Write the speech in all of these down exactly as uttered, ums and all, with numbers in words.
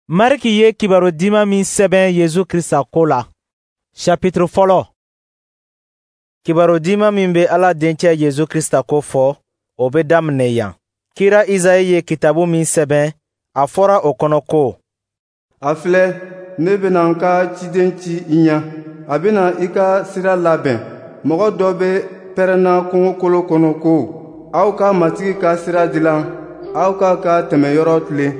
Mariki ye kibaru diman min sɛbɛn Yezu Krista ko la. Chapitre fɔlɔ. Kibaru diman min bɛ Ala dencɛ Yezu Krista ko fɔ, o bɛ daminɛ yan. Kira Izayi ye kitabu min sɛbɛn, a fɔra o kɔnɔ ko: A filɛ, ne bɛna n ka ciden ci i ɲɛ, a bɛna i ka sira labɛn. Mɔgɔ dɔ bɛ pɛrɛnna kungokolo kɔnɔ ko: Aw ka Matigi ka sira dilan, aw k'a ka tɛmɛyɔrɔ tilen.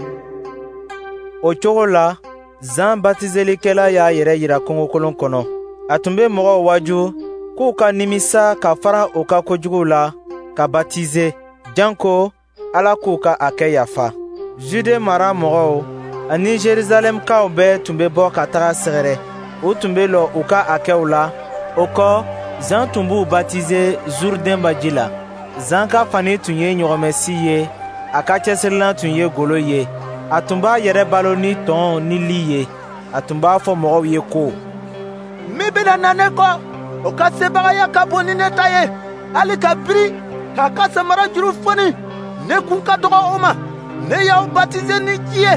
O cogo la, Zan batiselikɛla y'a yɛrɛ yira kungokolon kɔnɔ. A tun bɛ mɔgɔw waaju k'u ka nimisa ka fara u ka kojuguw la, ka batize, janko Ala k'u ka a kɛ yafa. Jude mara mɔgɔw ani Jerusalɛmkaw bɛɛ tun bɛ bɔ ka taga sɛgɛrɛ. U tun bɛ lɔ u ka hakɛw la. O kɔ, Zan tun b'u batize Zurudɛn baji la. Zan ka fani tun ye ɲɔgɔmɛsi ye, a ka cɛsirilan tun ye golo ye. A tun b'a yɛrɛ balo ni tɔn ni li ye. A tun b'a fɔ mɔgɔw ye ko: Min bɛna na ne kɔ, o ka sebagaya ka bon ni ne ta ye. Hali ka biri k'a ka samara juru foni, ne kun ka dɔgɔ o ma. Ne y'aw batize ni ji ye,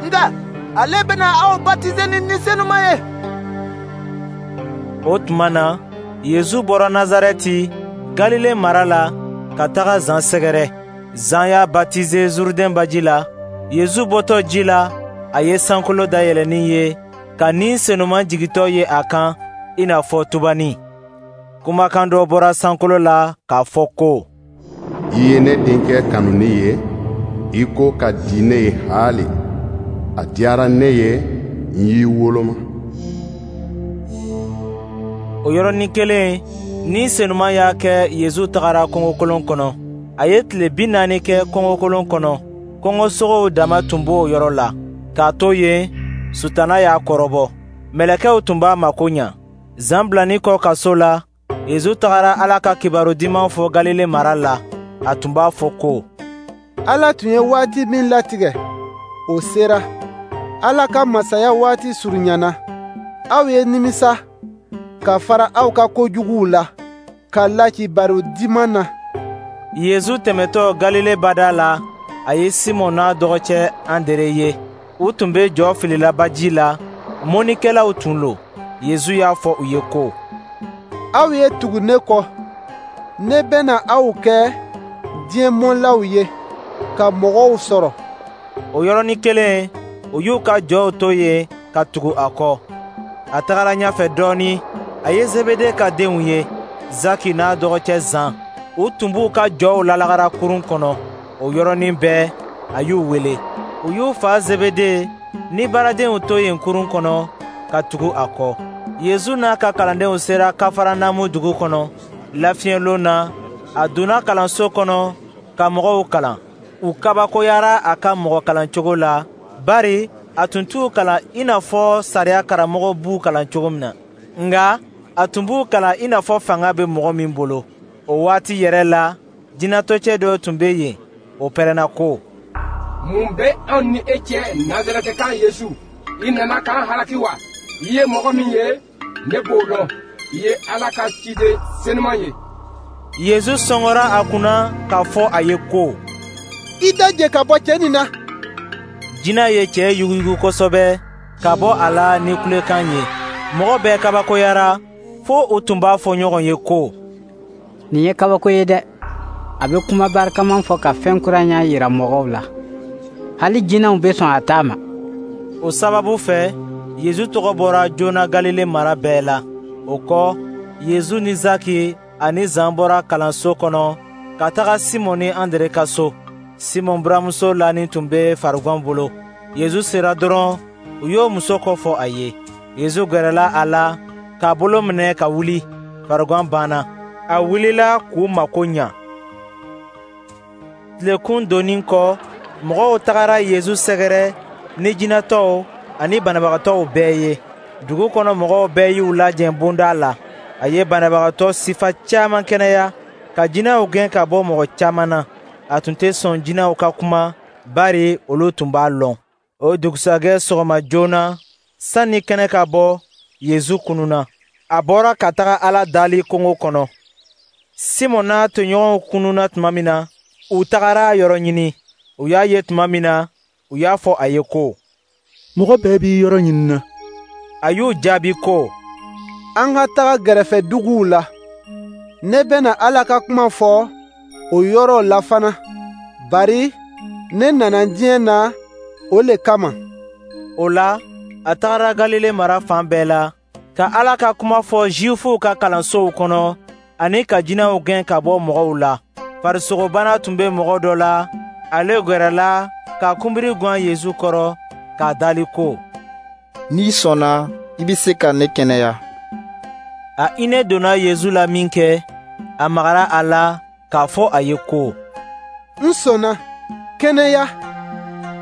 nka ale bɛna aw batize ni Ni Senuma ye. O tuma na, Yezu bɔra Nazarɛti, Galile mara la, ka taga Zan sɛgɛrɛ. Zan y'a batize Zurudɛn baji la. Yezu bɔtɔ ji la, a ye sankolo dayɛlɛnin ye, ka Ni Senuma jigintɔ ye a kan i n'a fɔ tubani. Kumakan dɔ bɔra sankolo la k'a fɔ ko: I ye ne denkɛ kanuni ye, i ko ka di ne ye haali. A diyara ne ye, n y'i woloma. O yɔrɔnin kelen, Ni Senuma y'a kɛ Yezu tagara kungokolon kɔnɔ. A ye tile bi naani kɛ kungokolon kɔnɔ. Kɔngɔsogow dama tun b'o yɔrɔ la. K'a to yen, Sutana y'a kɔrɔbɔ. Mɛlɛkɛw tun b'a mako ɲa. Zan bilanin kɔ kaso la, Yezu tagara Ala ka kibaru diman fɔ Galile mara la. A tun b'a fɔ ko: Ala tun ye waati min latigɛ, o sera. Ala ka masaya waati surunyana. Aw ye nimisa ka fara aw ka kojuguw la, ka la kibaru diman na. Yezu tɛmɛtɔ Galile bada la, a ye Simɔn n'a dɔgɔcɛ Andere ye. U tun bɛ jɔ filila baji la, mɔnnikɛlaw tun lo. Yezu y'a fɔ u ye ko: Aw ye tugu ne kɔ, ne bɛna aw kɛ diɲɛ mɔnlaw ye, ka mɔgɔw sɔrɔ. O yɔrɔnin kelen, u y'u ka jɔw to yen ka tugu a kɔ. A tagara ɲɛfɛ dɔɔnin, a ye Zebede ka denw ye, Zaki n'a dɔgɔcɛ Zan. U tun b'u ka jɔw lalagara kurun kɔnɔ. O yɔrɔnin bɛɛ, a y'u wele. U y'u fa Zebede ni baaradenw to yen kurun kɔnɔ ka tugu a kɔ. Yezu n'a ka kalandenw sera Kafaranamu dugu kɔnɔ. Lafiɲɛlon na, a donna kalanso kɔnɔ ka mɔgɔw kalan. U kabakoyara a ka mɔgɔ kalancogo la, bari a tun t'u kalan i n'a fɔ sariya karamɔgɔ b'u kalan cogo min na. Nka a tun b'u kalan i n'a fɔ fanga bɛ mɔgɔ min bolo. O waati yɛrɛ la, jinɛtɔcɛ dɔ tun bɛ yen, o pɛrɛnna ko: Mun bɛ anw ni e cɛ, Nazarɛtika Yesu? I nana k'an halaki wa? I ye mɔgɔ min ye, ne b'o lɔn. I ye Ala ka ciden senuman ye. Yezu sɔngɔra a kunna k'a fɔ a ye ko: I daje ka bɔ cɛ nin na. Jinɛ ye cɛ yuguyugu kosɛbɛ ka bɔ a la ni kulekan ye. Mɔgɔ bɛɛ kabakoyara, fo u tun b'a fɔ ɲɔgɔn ye ko: Nin ye kabako ye dɛ! A bɛ kuma barikaman fɔ ka fɛn kura ɲɛ yira mɔgɔw la. Hali jinɛw bɛ sɔn a ta ma. O sababu fɛ, Yezu tɔgɔ bɔra joona Galile mara bɛɛ la. O kɔ, Yezu ni Zaki ani Zan bɔra kalanso kɔnɔ ka taga Simɔn ni Andre ka so. Simɔn buramuso lanin tun bɛ farigan bolo. Yezu sera dɔrɔn, u y'o muso kɔfɔ a ye. Yezu gɛrɛla a la k'a bolo minɛ ka wuli. Farigan banna. A wulila k'u mako ɲa. Tilekun donnin kɔ, mɔgɔw tagara Yezu sɛgɛrɛ ni jinɛtɔw ani banabagatɔw bɛɛ ye. Dugu kɔnɔ mɔgɔw bɛɛ y'u lajɛ bonda la. A ye banabagatɔ sifa caman kɛnɛya, ka jinɛw gɛn ka bɔ mɔgɔ caman na. A tun tɛ sɔn jinɛw ka kuma, bari olu tun b'a lɔn. O dugusajɛ sɔgɔma joona, sanni kɛnɛ ka bɔ, Yezu kununna. A bɔra ka taga Ala dali kungo kɔnɔ. Simɔn n'a tɔɲɔgɔnw kununna tuma min na, u tagara a yɔrɔ ɲini. U y'a ye tuma min na, u y'a fɔ a ye ko: Mɔgɔ bɛɛ b'i yɔrɔ ɲinina. A y'u jaabi ko: An ka taga gɛrɛfɛ duguw la. Ne bɛna Ala ka kuma fɔ o yɔrɔw la fana, bari ne nana diɲɛ na o le kama. O la, a tagara Galile mara fan bɛɛ la, ka Ala ka kuma fɔ Zuwifuw ka kalansow kɔnɔ, ani ka jinɛw gɛn ka bɔ mɔgɔw la. Farisogobana tun bɛ mɔgɔ dɔ la, ale gwɛrɛla k'a kunbiri gwan Yezu kɔrɔ k'a dali ko: N'i sɔnna, i bɛ se ka ne kɛnɛya. A hinɛ donna Yezu la minkɛ, a magara a la k'a fɔ a ye ko: N sɔnna, kɛnɛya.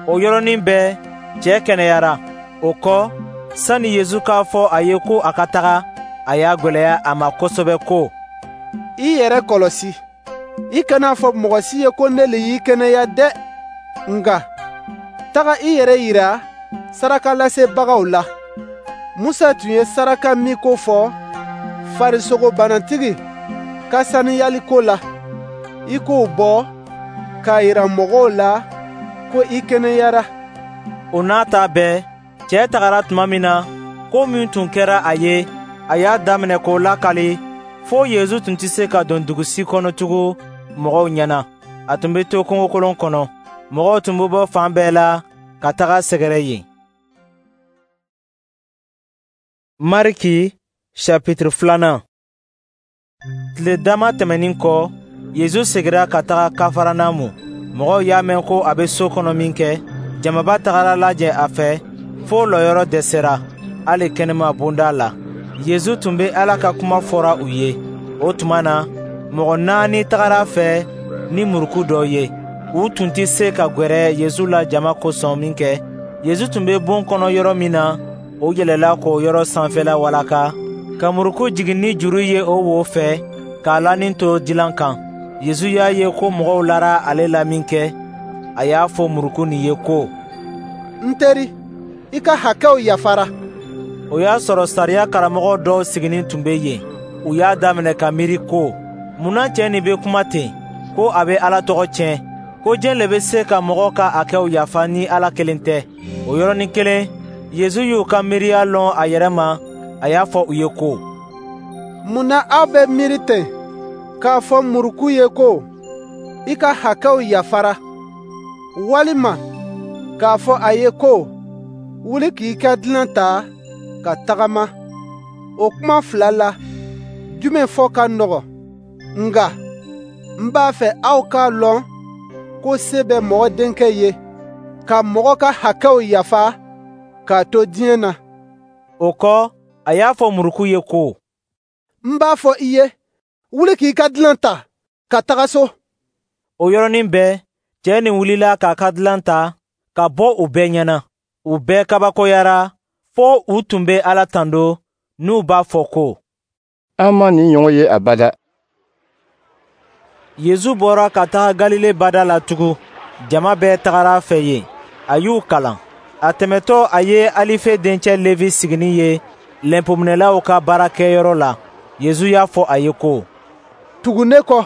O yɔrɔnin bɛɛ, cɛ kɛnɛyara. O kɔ, sani Yezu k'a fɔ a ye ko a ka taga, a y'a gwɛlɛya a ma kosɛbɛ ko: I yɛrɛ kɔlɔsi, i kana fɔ mɔgɔ si ye ko ne le y'i kɛnɛya dɛ. Nka taga i yɛrɛ yira sarakalasebagaw la. Musa tun ye saraka min ko fɔ farisogobanatigi ka saniyali ko la, i k'o bɔ k'a yira mɔgɔw la ko i kɛnɛyara. O n'a ta bɛɛ, cɛ tagara tuma min na, ko min tun kɛra a ye, a y'a daminɛ k'o lakali, fo Yezu tun tɛ se ka don dugu si kɔnɔ tugun mɔgɔw ɲɛna. A tun bɛ to kungokolon kɔnɔ. Mɔgɔw tun bɛ bɔ fan bɛɛ la ka taga sɛgɛrɛ yen. Mariki chapitre filanan. Tile dama tɛmɛnin kɔ, Yezu segira ka taga Kafaranamu. Mɔgɔw y'a mɛn ko a bɛ so kɔnɔ minkɛ, jamaba tagara lajɛ a fɛ fo lɔyɔrɔ dɛsɛra, hali kɛnɛma bonda la. Yezu tun bɛ Ala ka kuma fɔra u ye. O tuma na, mɔgɔ naani tagara a fɛ ni muruku dɔ ye. U tun tɛ se ka gwɛrɛ Yezu la jama kosɔn minkɛ, Yezu tun bɛ bon kɔnɔ yɔrɔ min na, o yɛlɛla k'o yɔrɔ sanfɛla walaka, ka muruku jigin ni juru ye o wo fɛ, k'a lanin to dilan kan. Yezu y'a ye ko mɔgɔw lara ale la minkɛ, a y'a fɔ muruku nin ye ko: N teri, i ka hakɛw yafara. O y'a sɔrɔ sariya karamɔgɔ dɔw siginin tun bɛ yen. U y'a daminɛ ka miiri ko: Mun na cɛ nin bɛ kuma ten, ko a bɛ Ala tɔgɔ tiɲɛ, ko jɛn le bɛ se ka mɔgɔ ka hakɛw yafa ni Ala kelen tɛ? O yɔrɔnin kelen, Yezu y'u ka miiriya lɔn a yɛrɛ ma, a y'a fɔ u ye ko: Mun na aw bɛ miiri ten k'a fɔ muruku ye ko i ka hakɛw yafara, walima k'a fɔ a ye ko wuli k'i ka dilan ta ka tagama? O kuma fila la, jumɛn fɔ ka nɔgɔn? Nka n b'a fɛ aw k'a lɔn ko se bɛ mɔgɔ denkɛ ye ka mɔgɔ ka hakɛw yafa k'a to diɲɛ na. O kɔ, a y'a fɔ muruku ye ko: N b'a fɔ i ye, wuli k'i ka dilan ta ka taga so. O yɔrɔnin bɛɛ, cɛ nin wulila k'a ka dilan ta ka bɔ u bɛɛ ɲɛna. U bɛɛ kabakoyara fo u tun bɛ Ala tando, n'u b'a fɔ ko: An ma nin ɲɔgɔn ye abada. Yezu bɔra ka taga Galile bada la tugun. Jama bɛɛ tagara a fɛ yen. A y'u kalan. A tɛmɛtɔ, a ye Alife dencɛ Levi siginin ye lɛnpominɛlaw ka baarakɛyɔrɔ la. Yezu y'a fɔ a ye ko: Tugu ne kɔ.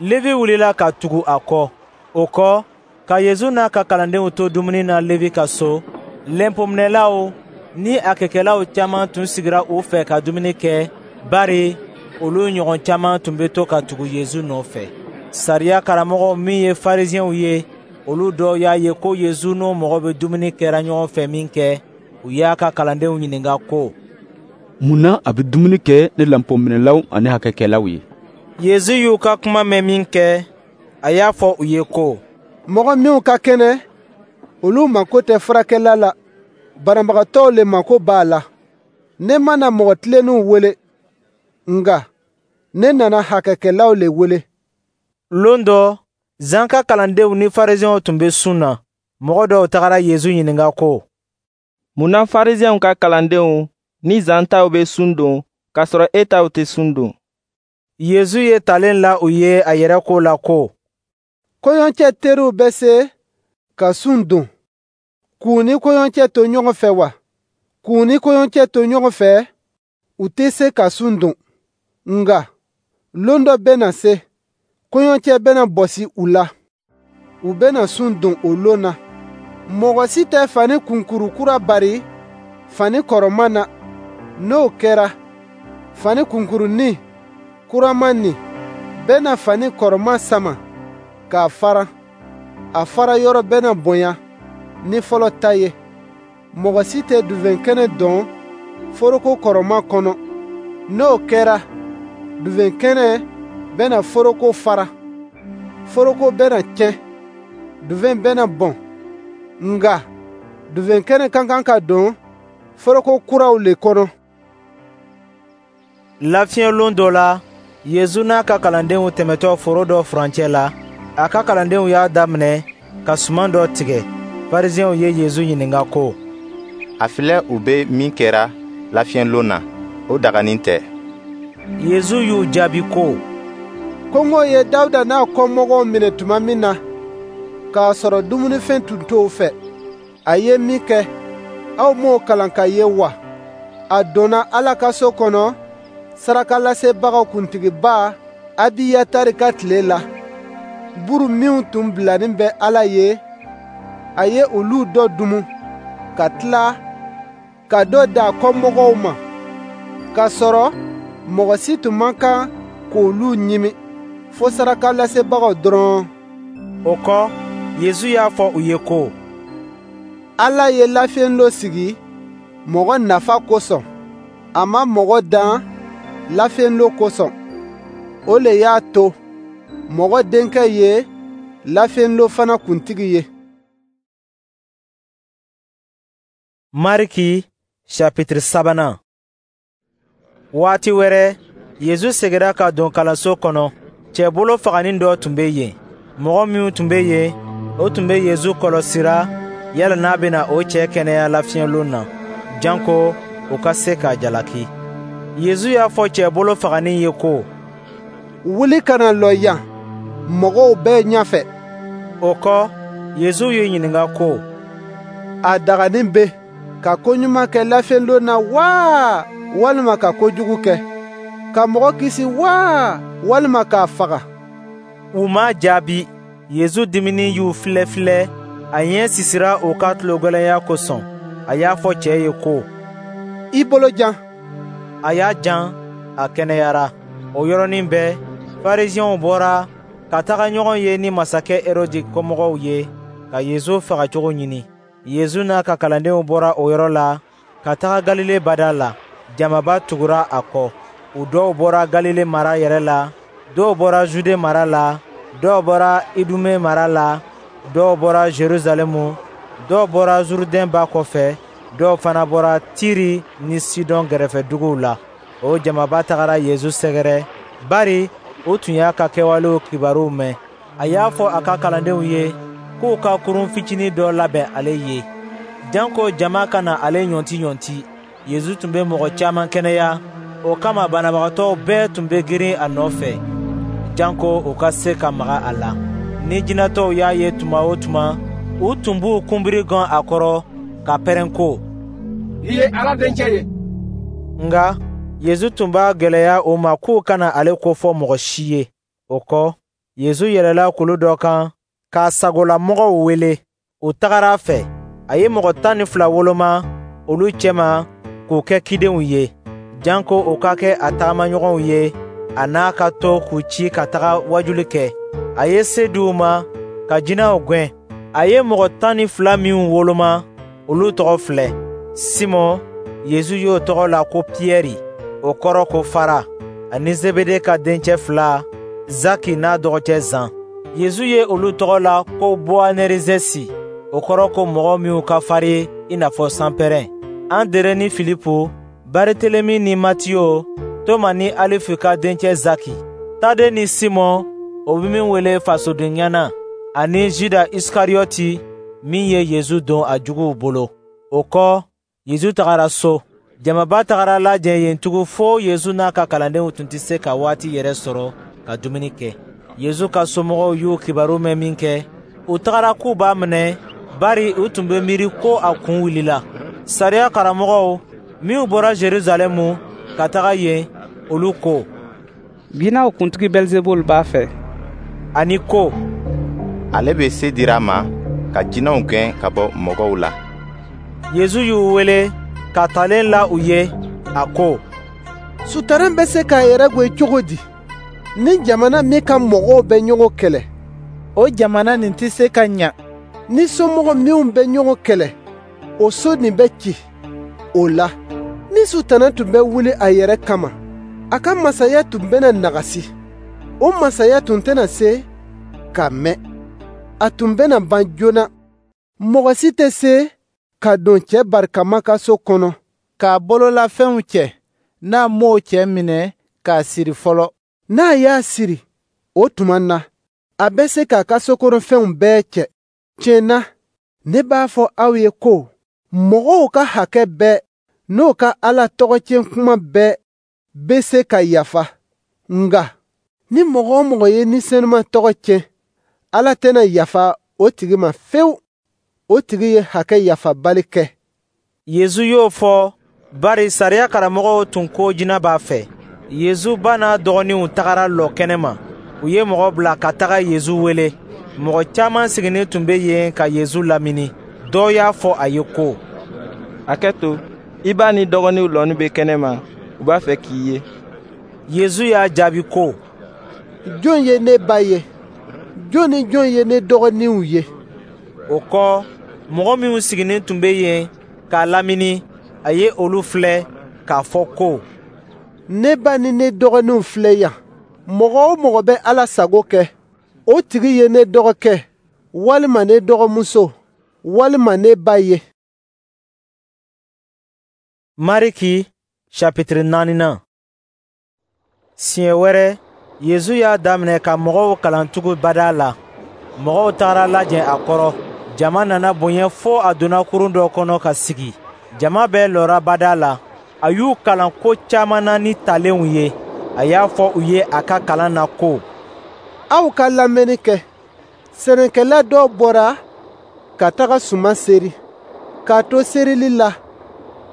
Levi wulila ka tugu a kɔ. O kɔ, ka Yezu n'a ka kalandenw to dumuni na Levi ka so, lɛnpominɛlaw ni a kɛkɛlaw caman tun sigira u fɛ ka dumuni kɛ, bari olu ɲɔgɔn caman tun bɛ to ka tugu Yezu nɔfɛ. Sariya karamɔgɔw min ye Farisiɛnw ye, olu dɔw y'a ye ko Yezu n'o mɔgɔ bɛ dumuni kɛra ɲɔgɔn fɛ minkɛ, u y'a ka kalandenw ɲininka ko: Mun na a bɛ dumuni kɛ ni lɛnpominɛlaw ani hakɛkɛlaw ye? Yezu y'u ka kuma mɛn minkɛ, a y'a fɔ u ye ko: Mɔgɔ minw ka kɛnɛ, olu mako tɛ furakɛla la, banabagatɔw le mako b'a la. Ne ma na mɔgɔ tilennenw wele, nka ne nana hakɛkɛlaw le wele. Lon dɔ, Zan ka kalandenw ni Farisiɛnw tun bɛ sun na. Mɔgɔ dɔw tagara Yezu ɲininka ko: Mun na Farisiɛnw ka kalandenw ni Zan taw bɛ sun don, k'a sɔrɔ e taw tɛ sun don? Yezu ye talen la u ye a yɛrɛ ko la ko: Kɔɲɔcɛ teriw bɛ se ka sun don, k'u ni kɔɲɔcɛ to ɲɔgɔn fɛ wa? K'u ni kɔɲɔcɛ to ɲɔgɔn fɛ, u tɛ se ka sun don. Nka lon dɔ bɛna se, kɔɲɔcɛ bɛna bɔsi u la. U bɛna sun don o lon na. Mɔgɔ si tɛ fani kunkuru kura bari fani kɔrɔman na. N'o kɛra, fani kunkurunin kuraman nin bɛna fani kɔrɔman sama k'a faran. A fara yɔrɔ bɛna bonya ni fɔlɔ ta ye. Mɔgɔ si tɛ diwɛn kɛnɛ don foroko kɔrɔman kɔnɔ. N'o kɛra, diwɛn kɛnɛ bɛna foroko fara. Foroko bɛna tiɲɛ, diwɛn bɛna bɔn. Nka diwɛn kɛnɛ ka kan ka don foroko kuraw le kɔnɔ. Lafiɲɛlon dɔ la, Yezu n'a ka kalandenw tɛmɛtɔ foro dɔ furancɛ la, a ka kalandenw y'a daminɛ ka suman dɔ tigɛ. Farisiɛnw ye Yezu ɲininka ko: A filɛ, u bɛ min kɛra lafiɲɛlon na, o daganin tɛ. Yezu y'u jaabi ko: Kɔngɔ ye Dawuda n'a kɔmɔgɔw minɛ tuma min na, k'a sɔrɔ dumunifɛn tun t'o fɛ, a ye min kɛ, aw m'o kalan k'a ye wa? A donna Ala ka so kɔnɔ sarakalasebagaw kuntigiba Abiyatari ka tile la. Buru minw tun bilanin bɛ Ala ye, a ye olu dɔ dumu, ka tila ka dɔ di a kɔmɔgɔw ma, k'a sɔrɔ mɔgɔ si tun man kan k'olu ɲimi, fo sarakalasebagaw dɔrɔn. O kɔ, Yezu y'a fɔ u ye ko: Ala ye lafiɲɛlon sigi mɔgɔ nafa kosɔn. A ma mɔgɔ dan lafiɲɛlon kosɔn. O le y'a to Mɔgɔ Denkɛ ye lafiɲɛlon fana kuntigi ye. Mariki chapitre sabanan. Waati wɛrɛ, Yezu segira ka don kalanso kɔnɔ. Cɛ bolo faganin dɔ tun bɛ yen. Mɔgɔ minnu tun bɛ yen, o tun bɛ Yezu kɔlɔsira yala n'a bɛna o cɛ kɛnɛya lafiɲɛlon na, janko u ka se k'a jalaki. Yezu y'a fɔ cɛ bolo faganin ye ko: Wuli ka na lɔ yan mɔgɔw bɛɛ ɲɛfɛ. O kɔ, Yezu y'u ɲininka ko: A daganin bɛ ka ko ɲuman kɛ lafiɲɛlon na wa, walima ka ko jugu kɛ? Ka mɔgɔ kisi wa, walima k'a faga? U m'a jaabi. Yezu diminin y'u filɛ filɛ, a ɲɛ sisira u ka tulogɛlɛnya kosɔn. A y'a fɔ cɛ ye ko: I bolo jan. A y'a jan, a kɛnɛyara. O yɔrɔnin bɛɛ, Farisiɛnw bɔra ka taga ɲɔgɔn ye ni masakɛ Herodi kɔmɔgɔw ye ka Yezu fagacogo ɲini. Yezu n'a ka kalandenw bɔra o yɔrɔ la ka taga Galile bada la. Jamaba tugura a kɔ. U dɔw bɔra Galile mara yɛrɛ la, dɔw bɔra Jude mara la, dɔw bɔra Idume mara la, dɔw bɔra Jerusalɛmu, dɔw bɔra Zurudɛn ba kɔfɛ, dɔw fana bɔra Tiri ni Sidɔn gɛrɛfɛ duguw la. O jamaba tagara Yezu sɛgɛrɛ, bari u tun y'a ka kɛwalew kibaruw mɛn. A y'a fɔ a ka kalandenw ye k'u ka kurun fitinin dɔ labɛn ale ye, janko jama kana ale ɲɔnti-ɲɔnti. Yezu tun bɛ mɔgɔ caman kɛnɛya, o kama banabagatɔw bɛɛ tun bɛ girin a nɔfɛ, janko u ka se ka maga a la. Ni jinɛtɔw y'a ye tuma o tuma, u tun b'u kunbiri gan a kɔrɔ ka pɛrɛn ko: I ye Ala Denkɛ ye. Nka Yezu tun b'a gwɛlɛya u ma k'u kana ale kofɔ mɔgɔ si ye. O kɔ, Yezu yɛlɛla kulu dɔ kan k'a sagolamɔgɔw wele. U tagara a fɛ. A ye mɔgɔ tan ni fila woloma olu cɛma k'u kɛ cidenw ye, janko u ka kɛ a tagamaɲɔgɔnw ye, a n'a ka to k'u ci ka taga wajuli kɛ. A ye se di u ma ka jinɛw gɛn. A ye mɔgɔ tan ni fila minw woloma, olu tɔgɔ filɛ: Simɔn, Yezu y'o tɔgɔ la ko Piyɛri, o kɔrɔ ko fara, ani Zebede ka dencɛ fila, Zaki n'a dɔgɔcɛ Zan. Yezu ye olu tɔgɔ la ko Bowanerizɛsi, o kɔrɔ ko mɔgɔ minw ka farin i n'a fɔ sanpɛrɛn. Andere ni Filipu, Baritelemi ni Matiyo, Toma ni Alifu ka dencɛ Zaki, Tade ni Simɔn, o bɛ min wele fasodenŋana, ani Juda Isikariyɔti min ye Yezu don a juguw bolo. O kɔ, Yezu tagara so. Jamaba tagara lajɛ yen tugun fo Yezu n'a ka kalandenw tun tɛ se ka waati yɛrɛ sɔrɔ ka dumuni kɛ. Yezu ka somɔgɔw y'u kibaru mɛn minkɛ, u tagara k'u b'a minɛ, bari u tun bɛ miiri ko a kun wulila. Sariya karamɔgɔw minw bɔra Jerusalɛmu ka taga yen, olu ko: Jinɛw kuntigi Bɛlizebul b'a fɛ. Ani ko: Ale bɛ se dira a ma ka ka jinɛw gɛn ka bɔ mɔgɔw la. Yesu y'u wele ka talen la u ye, a ko: Sutara bɛ se k'a yɛrɛ gwen cogo di? Ni jamana min ka mɔgɔw bɛ ɲɔgɔn kɛlɛ, o jamana nin tɛ se ka ɲa. Ni somɔgɔ minw bɛ ɲɔgɔn kɛlɛ, o so nin bɛ ci. O la, ni Sutana tun bɛ wuli a yɛrɛ kama, a ka masaya tun bɛna nagasi. O masaya tun tɛna se ka mɛn. A tun bɛna ban joona. Mɔgɔ si tɛ se ka don cɛ barikama ka so kɔnɔ k'a bololafɛnw cɛ, n'a m'o cɛ minɛ k'a siri fɔlɔ. N'a y'a siri, o tuma na, a bɛ se k'a ka sokɔnɔfɛnw bɛɛ cɛ. Tiɲɛ na, ne b'a fɔ aw ye ko mɔgɔw ka hakɛ bɛɛ n'o ka Ala tɔgɔtiɲɛ kuma bɛɛ bɛ se ka yafa. Nka ni mɔgɔ o mɔgɔ ye Ni Senuma tɔgɔ tiɲɛ, Ala tɛna yafa o tigi ma fewu. O tigi ye hakɛ yafabali kɛ. Yesu y'o fɔ bari sariya karamɔgɔw tun ko jinɛ b'a fɛ. Yesu ba n'a dɔgɔninw tagara lɔ kɛnɛma. U ye mɔgɔ bila ka taga Yesu wele. Mɔgɔ caman sigilen tun bɛ yen ka Yesu lamini. Dɔw y'a fɔ a ye ko: A kɛ to, i ba ni dɔgɔninw lɔnin bɛ kɛnɛma, u b'a fɛ k'i ye. Yesu y'a jaabi ko: Jɔn ye ne ba ye? Jɔn ni jɔn ye ne dɔgɔninw ye? O kɔ, mɔgɔ minnu sigilen tun bɛ yen k'a lamini, a ye olu filɛ k'a fɔ ko: Ne ba ni ne dɔgɔninw filɛ yan. Mɔgɔ o mɔgɔ bɛ Ala sago kɛ, o tigi ye ne dɔgɔkɛ, walima ne dɔgɔmuso, walima ne ba ye. Mariki chapitre naaninan. Siɲɛ wɛrɛ, Yesu y'a daminɛ ka mɔgɔw kalan tugun bada la. Mɔgɔw tagara lajɛ a kɔrɔ. Jama nana bonya fo a donna kurun dɔ kɔnɔ ka sigi. Jama bɛɛ lɔra bada la. A y'u kalan ko caman na ni talenw ye. A y'a fɔ u ye a ka kalan na ko: Aw ka lamɛnni kɛ. Sɛnɛkɛla dɔ bɔra ka taga suman seri. K'a to serili la,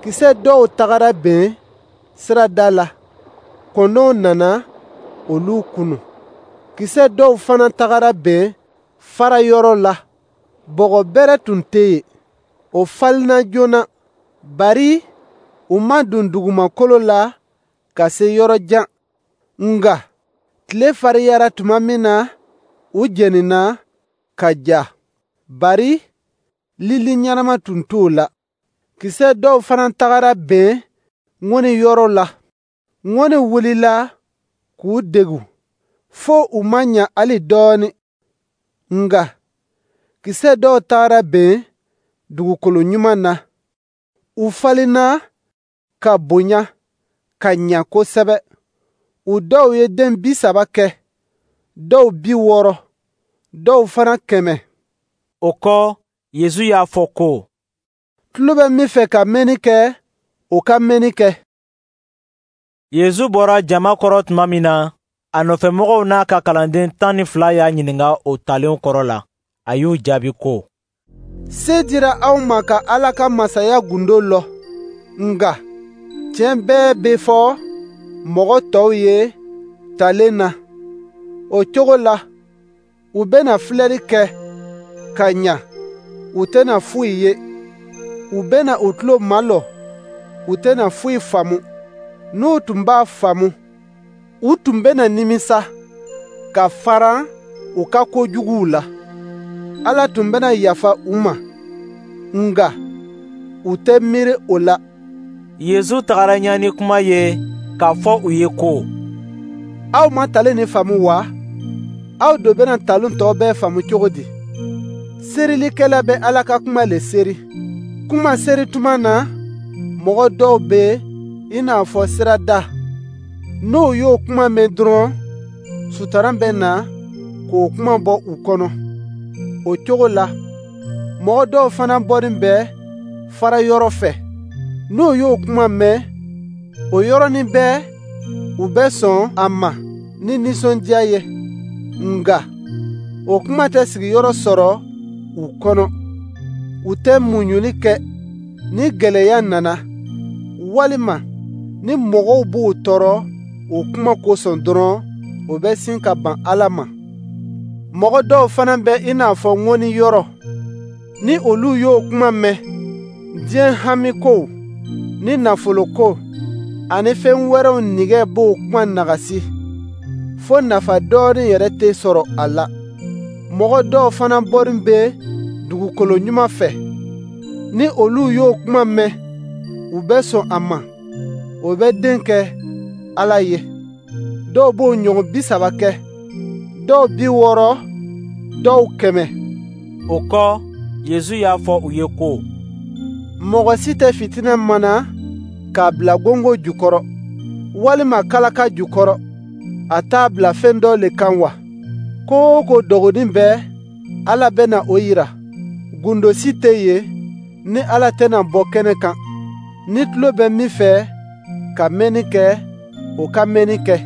kisɛ dɔw tagara ben sirada la. Kɔnɔw nana olu kunu. Kisɛ dɔw fana tagara ben fara yɔrɔ la. Bɔgɔ bɛrɛ tun tɛ yen. O falenna joona, bari u ma don dugumakolo la ka se yɔrɔ jan. Nka tile fariyara tuma min na, u jenina ka ja, bari lili ɲɛnama tun t'o la. Kisɛ dɔw fana tagara ben ŋɔni yɔrɔ la. Ŋɔni wulila k'u degu fo u ma ɲa hali dɔɔnin. Nka kisɛ dɔw tagara ben dugukolo ɲuman na. U falenna ka bonya ka ɲa kosɛbɛ. U dɔw ye den bi saba kɛ, dɔw bi wɔɔrɔ, dɔw fana kɛmɛ. O kɔ, Yesu y'a fɔ ko: Tulo bɛ min fɛ ka mɛnni kɛ, o ka mɛnni kɛ. Yesu bɔra jama kɔrɔ tuma min na, a nɔfɛmɔgɔw n'a ka kalanden tan ni fila y'a ɲininka o talenw kɔrɔ la. A y'u jaabi ko: Se dira aw ma ka Ala ka masaya gundo lɔn, nka tiɲɛ bɛɛ bɛ fɔ mɔgɔ tɔw ye talen na. O cogo la, u bɛna filɛli kɛ ka ɲa, u tɛna foyi ye. U bɛna u tulo malɔ, u tɛna foyi faamu. N'u tun b'a faamu, u tun bɛna nimisa ka faran u ka kojuguw la. Ala tun bɛna yafa u ma, nka u tɛ miiri o la. Yesu tagara ɲɛ ni kuma ye k'a fɔ u ye ko: Aw ma talen nin faamu wa? Aw do bɛna talen tɔ bɛɛ faamu cogo di? Serilikɛla bɛ Ala ka kuma le seri. Kuma seri tuma na, mɔgɔ dɔw bɛ i n'a fɔ sirada. N'o y'o kuma mɛn dɔrɔn, sutaran bɛ na k'o kuma bɔ u kɔnɔ. O cogo la, mɔgɔ dɔw fana bɔnin bɛ fara yɔrɔ fɛ. N'o y'o kuma mɛn, o yɔrɔnin bɛɛ, u bɛ sɔn a ma ni nisɔndiya ye. Nka o kuma tɛ sigiyɔrɔ sɔrɔ u kɔnɔ. U tɛ muɲuli kɛ ni gɛlɛya nana, walima ni mɔgɔw b'u tɔɔrɔ o kuma kosɔn dɔrɔn, o bɛ sin ka ban Ala ma. Mɔgɔ dɔw fana bɛ i n'a fɔ ŋɔni yɔrɔ. Ni olu y'o kuma mɛn, diɲɛ hamikow ni nafoloko ani fɛn wɛrɛw nege b'o kuma nagasi, fo nafa dɔɔnin yɛrɛ tɛ sɔrɔ a la. Mɔgɔ dɔw fana bɔnin bɛ dugukolo ɲuman fɛ. Ni olu y'o kuma mɛn, u bɛ sɔn a ma, o bɛ den kɛ Ala ye. Dɔw b'o ɲɔgɔn bi saba kɛ, dɔw bi wɔɔrɔ, dɔw kɛmɛ. O kɔ, Yesu y'a fɔ u ye ko: Mɔgɔ si tɛ fitinɛ mana k'a bila gongon jukɔrɔ, walima kalaka jukɔrɔ. A t'a bila fɛn dɔ le kan wa? Ko o ko dogonin bɛ, Ala bɛna o jira. Gundo si tɛ yen ni Ala tɛna bɔ kɛnɛ kan. Ni tulo bɛ min fɛ ka mɛnni kɛ, o ka mɛnni kɛ.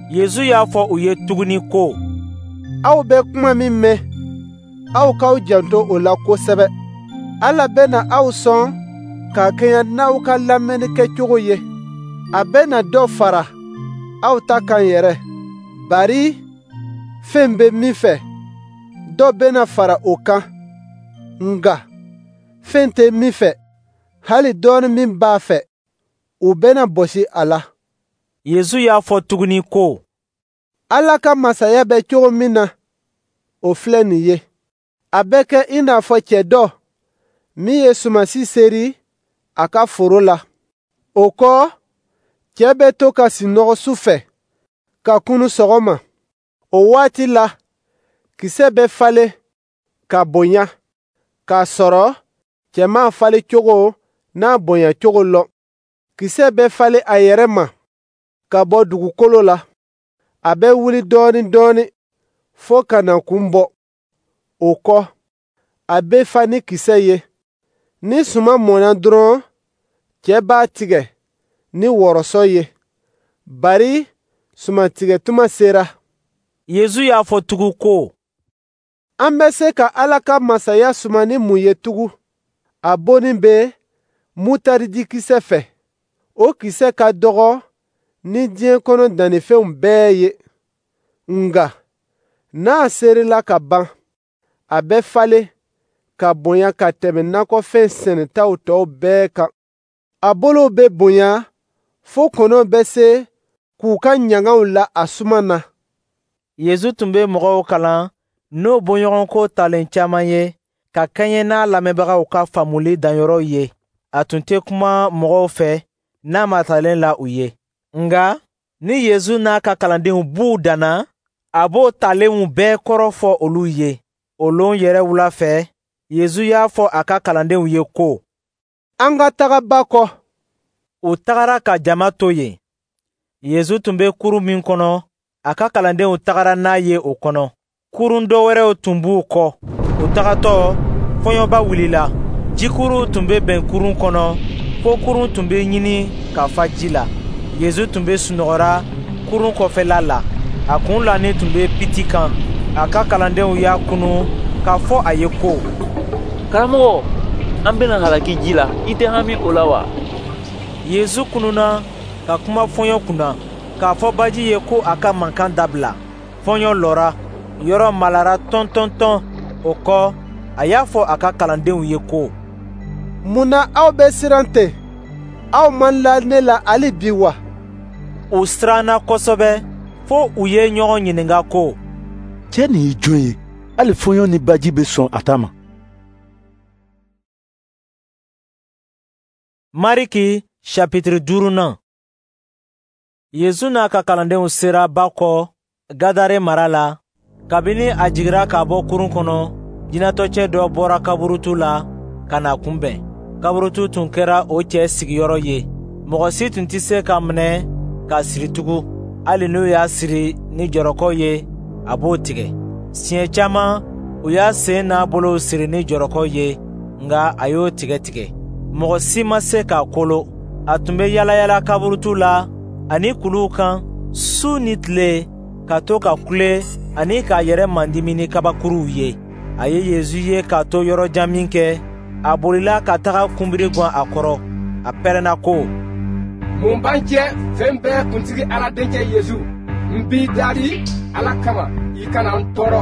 Yesu y'a fɔ u ye tuguni ko: Aw bɛ kuma min mɛn, aw k'aw janto o la kosɛbɛ. Ala bɛna aw sɔn ka kɛɲɛ n'aw ka lamɛnni kɛcogo ye. A bɛna dɔ fara aw ta kan yɛrɛ. Bari fɛn bɛ min fɛ, dɔ bɛna fara o kan. Nka fɛn tɛ min fɛ, hali dɔɔnin min b'a fɛ, o bɛna bɔsi a la. Yesu y'a fɔ tuguni ko: Ala ka masaya bɛ cogo min na, o filɛ nin ye. A bɛ kɛ i n'a fɔ cɛ dɔ min ye sumansi seri a ka foro la. O kɔ, cɛ bɛ to ka sunɔgɔ su fɛ ka kunun sɔgɔma. O waati la, kisɛ bɛ falen ka bonya, k'a sɔrɔ cɛ m'a falen cogo n'a bonya cogo lɔn. Kisɛ bɛ falen a yɛrɛ ma ka bɔ dugukolo la. A bɛ wuli dɔɔnin dɔɔnin fo ka na kun bɔ. O kɔ, a bɛ fa ni kisɛ ye. Ni suman mɔnna dɔrɔn, cɛ b'a tigɛ ni wɔrɔsɔ ye, bari sumantigɛ tuma sera. Yesu y'a fɔ tugun ko: An bɛ se ka Ala ka masaya suma ni mun ye tugun? A bɔnin bɛ mutaridikisɛ fɛ. O kisɛ ka dɔgɔ ni diɲɛ kɔnɔ dannifɛnw bɛɛ ye. Nka n'a serila ka ban, a bɛ falen ka bonya ka tɛmɛ nakɔfɛn sɛnɛtaw tɔw bɛɛ kan. A bolow bɛ bonya fo kɔnɔw bɛ se k'u ka ɲangaw la a suma na. Yesu tun bɛ mɔgɔw kalan n'o bɔɲɔgɔnko talen caman ye, ka kɛɲɛ n'a lamɛnbagaw ka faamuli danyɔrɔ ye. A tun tɛ kuma mɔgɔw fɛ n'a ma talen la u ye. Nka ni Yesu n'a ka kalandenw b'u danna, a b'o talenw bɛɛ kɔrɔ fɔ olu ye. O lon yɛrɛ wula fɛ, Yesu y'a fɔ a ka kalandenw ye ko: An ka taga ba kɔ. U tagara ka jama to yen. Yesu tun bɛ kurun min kɔnɔ, a ka kalandenw tagara n'a ye o kɔnɔ. Kurun dɔ wɛrɛw tun b'u kɔ. U tagatɔ, fɔɲɔba wulila. Jikuruw tun bɛ bɛn kurun kɔnɔ, fo kurun tun bɛ ɲini ka fa ji la. Yesu tun bɛ sunɔgɔra kurun kɔfɛla la. A kun lanin tun bɛ piti kan. A ka kalandenw y'a kunu k'a fɔ a ye ko: Karamɔgɔ, an bɛna halaki ji la, i tɛ hami o la wa? Yesu kununa ka kuma fɔɲɔ kunna, k'a fɔ baji ye ko a ka mankan dabila. Fɔɲɔ lɔra, yɔrɔ malara tɔn-tɔn-tɔn. O kɔ, a y'a fɔ a ka kalandenw ye ko: Mun na aw bɛ siran ten? Aw man la ne la hali bi wa? U siranna kosɛbɛ, fo u ye ɲɔgɔn ɲininka ko: Cɛ nin ye jɔn ye? Hali fɔɲɔ ni baji bɛ sɔn a ta ma. Mariki chapitre duurunan. Yesu n'a ka kalandenw sera ba kɔ Gadare mara la. Kabini a jigira ka bɔ kurun kɔnɔ, jinɛtɔcɛ dɔ bɔra kaburutu la ka n'a kunbɛn. Kaburutu tun kɛra o cɛ sigiyɔrɔ ye. Mɔgɔ si tun tɛ se ka minɛ ka siri tugun, hali n'u y'a siri ni jɔrɔkɔ ye, a b'o tigɛ. Siɲɛ caman u y'a sen n'a bolow siri ni jɔrɔkɔ ye, nka a y'o tigɛ tigɛ. Mɔgɔ si ma se k'a kolo. A tun bɛ yalayala kaburutu la ani kuluw kan su ni tile, ka to ka kule ani k'a yɛrɛ mandimi ni kabakuruw ye. A ye Yesu ye k'a to yɔrɔ jan min kɛ, a bolila ka taga kunbiri gwan a kɔrɔ. A pɛrɛnna ko: Mun b'an cɛ fɛn bɛɛ kuntigi Ala denkɛ Yesu? N b'i dali Ala kama, i kana n tɔɔrɔ.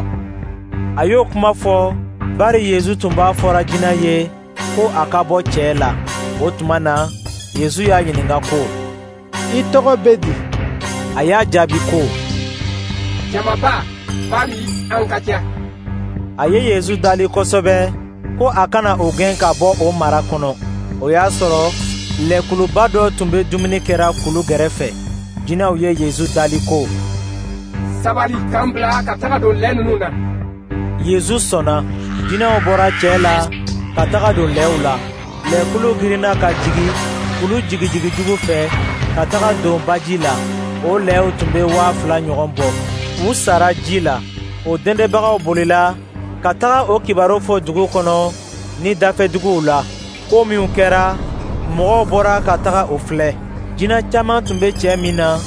A y'o kuma fɔ, Bari Yesu tun b'a fɔra jinɛ ye ko a ka bɔ cɛ la. O tuma na, Yesu y'a ɲininka ko, I tɔgɔ bɛ di? A y'a jaabi ko, Jamaba, bari an ka ca. A ye Yesu dali kosɛbɛ ko a kana o gɛn ka bɔ o mara kɔnɔ. O y'a sɔrɔ lɛkuluba dɔ tun bɛ dumuni kɛra kulu gɛrɛfɛ. Jinɛw ye Yesu dali ko, Sabali k'an bila ka taga don lɛ ninnu na. Yesu sɔnna. Jinɛw bɔra cɛ la ka taga don lɛw la. Lɛkulu girinna ka jigin kulu jigijigijugu fɛ ka taga don baji la. O lɛw tun bɛ waa fila ɲɔgɔn bɔ. U sara ji la. O dɛndɛbagaw bolila ka taga o kibaru fɔ dugu kɔnɔ ni dafɛduguw la. Ko minnu kɛra, mɔgɔw bɔra ka taga o filɛ. Jinɛ caman tun bɛ cɛ min na,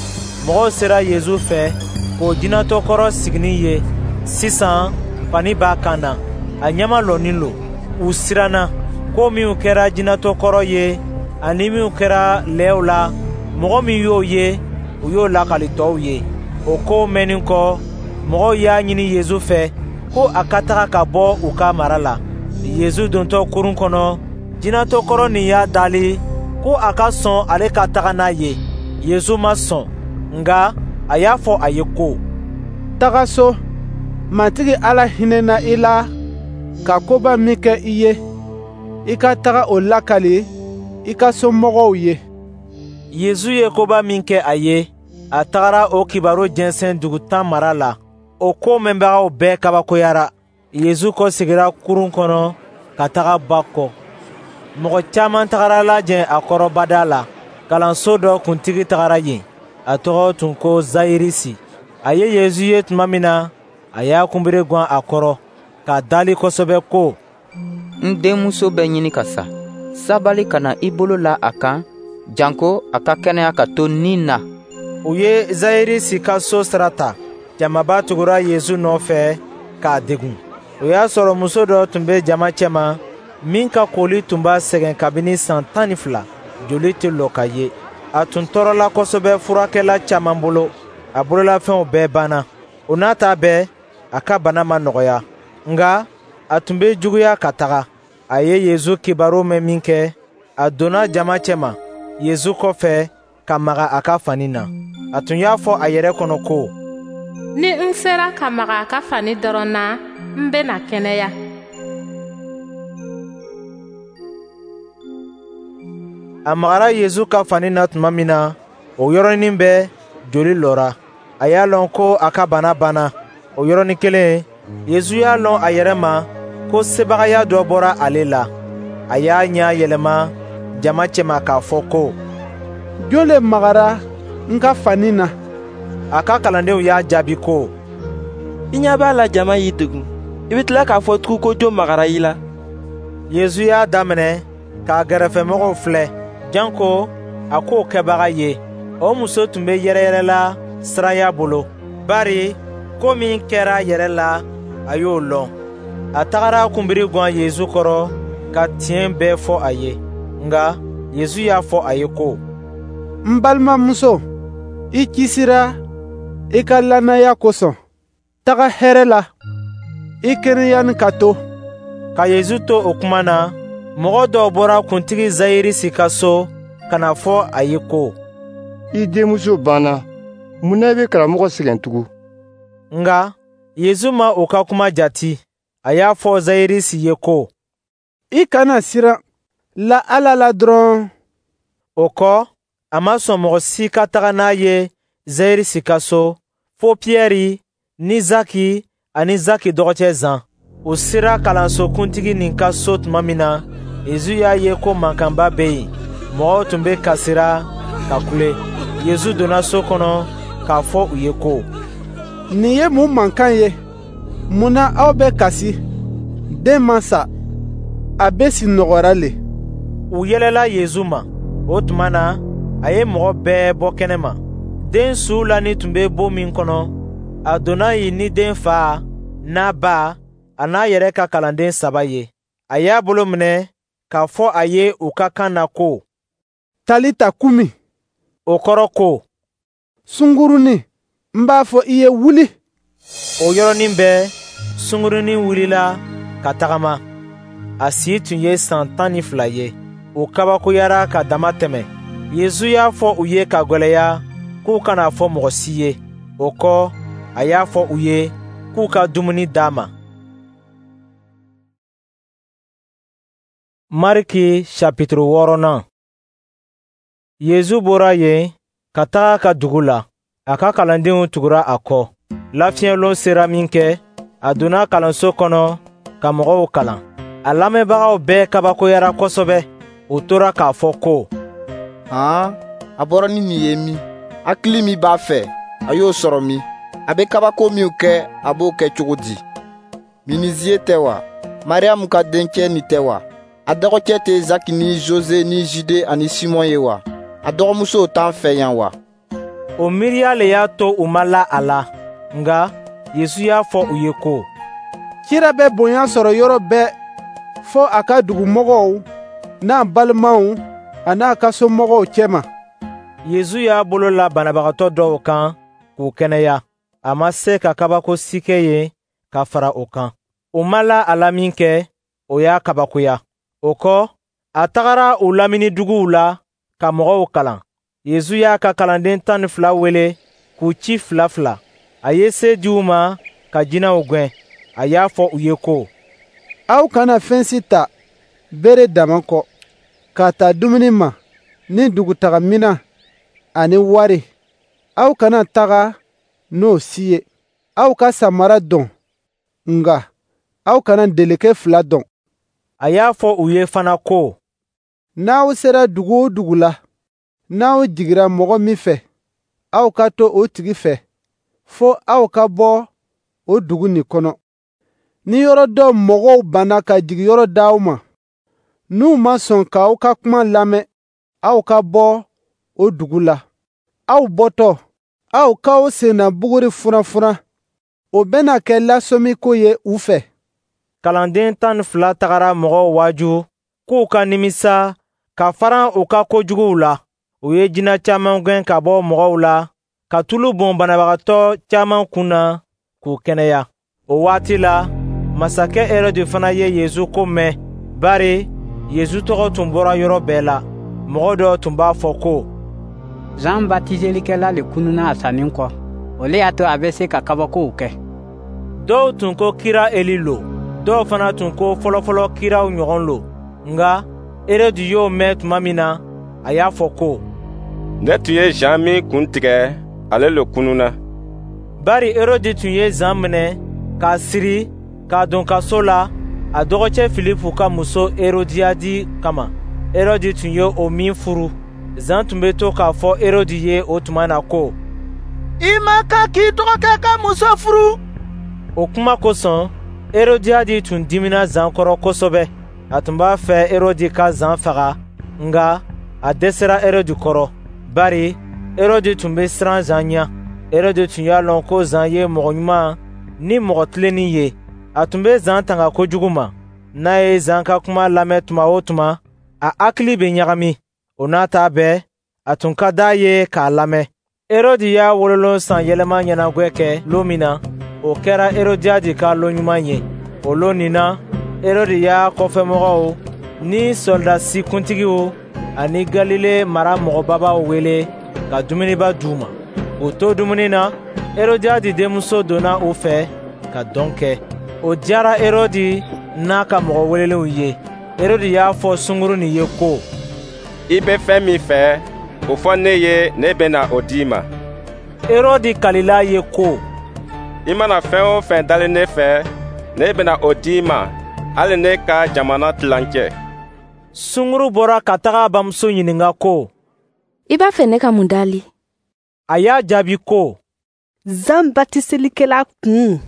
mɔgɔw sera Yesu fɛ k'o jinɛtɔ kɔrɔ siginin ye. Sisan fani b'a kan na, a ɲɛmalɔnin lo. U siranna. Ko minnu kɛra jinɛtɔ kɔrɔ ye ani minnu kɛra lɛw la, mɔgɔ min y'o ye, u y'o lakali tɔw ye. O kow mɛnnin kɔ, mɔgɔw y'a ɲini Yesu fɛ ko a ka taga ka bɔ u ka mara la. Yesu dontɔ kurun kɔnɔ, jinɛtɔ kɔrɔ nin y'a dali ko a ka sɔn ale ka taga n'a ye. Yesu ma sɔn, nka a y'a fɔ a ye ko, Taga so, Matigi Ala hinɛna i la ka koba min kɛ i ye, i ka taga o lakali i ka somɔgɔw ye. Yesu ye koba min kɛ a ye, a tagara o kibaru jɛnsɛn dugu tan mara la. O ko mɛnbagaw bɛɛ kabakoyara. Yesu kɔsegira kurun kɔnɔ ka taga ba kɔ. Mɔgɔ caman tagara lajɛ a kɔrɔ bada la. Kalanso dɔ kuntigi tagara yen. A tɔgɔ tun ko Zayirisi. A ye Yesu ye tuma min na, a y'a kunbere gwan a kɔrɔ, k'a dali kosɛbɛ ko, N denmuso bɛ ɲini ka sa. Sabali ka na i bolo la a kan, janko a ka kɛnɛya ka to ni na. U ye Zayirisi ka so sira ta. Jamaba tugura Yesu nɔfɛ k'a degun. O y'a sɔrɔ muso dɔ tun bɛ jama cɛma min ka koli tun b'a sɛgɛn kabini san tan ni fila, joli tɛ lɔ ka ye. A tun tɔɔrɔla kosɛbɛ furakɛla caman bolo, a bololafɛnw bɛɛ banna. O n'a ta bɛɛ, a ka bana ma nɔgɔya, nka a tun bɛ juguya ka taga. A ye Yesu kibaru mɛn minkɛ, a donna jama cɛma Yesu kɔfɛ ka maga a ka fani na. A tun y'a fɔ a yɛrɛ kɔnɔ ko, Ni n sera ka maga a ka fani dɔrɔn na, n bɛna kɛnɛya. A magara Yesu ka fani na tuma min na, o yɔrɔnin bɛɛ joli lɔra. A y'a lɔn ko a ka bana banna. O yɔrɔnin kelen, Yesu y'a lɔn a yɛrɛ ma ko sebagaya dɔ bɔra ale la. A y'a ɲɛ yɛlɛma jama cɛma k'a fɔ ko, Jɔn le magara n ka fani na? A ka kalandenw y'a jaabi ko, I ɲɛ b'a la jama y'i degun, i bɛ tila k'a fɔ tugun ko jɔn magara i la? Yesu y'a daminɛ k'a gɛrɛfɛmɔgɔw filɛ, janko a k'o kɛbaga ye. O muso tun bɛ yɛrɛyɛrɛla siranya bolo, bari ko min kɛra a yɛrɛ la, a y'o lɔn. A tagara kunbiri gwan Yesu kɔrɔ ka tiɲɛ bɛɛ fɔ a ye. Nka Yesu y'a fɔ a ye ko, N balimamuso, i kisira i ka lannaya kosɔn. Taga hɛrɛ la, i kɛnɛyanin ka to. Ka Yesu to o kuma na, mɔgɔ dɔw bɔra kuntigi Zayirisi ka so ka na fɔ a ye ko, I denmuso banna, mun na i bɛ karamɔgɔ sɛgɛn tugun? Nka Yesu ma u ka kuma jati. A y'a fɔ Zayirisi ye ko, I kana siran, la Ala la dɔrɔn. O kɔ, a ma sɔn mɔgɔ si ka taga n'a ye Zayirisi ka so, fo Piyɛri ni Zaki ani Zaki dɔgɔcɛ Zan. U sera kalanso kuntigi nin ka so tuma min na, Yesu y'a ye ko mankanba bɛ yen. Mɔgɔw tun bɛ kasira ka kule. Yesu donna so kɔnɔ k'a fɔ u ye ko, Nin ye mun mankan ye? Mun na aw bɛ kasi? Den ma sa, a bɛ sunɔgɔra le. U yɛlɛla Yesu ma. O tuma na, a ye mɔgɔ bɛɛ bɔ kɛnɛma. Den su lani tun bɛ bon min kɔnɔ, a donna yen ni den fa n'a ba a n'a yɛrɛ ka kalanden saba ye. A y'a bolo minɛ k'a fɔ a ye u ka kan na ko, Talita kumi. O kɔrɔ ko, Sungurunnin, n b'a fɔ i ye wuli. O yɔrɔnin bɛɛ, sungurunnin wulila ka tagama. A si tun ye san tan ni fila ye. U kabakoyara ka dama tɛmɛ. Yezu y'a fɔ u ye ka gwɛlɛya k'u kana fɔ mɔgɔ si ye. O kɔ, a y'a fɔ u ye k'u ka dumuni d'a ma. Mariki chapitre wɔɔrɔnan. Yezu bɔra yen ka taga a ka dugu la. A ka kalandenw tugura a kɔ. Lafiɲɛlon sera minkɛ, a donna kalanso kɔnɔ ka mɔgɔw kalan. A lamɛnbagaw bɛɛ kabakoyara kosɛbɛ. U tora k'a fɔ ko: Han, a bɔra ni nin ye min? Hakili min b'a fɛ, a y'o sɔrɔ min? A bɛ kabako minw kɛ, a b'o kɛ cogo di? Miniziye tɛ wa? Mariyamu ka dencɛ nin tɛ wa? A dɔgɔcɛ tɛ Zaki ni Jose ni Jude ani Simɔn ye wa? A dɔgɔmusow t'an fɛ yan wa? O miiriya le y'a to u ma la a la. Nka Yesu y'a fɔ u ye ko: Kira bɛ bonya sɔrɔ yɔrɔ bɛɛ, fo a ka dugumɔgɔw n'a balimaw an'a ka somɔgɔw cɛma. Yesu y'a bolo la banabagatɔ dɔw kan k'u kɛnɛya. A ma se ka kabako si kɛ yen ka fara o kan. U ma la a la minkɛ, o y'a kabakoya. O kɔ, a tagara u lamini duguw la ka mɔgɔw kalan. Yesu y'a ka kalanden tan ni fila wele k'u ci fila fila. A ye se di u ma ka jinɛw gɛn. A y'a fɔ u ye ko: Aw kana fɛn si ta bere dama kɔ, ka ta dumuni ma, ni dugutaga minan ani wari. Aw kana taga n'o si ye. Aw ka samara dɔn, nka aw kana deleke fila dɔn. A y'a fɔ u ye fana ko: N'aw sera dugu o dugu la, n'aw jigira mɔgɔ min fɛ, aw ka to o tigi fɛ, fo aw ka bɔ o dugu nin kɔnɔ. Ni yɔrɔ dɔ mɔgɔw banna ka jigiyɔrɔ d'aw ma, n'u ma sɔn k'aw ka kuma lamɛn, aw ka bɔ o dugu la. Aw bɔtɔ, aw k'aw senna buguri furanfuran. O bɛna kɛ lasɔmiko ye u fɛ. Kalanden tan ni fila tagara mɔgɔw waaju k'u ka nimisa ka faran u ka kojuguw la. U ye jinɛ caman gɛn ka bɔ mɔgɔw la, ka tulu bɔn banabagatɔ caman kun na k'u kɛnɛya. O waati la, masakɛ Herɔdi fana ye Yesu ko mɛn, bari Yesu tɔgɔ tun bɔra yɔrɔ bɛɛ la. Mɔgɔ dɔw tun b'a fɔ ko: Zan batiselikɛla le kununa a sanin kɔ, o le y'a to a bɛ se ka kabakow kɛ. Dɔw tun ko kira Eli lo, dɔw fana tun ko fɔlɔfɔlɔ kiraw ɲɔgɔn lo. Nka Herɔdi y'o mɛn tuma min na, a y'a fɔ ko: Ne tun ye Zan min kun tigɛ, ale le kununa. Bari Herɔdi tun ye Zan minɛ k'a siri k'a don kaso la a dɔgɔcɛ Filipu ka muso Herodiyadi kama. Herɔdi tun ye o min furu. Zan tun bɛ to k'a fɔ Herɔdi ye o tuma na ko: I man kan k'i dɔgɔkɛ ka muso furu. O kuma kosɔn, Herodiyadi tun dimina Zan kɔrɔ kosɛbɛ. A tun b'a fɛ Herɔdi ka Zan faga, nka a dɛsɛra Herɔdi kɔrɔ, bari Herɔdi tun bɛ siran Zan ɲɛ. Herɔdi tun y'a lɔn ko Zan ye mɔgɔ ɲuman ni mɔgɔ tilennen ye. A tun bɛ Zan tanga kojugu ma. N'a ye Zan ka kuma lamɛn tuma o tuma, a hakili bɛ ɲagami. O n'a ta bɛɛ, a tun ka d'a ye k'a lamɛn. Herɔdi y'a wololon san yɛlɛma ɲɛnagwɛ kɛ lon min na, o kɛra Herodiyadi ka lon ɲuman ye. O lon nin na, Herɔdi y'a kɔfɛmɔgɔw ni sɔrɔdasi kuntigiw ani Galile mara mɔgɔbabaw wele ka dumuniba d'u ma. K'u to dumuni na, Herodiyadi denmuso donna u fɛ ka dɔn kɛ. O diyara Herɔdi n'a ka mɔgɔ welelenw ye. Herɔdi y'a fɔ sungurun nin ye ko: I bɛ fɛn min fɛ, o fɔ ne ye, ne bɛna o di i ma. Herɔdi kalila ye ko: I mana fɛn o fɛn dali ne fɛ, ne bɛna o di i ma, hali ne ka jamana tilancɛ. Sungurun bɔra ka taga a bamuso ɲininka ko: I b'a fɛ ne ka mun dali? A y'a jaabi ko: Zan batiselikɛla kun.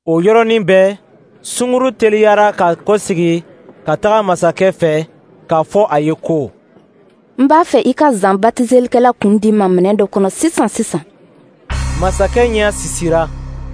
O yɔrɔnin bɛɛ, sungurun teliyara ka kɔsegi ka taga masakɛ fɛ k'a fɔ a ye ko: N b'a fɛ i ka Zan batiselikɛla kun di n ma minɛn dɔ kɔnɔ sisan sisan. Masakɛ ɲɛ sisira,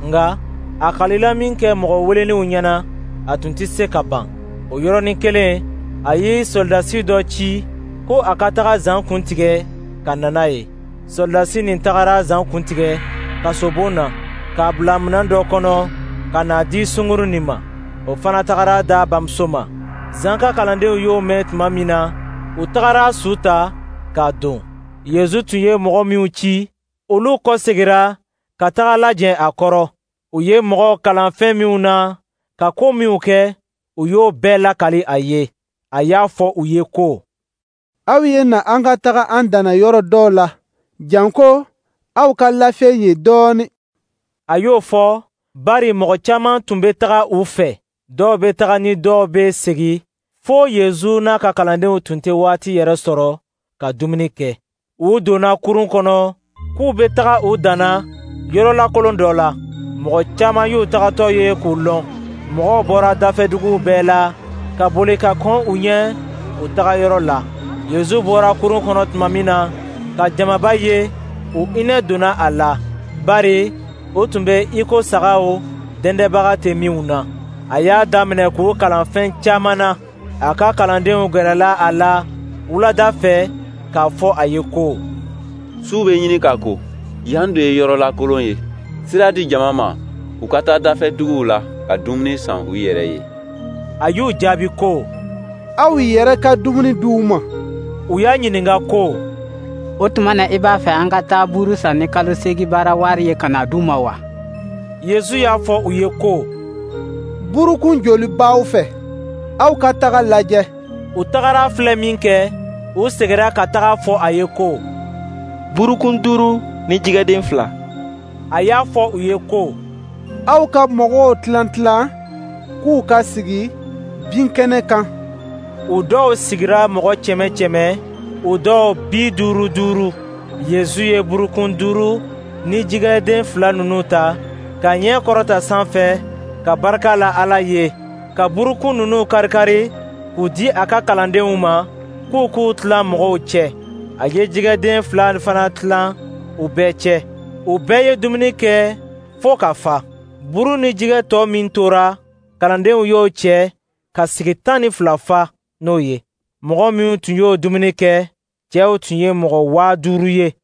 nka a kalila min kɛ mɔgɔ welelenw ɲɛna, a tun tɛ se ka ban. O yɔrɔnin kelen, a ye sɔrɔdasi dɔ ci ko a ka taga Zan kun tigɛ ka na n'a ye. Sɔrɔdasi nin tagara Zan kun tigɛ kasobon na, k'a bila minɛn dɔ kɔnɔ ka n'a di sungurun nin ma. O fana tagara d'a bamuso ma. Zan ka kalandenw y'o mɛn tuma min na, u tagara su ta k'a don. Yezu tun ye mɔgɔ minnu ci, olu kɔsegira ka taga lajɛ a kɔrɔ. U ye mɔgɔw kalan fɛn minnu na, ka ko minnu kɛ, u y'o bɛɛ lakali a ye. A y'a fɔ u ye ko: Aw ye na an ka taga an danna yɔrɔ dɔw la, janko aw ka lafiɲɛ yen dɔɔnin. A y'o fɔ bari mɔgɔ caman tun bɛ taga u fɛ. Dɔw bɛ taga ni dɔw bɛ segin, fo Yezu n'a ka kalandenw tun tɛ waati yɛrɛ sɔrɔ ka dumuni kɛ. U donna kurun kɔnɔ k'u bɛ taga u danna yɔrɔ lakolon dɔ la. Mɔgɔ caman y'u tagatɔ ye k'u lɔn. Mɔgɔw bɔra dafɛduguw bɛɛ la ka boli ka kɔn u ɲɛ u taga yɔrɔ la. Yezu bɔra kurun kɔnɔ tuma min na, ka jamaba ye, u hinɛ donna a la, bari o tun bɛ i ko sagaw dɛndɛbaga tɛ minnu na. A y'a daminɛ k'u kalan fɛn caman na. A ka kalandenw gɛrɛla a la wulada fɛ k'a fɔ a ye ko: Su bɛ ɲini ka ko, yan dun ye yɔrɔ lakolon ye. Sira di jama ma, u ka taa dafɛduguw la ka dumuni san u yɛrɛ ye. A y'u jaabi ko: Aw yɛrɛ ka dumuni di u ma. U y'a ɲininka ko: O tuma na i b'a fɛ an ka taa buuru san ni kalo seegin baara wari ye ka na d'u ma wa? Yezu y'a fɔ u ye ko: Burukun joli b'aw fɛ? Aw ka taga lajɛ. U tagara filɛ min kɛ, u seginna ka taga fɔ a ye ko: Burukun duuru ni jɛgɛden fila. A y'a fɔ u ye ko: Aw ka mɔgɔw tilan tilan k'u ka sigi binkɛnɛ kan. U dɔw sigira mɔgɔ kɛmɛ kɛmɛ, u dɔw bi duuru duuru. Yezu ye burukun duuru ni jɛgɛden fila ninnu ta, ka ɲɛ kɔrɔta sanfɛ, ka barika la Ala ye, ka burukun ninnu karikari k'u di a ka kalandenw ma, k'u k'u tilan mɔgɔw cɛ. A ye jɛgɛden fila fana tilan u bɛɛ cɛ. U bɛɛ ye dumuni kɛ fo ka fa. Buru ni jɛgɛ tɔ min tora, kalandenw y'o cɛ ka sigi tan ni fila fa n'o ye. Mɔgɔ minnu tun y'o dumuni kɛ, cɛw tun ye mɔgɔ waa duuru ye.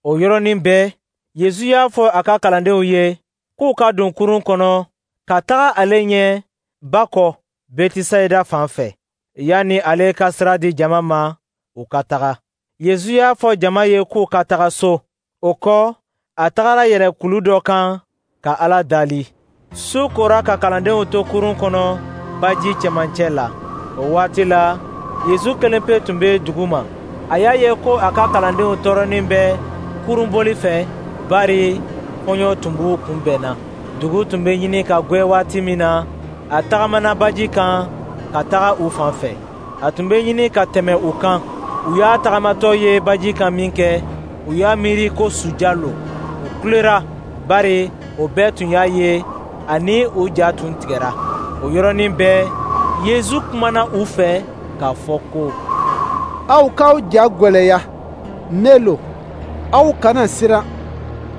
O yɔrɔnin bɛɛ, Yezu y'a fɔ a ka kalandenw ye k'u ka don kurun kɔnɔ ka taga ale ɲɛ ba kɔ Betisayida fan fɛ, yanni ale ka sira di jama ma u ka taga. Yezu y'a fɔ jama ye k'u ka taga so. O kɔ, a tagara yɛlɛ kulu dɔ kan ka Ala dali. Su kora ka kalandenw to kurun kɔnɔ baji cɛmancɛ la. O waati la, Yezu kelen pe tun bɛ dugu ma. A y'a ye ko a ka kalandenw tɔɔrɔnin bɛ kurunboli fɛ, bari kɔɲɔ tun b'u kunbɛnna. Dugu tun bɛ ɲini ka gwɛ waati min na, a tagamana baji kan ka taga u fan fɛ. A tun bɛ ɲini ka tɛmɛ u kan. U y'a tagamatɔ ye baji kan min kɛ, u y'a miiri ko suja lo. U kulera, bari o bɛɛ tun y'a ye ani u ja tun tigɛra. O yɔrɔnin bɛɛ, Yezu kumana u fɛ k'a fɔ ko: Aw k'aw ja gwɛlɛya, ne lo, aw kana siran.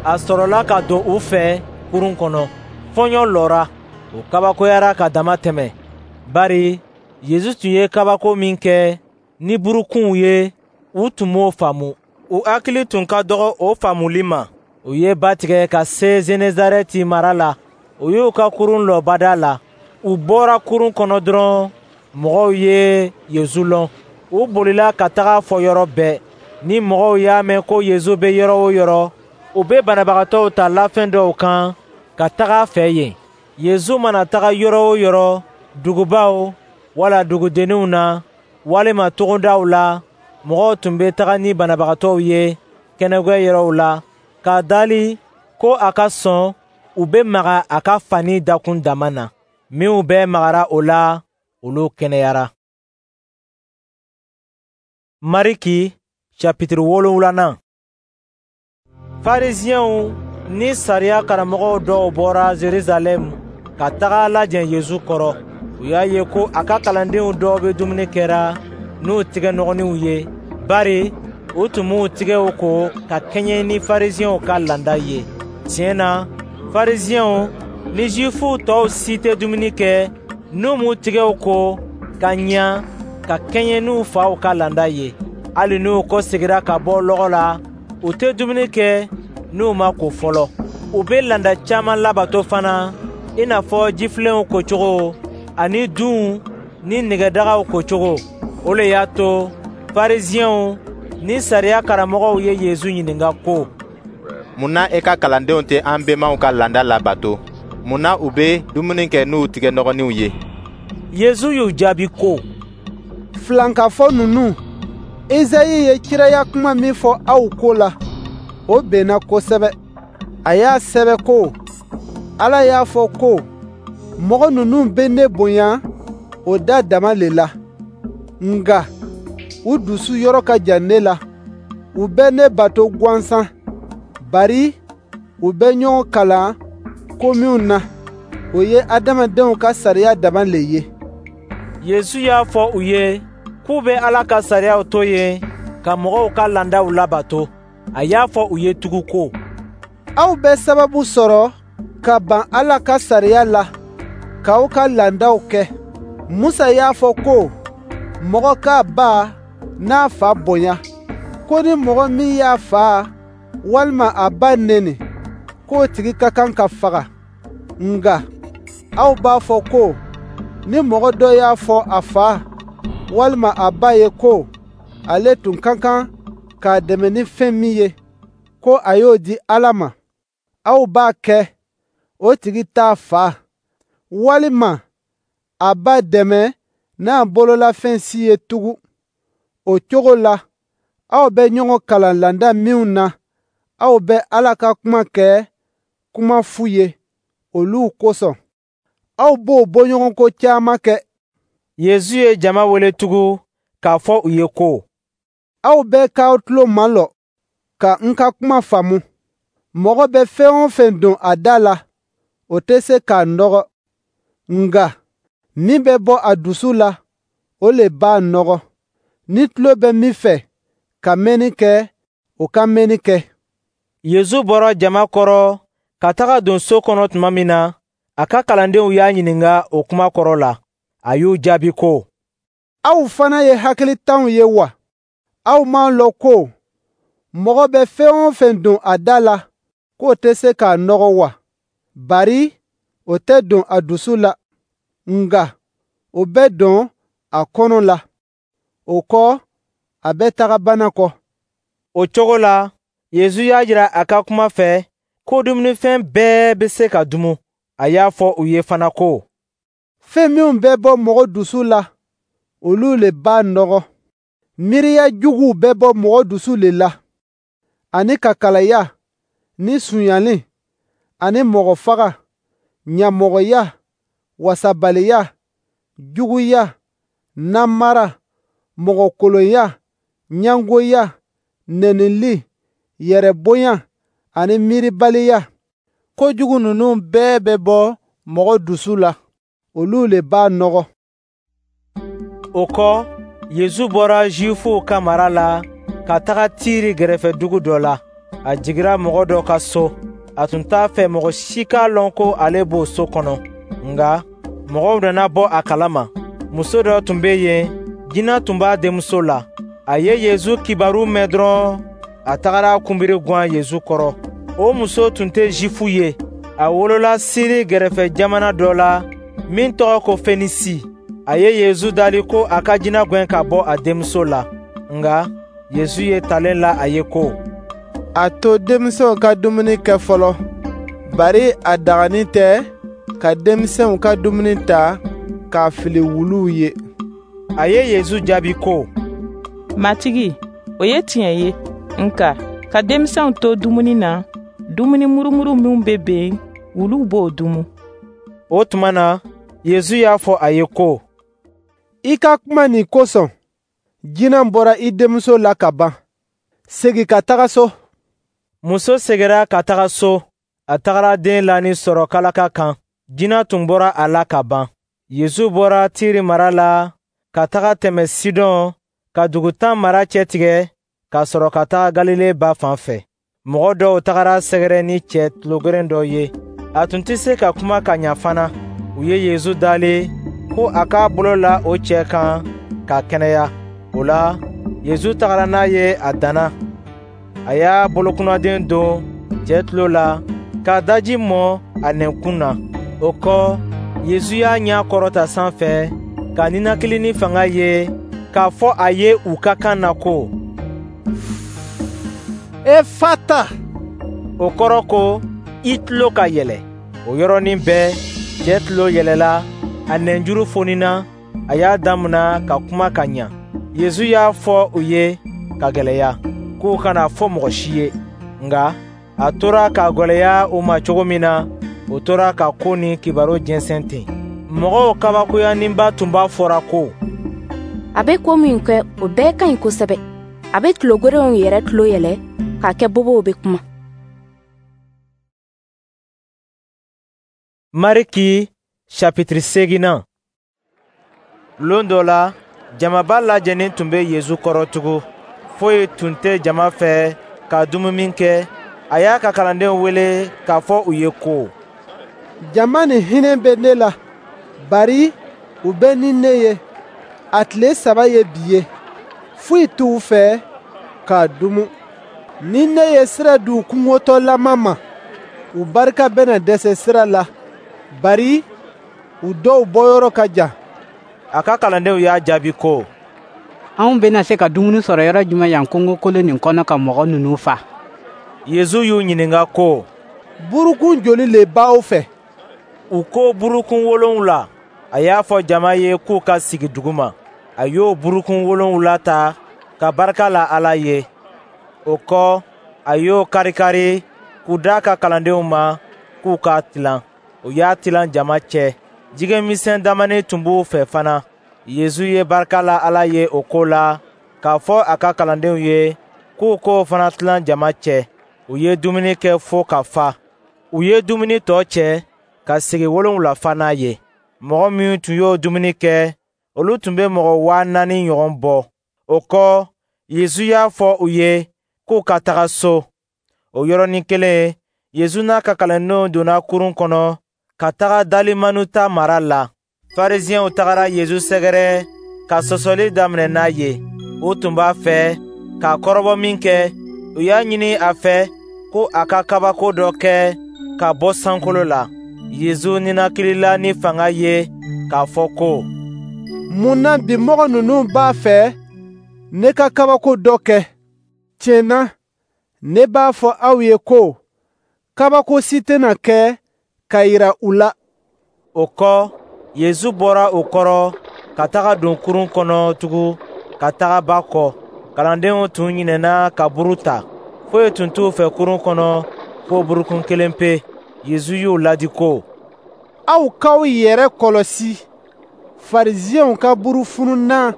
A sɔrɔla ka don u fɛ kurun kɔnɔ. Fɔɲɔ lɔra. U kabakoyara ka dama tɛmɛ, bari Yezu tun ye kabako min kɛ ni burukunw ye, u tun m'o faamu. U hakili tun ka dɔgɔ o faamuli ma. U ye ba tigɛ ka se Zenezarɛti mara la. U y'u ka kurun lɔ bada la. U bɔra kurun kɔnɔ dɔrɔn, mɔgɔw ye Yezu lɔn. U bolila ka taga fɔ yɔrɔ bɛɛ. Ni mɔgɔw y'a mɛn ko Yezu bɛ yɔrɔ o yɔrɔ, u bɛ banabagatɔw ta lafɛn dɔw kan ka taga a fɛ yen. Yezu mana taga yɔrɔ o yɔrɔ, dugubaw wala dugudenninw na, walima togodaw la, mɔgɔw tun bɛ taga ni banabagatɔw ye kɛnɛgwɛ yɔrɔw la, k'a dali ko a ka sɔn u bɛ maga a ka fani dakun dama na. Minnu bɛɛ magara o la, olu kɛnɛyara. Mariki chapitre wolonwulanan. Farisiɛnw ni sariya karamɔgɔw dɔw bɔra Jerusalɛm ka taga lajɛ Yezu kɔrɔ. U y'a ye ko a ka kalandenw dɔw bɛ dumuni kɛra n'u tigɛnɔgɔninw ye, bari u tun m'u tigɛw ko ka kɛɲɛ ni Farisiɛnw ka laada ye. Tiɲɛ na, Farisiɛnw ni Zuwifuw tɔw si tɛ dumuni kɛ n'u m'u tigɛw ko ka ɲa ka kɛɲɛ n'u faw ka laada ye. Hali n'u kɔsegira ka bɔ lɔgɔ la, u tɛ dumuni kɛ n'u ma ko fɔlɔ. U bɛ laada caman labato fana, i n'a fɔ jifilenw kocogo ani dunw ni nɛgɛdagaw kocogo. O le y'a to Farisiɛnw ni sariya karamɔgɔw ye Yesu ɲininka ko: Mun na e ka kalandenw tɛ an bɛnbaw ka laada labato? Mun na u bɛ dumuni kɛ n'u tigɛnɔgɔninw ye? Yesu y'u jaabi ko: Filankafo ninnu, Esayi ye kiraya kuma min fɔ aw ko la, o bɛnna kosɛbɛ. A y'a sɛbɛ ko: Ala y'a fɔ ko, mɔgɔ ninnu bɛ ne bonya o da dama le la, nka u dusu yɔrɔ ka jan ne la. U bɛ ne bato gansan, bari u bɛ ɲɔgɔn kalan ko minw na, o ye adamadenw ka sariya dama le ye. Yesu y'a fɔ u ye k'u bɛ Ala ka sariyaw to yen ka mɔgɔw ka laadaw labato. A y'a fɔ u ye tugun ko: Aw bɛ sababu sɔrɔ ka ban Ala ka sariya la, k'aw ka laadaw kɛ. Musa y'a fɔ ko mɔgɔ k'a ba n'a fa bonya, ko ni mɔgɔ min y'a fa walima a ba neni, k'o tigi ka kan ka faga. Nka aw b'a fɔ ko ni mɔgɔ dɔ y'a fɔ a fa walima a ba ye ko ale tun ka kan k'a dɛmɛ ni fɛn min ye, ko a y'o di Ala ma, aw b'a kɛ o tigi t'a fa walima a ba dɛmɛ n'a bololafɛn si ye tugun. O cogo la, aw bɛ ɲɔgɔn kalan laada minw na, aw bɛ Ala ka kuma kɛ kuma fu ye olu kosɔn. Aw b'o bɔɲɔgɔnko caman kɛ. Yesu ye jama wele tugun k'a fɔ u ye ko: Aw bɛɛ k'aw tulo malɔ ka n ka kuma faamu. Mɔgɔ bɛ fɛn o fɛn don a da la, o tɛ se k'a nɔgɔ. Nka min bɛ bɔ a dusu la, o le b'a nɔgɔ. Ni tulo bɛ min fɛ ka mɛnni kɛ, o ka mɛnni kɛ. Yesu bɔra jama kɔrɔ ka taga don so kɔnɔ tuma min na, a ka kalandenw y'a ɲininka o kuma kɔrɔ la. A y'u jaabi ko: Aw fana ye hakilitanw ye wa? Aw m'a lɔn ko mɔgɔ bɛ fɛn o fɛn don a da la, k'o tɛ se k'a nɔgɔ wa? Bari o tɛ don a dusu la, nka o bɛ don a kɔnɔ la. O kɔ, a bɛ taga banakɔ. O cogo la, Yesu y'a jira a ka kuma fɛ ko dumunifɛn bɛɛ bɛ se ka dumu. A y'a fɔ u ye fana ko: Fɛn minw bɛ bɔ mɔgɔ dusu la, olu le b'a nɔgɔ. Miiriya juguw bɛ bɔ mɔgɔ dusu le la, ani kakalaya, ni sonyali, ani mɔgɔ faga, ɲamɔgɔya, wasabaliya, juguya, namara, mɔgɔkolonya, ɲɛngoya, nɛnili, yɛrɛbonya ani miiribaliya. Kojugu ninnu bɛɛ bɛ bɔ mɔgɔ dusu la, olu le b'a nɔgɔ. O kɔ, Yesu bɔra Zuwifuw ka mara la ka taga Tiri gɛrɛfɛ dugu dɔ la. A jigira mɔgɔ dɔ ka so. A tun t'a fɛ mɔgɔ si k'a lɔn ko ale b'o so kɔnɔ. Nka mɔgɔw nana bɔ a kalama. Muso dɔ tun bɛ yen, jinɛ tun b'a denmuso la. A ye Yesu kibaru mɛn dɔrɔn, a tagara kunbiri gwan Yesu kɔrɔ. O muso tun tɛ Zifu ye. A wolola Siri gɛrɛfɛ jamana dɔ la min tɔgɔ ko Fenisi. A ye Yesu dali ko a ka jinɛ gɛn ka bɔ a denmuso la. Nka Yesu ye talen la a ye ko: A to denmisɛnw ka dumuni kɛ fɔlɔ, bari a dagani tɛ ka denmisɛnw ka dumuni ta k'a fili wuluw ye. A ye Yesu jaabi ko: Matigi, o ye tiɲɛ ye, nka ka denmisɛnw to dumuni na, dumuni murumuru minw bɛ ben, wuluw b'o dumu. O tuma na, Yesu y'a fɔ a ye ko: I ka kuma nin kosɔn, jinɛ bɔra i denmuso la ka ban. Segin ka taga so. Muso seginna ka taga so. A tagara den lanin sɔrɔ kalaka kan. Jinɛ tun bɔra a la ka ban. Yesu bɔra Tiri mara la ka taga tɛmɛ Sidɔn ka dugu tan mara cɛtigɛ ka sɔrɔ ka taga Galile ba fan fɛ. Mɔgɔ dɔw tagara sɛgɛrɛ ni cɛ tulogeren dɔ ye. A tun tɛ se ka kuma ka ɲa fana. U ye Yesu dali ko a k'a bolo la o cɛ kan k'a kɛnɛya. O la, Yesu tagara n'a ye a danna. A y'a bolokunnaden don cɛ tulo la k'a daji mɔ a nɛnkun na. O kɔ, Yesu y'a ɲɛ kɔrɔta sanfɛ ka ninakili ni fanga ye k'a fɔ a ye u ka kan na ko: Efata. O kɔrɔ ko i tulo ka yɛlɛ. O yɔrɔnin bɛɛ, cɛ tulo yɛlɛla, a nɛnjuru fonina, a y'a damina ka kuma ka ɲa. Yesu y'a fɔ u ye ka gwɛlɛya k'u kana fɔ mɔgɔ si ye. Nka a tora k'a gwɛlɛya u ma cogo min na, u tora ka ko ni kibaru jɛnsɛn ten. Mɔgɔw kabakoyaninba tun b'a fɔra ko: A bɛ ko min kɛ, o bɛɛ ka ɲi kosɛbɛ. A bɛ tulogerenw yɛrɛ tulo yɛlɛ k'a kɛ bobow bɛ kuma. Mariki chapitre seginnan. Lon dɔ la, jamaba lajɛnin tun bɛ Yesu kɔrɔ tugun. Foyi tun tɛ jama fɛ ka dumuni kɛ. A y'a ka kalandenw wele k'a fɔ u ye ko: Jama nin hinɛ bɛ ne la, bari u bɛ ni ne ye. A tile saba ye bi ye. Foyi t'u fɛ k'a dumu. Ni ne ye sira di u kɔngɔtɔlama ma, u barika bɛna dɛsɛ sira la, bari u dɔw bɔyɔrɔ ka jan. A ka kalandenw y'a jaabi ko: Anw bɛna se ka dumuni sɔrɔ yɔrɔ jumɛn yan kungokolon nin kɔnɔ ka mɔgɔ ninnu fa? Yesu y'u ɲininka ko: Burukun joli le b'aw fɛ? U ko burukun wolonwula. A y'a fɔ jama ye k'u ka sigi duguma. A y'o burukun wolonwula ta ka barika la Ala ye. O kɔ, a y'o karikari k'u d'a ka kalandenw ma k'u k'a tilan. U y'a tilan jama cɛ. Jɛgɛ misɛn damanin tun b'u fɛ fana. Yesu ye barika la Ala ye o ko la k'a fɔ a ka kalandenw ye k'u k'o fana tilan jama cɛ. U ye dumuni kɛ fo ka fa. U ye dumuni tɔ cɛ ka segi wolonwula fa n'a ye. Mɔgɔ minnu tun y'o dumuni kɛ, olu tun bɛ mɔgɔ waa naani ɲɔgɔn bɔ. O kɔ, Yesu y'a fɔ u ye k'u ka taga so. O yɔrɔnin kelen, Yesu n'a ka kalandenw donna kurun kɔnɔ ka taga Dalimanuta mara la. Farisiɛnw tagara Yesu sɛgɛrɛ ka sɔsɔli daminɛ n'a ye. U tun b'a fɛ k'a kɔrɔbɔ min kɛ, u y'a ɲini a fɛ ko a ka kabako dɔ kɛ ka bɔ sankolo la. Yesu ninakilila ni fanga ye k'a fɔ ko: Mun na bi mɔgɔ ninnu b'a fɛ ne ka kabako dɔ kɛ? Tiɲɛ na, ne b'a fɔ aw ye ko kabako si tɛna kɛ ka yira u la. O kɔ, Yesu bɔra o kɔrɔ ka taga don kurun kɔnɔ tugun ka taga ba kɔ. Kalandenw tun ɲinɛna ka buru ta. Foyi tun t'u fɛ kurun kɔnɔ fo burukun kelen pe. Yesu y'u ladi ko: Aw k'aw yɛrɛ kɔlɔsi Farisiɛnw ka burufununnan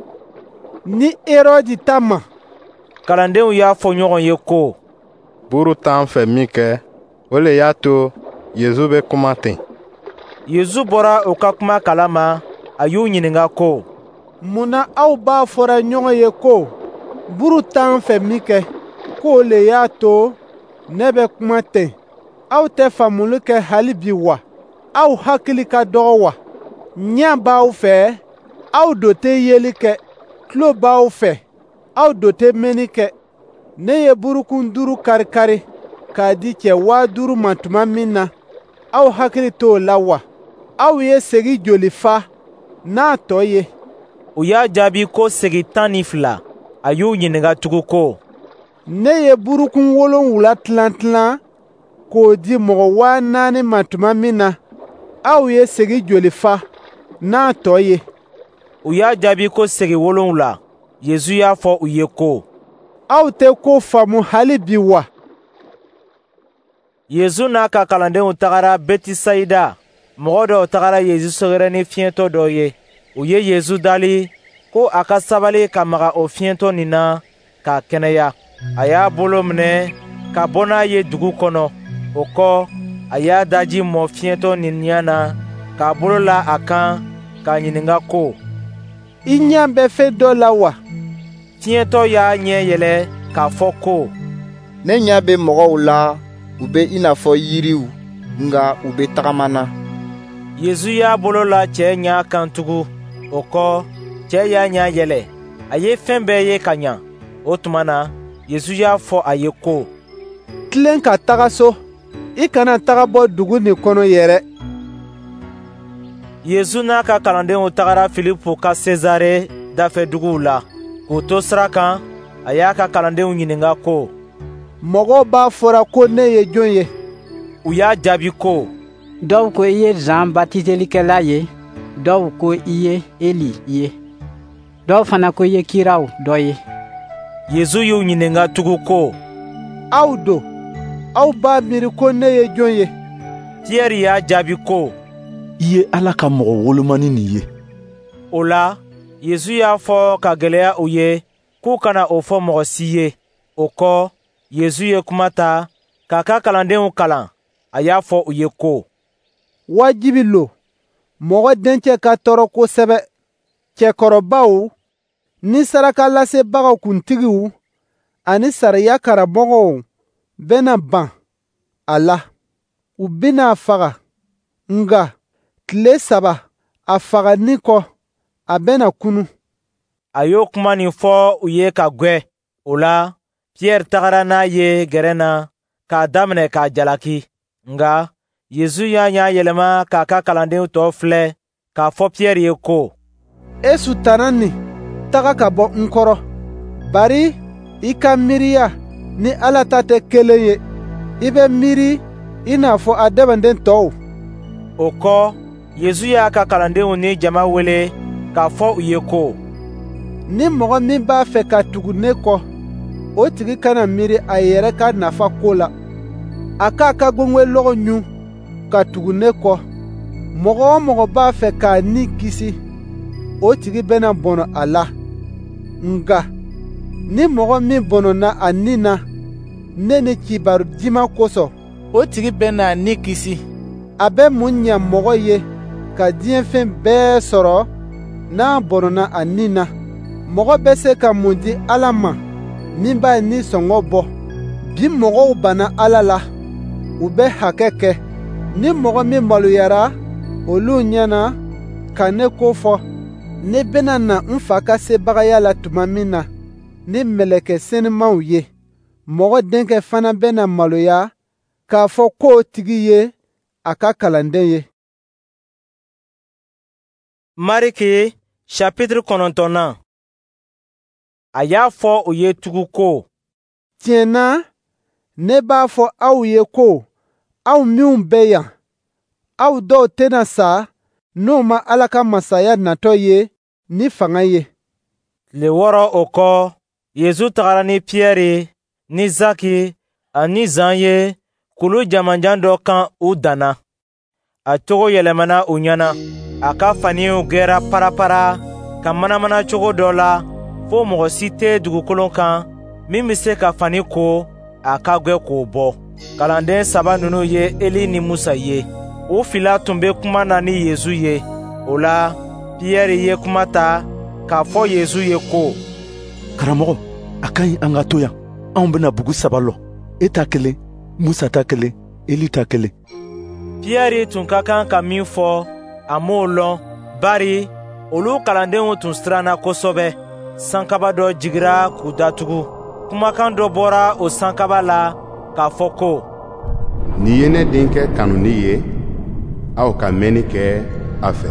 ni Herɔdi ta ma. Kalandenw y'a fɔ ɲɔgɔn ye ko: Buru t'an fɛ min kɛ, o le y'a to Yesu bɛ kuma ten. Yesu bɔra u ka kuma kalama, a y'u ɲininka ko: Mun na aw b'a fɔra ɲɔgɔn ye ko buru t'an fɛ min kɛ, k'o le y'a to ne bɛ kuma ten? Aw tɛ faamuli kɛ hali bi wa? Aw hakili ka dɔgɔ wa? Ɲɛ b'aw fɛ, aw do tɛ yeli kɛ. Tulo b'aw fɛ, aw do tɛ mɛnni kɛ. Ne ye burukun duuru kari-kari k'a di cɛ waa duuru ma tuma min na, aw hakili t'o la wa? Aw ye segi joli fa n'a tɔ ye? U y'a jaabi ko segi tan ni fila. A y'u ɲininka tugun ko: Ne ye burukun wolonwula tilan tilan k'o di mɔgɔ waa naani ma tuma min na, aw ye segi joli fa n'a tɔ ye? U y'a jaabi ko segi wolonwula. Yesu y'a fɔ u ye ko: Aw tɛ ko faamu hali bi wa? Yesu n'a ka kalandenw tagara Betisayida. Mɔgɔ dɔw tagara Yesu sɛgɛrɛ ni fiɲɛtɔ dɔ ye. U ye Yesu dali ko a ka sabali ka maga o fiɲɛtɔ nin na k'a kɛnɛya. A y'a bolo minɛ ka bɔ n'a ye dugu kɔnɔ. O kɔ, a y'a daji mɔ fiɲɛtɔ nin ɲɛ na k'a bolo la a kan k'a ɲininka ko: I ɲɛ bɛ fɛn dɔ la wa? Fiɲɛtɔ y'a ɲɛ yɛlɛ k'a fɔ ko: Ne ɲɛ bɛ mɔgɔw la, u bɛ i n'a fɔ yiriw, nka u bɛ tagama na. Yesu y'a bolo la cɛ ɲɛ kan tugun. O kɔ, cɛ y'a ɲɛ yɛlɛ. A ye fɛn bɛɛ ye ka ɲa. O tuma na, Yesu y'a fɔ a ye ko: Tilen ka taga so. I kana taga bɔ dugu nin kɔnɔ yɛrɛ. Yesu n'a ka kalandenw tagara Filipu ka Sezare dafɛduguw la. K'u to sira kan, a y'a ka kalandenw ɲininka ko: Mɔgɔw b'a fɔra ko ne ye jɔn ye? U y'a jaabi ko: Dɔw ko i ye Zan batiselikɛla ye, dɔw ko i ye Eli ye, dɔw fana ko i ye kiraw dɔ ye. Yesu y'u ɲininka tugun ko: Aw don, aw b'a miiri ko ne ye jɔn ye? Piyɛri y'a jaabi ko: I ye Ala ka mɔgɔ wolomani nin ye. O la, Yesu y'a fɔ ka gwɛlɛya u ye k'u kana o fɔ mɔgɔ si ye. O kɔ, Yesu ye kuma ta k'a ka kalandenw kalan. A y'a fɔ u ye ko: Wajibi lo mɔgɔ dencɛ ka tɔɔrɔ kosɛbɛ. Cɛkɔrɔbaw ni sarakalasebagaw kuntigiw ani sariya karamɔgɔw bɛna ban a la. U bɛna a faga, nka tile saba a fagali kɔ, a bɛna kunun. A y'o kuma nin fɔ u ye ka gwɛ. O la, Piyɛri tagara n'a ye gɛrɛn na k'a daminɛ k'a jalaki. Nka Yesu y'a ɲɛ yɛlɛma k'a ka kalandenw tɔ filɛ k'a fɔ Piyɛri ye ko: E sutana nin, taga ka bɔ n kɔrɔ, bari i ka miiriya ni Ala ta tɛ kelen ye. I bɛ miiri i n'a fɔ adamaden tɔw. O kɔ, Yesu y'a ka kalandenw ni jama wele k'a fɔ u ye ko: Ni mɔgɔ min b'a fɛ ka tugu ne kɔ, o tigi kana miiri a yɛrɛ ka nafa ko la. A k'a ka gwengwenlɔgɔ ɲun ka tugu ne kɔ. Mɔgɔ o mɔgɔ b'a fɛ k'a ni kisi, o tigi bɛna bɔnɔ a la. Nka ni mɔgɔ min bɔnɔna a ni na ne ni kibaru diman kosɔn, o tigi bɛna a ni kisi. A bɛ mun ɲɛ mɔgɔ ye ka diɲɛ fɛn bɛɛ sɔrɔ n'a bɔnɔna a ni na? Mɔgɔ bɛ se ka mun di Ala ma min b'a ni sɔngɔ bɔ? Bi mɔgɔw banna Ala la, u bɛ hakɛ kɛ. Ni mɔgɔ min maloyara olu ɲɛ na ka ne ko fɔ, ne bɛna na n fa ka sebagaya la tuma min na ni mɛlɛkɛ senumanw ye. Mɔgɔ denkɛ fana bɛna maloya k'a fɔ k'o tigi ye a ka kalanden ye. Mariki chapitre kɔnɔntɔnnan. A y'a fɔ u ye tugun ko: Tiɲɛ na, ne b'a fɔ aw ye ko aw minw bɛ yan, aw dɔw tɛna sa n'u ma Ala ka masaya natɔ ye ni fanga ye. Tile wɔɔrɔ o kɔ, Yesu tagara ni Piyɛri ni Zaki ani Zan ye kulu jamanjan dɔ kan u danna. A cogo yɛlɛmana u ɲɛna. A ka faniw gɛra parapara ka manamana cogo dɔ la fo mɔgɔ si tɛ dugukolo kan min bɛ se ka fani ko a ka gwɛ k'o bɔ. Kalanden saba ninnu ye Eli ni Musa ye. U fila tun bɛ kuma na ni Yesu ye. O la, Piyɛri ye kuma ta k'a fɔ Yesu ye ko: Karamɔgɔ, a ka ɲi an ka to yan. Anw bɛna bugu saba lɔ, e ta kelen, Musa ta kelen, Eli ta kelen. Piyɛri tun ka kan ka min fɔ, a m'o lɔn, bari olu kalandenw tun siranna kosɛbɛ. Sankaba dɔ jigira k'u datugu. Kumakan dɔ bɔra o sankaba la k'a fɔ ko: Nin ye ne denkɛ kanuni ye, aw ka mɛnni kɛ a fɛ.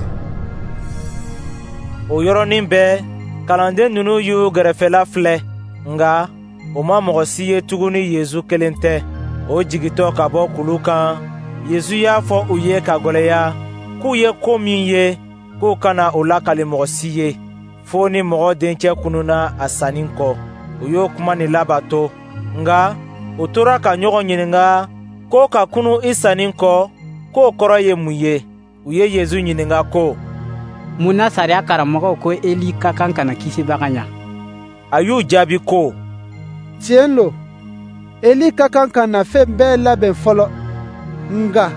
O yɔrɔnin bɛɛ, kalanden ninnu y'u gɛrɛfɛla filɛ, nka u ma mɔgɔ si ye tuguni Yesu kelen tɛ. O jigintɔ ka bɔ kulu kan, Yesu y'a fɔ u ye ka gwɛlɛya k'u ye ko min ye, k'u kana o lakali mɔgɔ si ye, fo ni mɔgɔ dencɛ kununna a sanni kɔ. U y'o kuma nin labato, nka u tora ka ɲɔgɔn ɲininka ko ka kunu i sanni kɔ, k'o kɔrɔ ye mun ye. U ye Yesu ɲininka ko: Mun na sariya karamɔgɔw ko Eli ka kan ka na kisibaga ɲa? A y'u jaabi ko: Tiɲɛ lo, Eli ka kan ka na fɛn bɛɛ labɛn fɔlɔ. Nka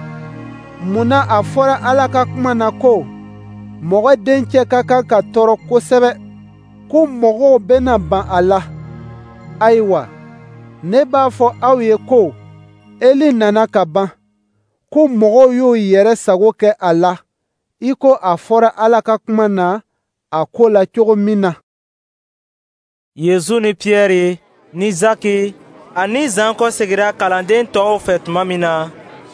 mun na a fɔra Ala ka kuma na ko mɔgɔ dencɛ ka kan ka tɔɔrɔ kosɛbɛ, ko mɔgɔw bɛna ban a la? Ayiwa, ne b'a fɔ aw ye ko Eli nana ka ban, ko mɔgɔw y'u yɛrɛ sago kɛ a la, i ko a fɔra Ala ka kuma na a ko la cogo min na. Yesu ni Piyɛri ni Zaki ani Zan kɔsegira kalanden tɔw fɛ tuma min na,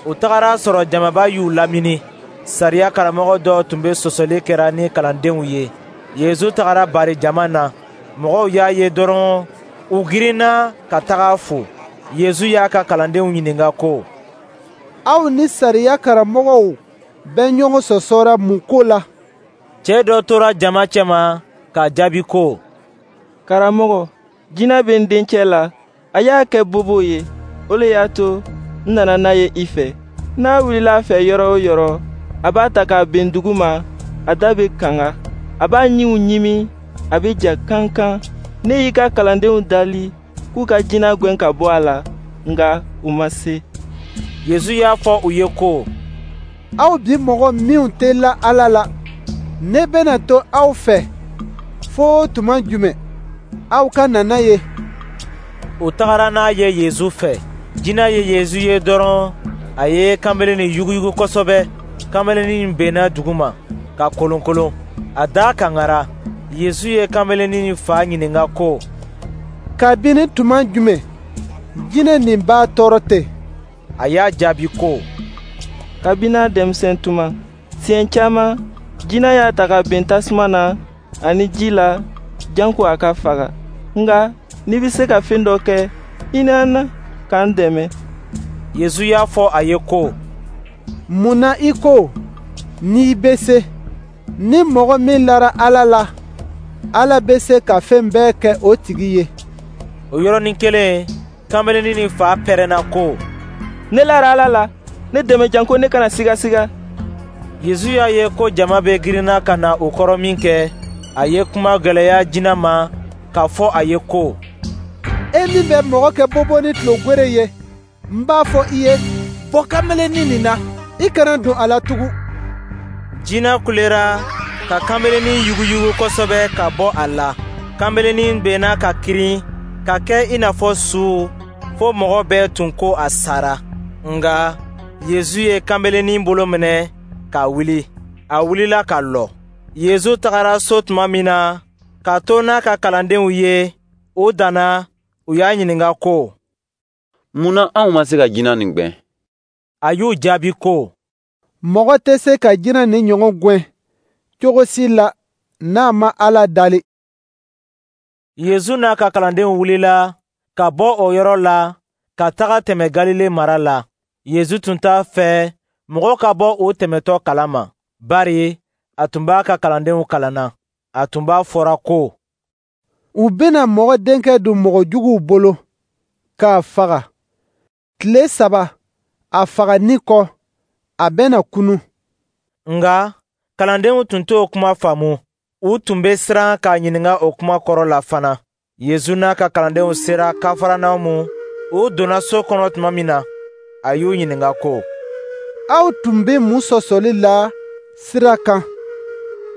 u tagara sɔrɔ jamaba y'u lamini. Sariya karamɔgɔ dɔw tun bɛ sɔsɔli kɛra ni kalandenw ye. Yesu tagara bari jama na. Mɔgɔw y'a ye dɔrɔn, u girinna ka taga a fo. Yesu y'a ka kalandenw ɲininka ko: Aw ni sariya karamɔgɔw bɛ ɲɔgɔn sɔsɔra mun ko la? Cɛ dɔ tora jama cɛma k'a jaabi ko: Karamɔgɔ, jinɛ bɛ n dencɛ la, a y'a kɛ bobo ye. O le y'a to n nana n'a ye i fɛ. N'a wulila a fɛ yɔrɔ o yɔrɔ, a b'a ta k'a ben duguma, a da bɛ kanga, a b'a ɲinw ɲimi, a bɛ ja kankan. Ne y'i ka kalandenw dali k'u ka jinɛ gwɛn ka bɔ a la, nka u ma se. Yesu y'a fɔ u ye ko: Aw bi mɔgɔ minw tɛ la Ala la, ne bɛna to aw fɛ fo tuma jumɛn? Aw ka na n'a ye. U tagara n'a ye Yesu fɛ. Jinɛ ye Yesu ye dɔrɔn, a ye kamalenin yuguyugu kosɛbɛ. Kamalenin benna duguma ka kolonkolon, a da kangara. Yesu ye kamalenin fa ɲininka ko: Kabini tuma jumɛn jinɛ nin b'a tɔɔrɔ ten? A y'a jaabi ko: Kabini a denmisɛn tuma. Siɲɛ caman, jinɛ y'a ta ka ben tasuma na ani ji la, janko a ka faga. Nka n'i bɛ se ka fɛn dɔ kɛ, hinɛ an na k'an dɛmɛ. Yesu y'a fɔ a ye ko: Mun na i ko n'i bɛ se? Ni mɔgɔ min lara Ala la, Ala bɛ se ka fɛn bɛɛ kɛ o tigi ye. O yɔrɔnin kelen, kamalenin nin fa pɛrɛnna ko: Ne lara Ala la, ne dɛmɛ janko ne kana sigasiga. Yesu y'a ye ko jama bɛ girinna ka na u kɔrɔ minkɛ, a ye kuma gwɛlɛya jinɛ ma k'a fɔ a ye ko: E min bɛ mɔgɔ kɛ bobo ni tulogwere ye, n b'a fɔ i ye, bɔ kamalenin nin na, i kana don a la tugun. Jinɛ kulera ka kamalenin yuguyugu kosɛbɛ ka bɔ a la. Kamalenin benna ka kirin ka kɛ i n'a fɔ su, fo mɔgɔ bɛɛ tun ko a sara. Nka Yesu ye kamalenin bolo minɛ k'a wuli. A wulila ka lɔ. Yesu tagara so tuma min na, k'a to n'a ka kalandenw ye, u danna, u y'a ɲininka ko: Mun na anw ma se ka jinɛ nin gwɛn? A y'u jaabi ko: Mɔgɔ tɛ se ka jinɛ nin ɲɔgɔn gwɛn cogo si la n'a ma Ala dali. Yesu n'a ka kalandenw wulila ka bɔ o yɔrɔ la ka taga tɛmɛ Galile mara la. Yesu tun t'a fɛ mɔgɔ ka bɔ o tɛmɛtɔ kalama, bari a tun b'a ka kalandenw kalanna. A tun b'a fɔra ko: U bɛna mɔgɔ denkɛ don mɔgɔ juguw bolo k'a faga. Tile saba a faganni kɔ, a bɛna kunun. Nka kalandenw tun t'o kuma faamu. U tun bɛ siran k'a ɲininka o kuma kɔrɔ la fana. Yesu n'a ka kalandenw sera Kafaranamu. U donna so kɔnɔ tuma min na, a y'u ɲininka ko: Aw tun bɛ mun sɔsɔli la sira kan?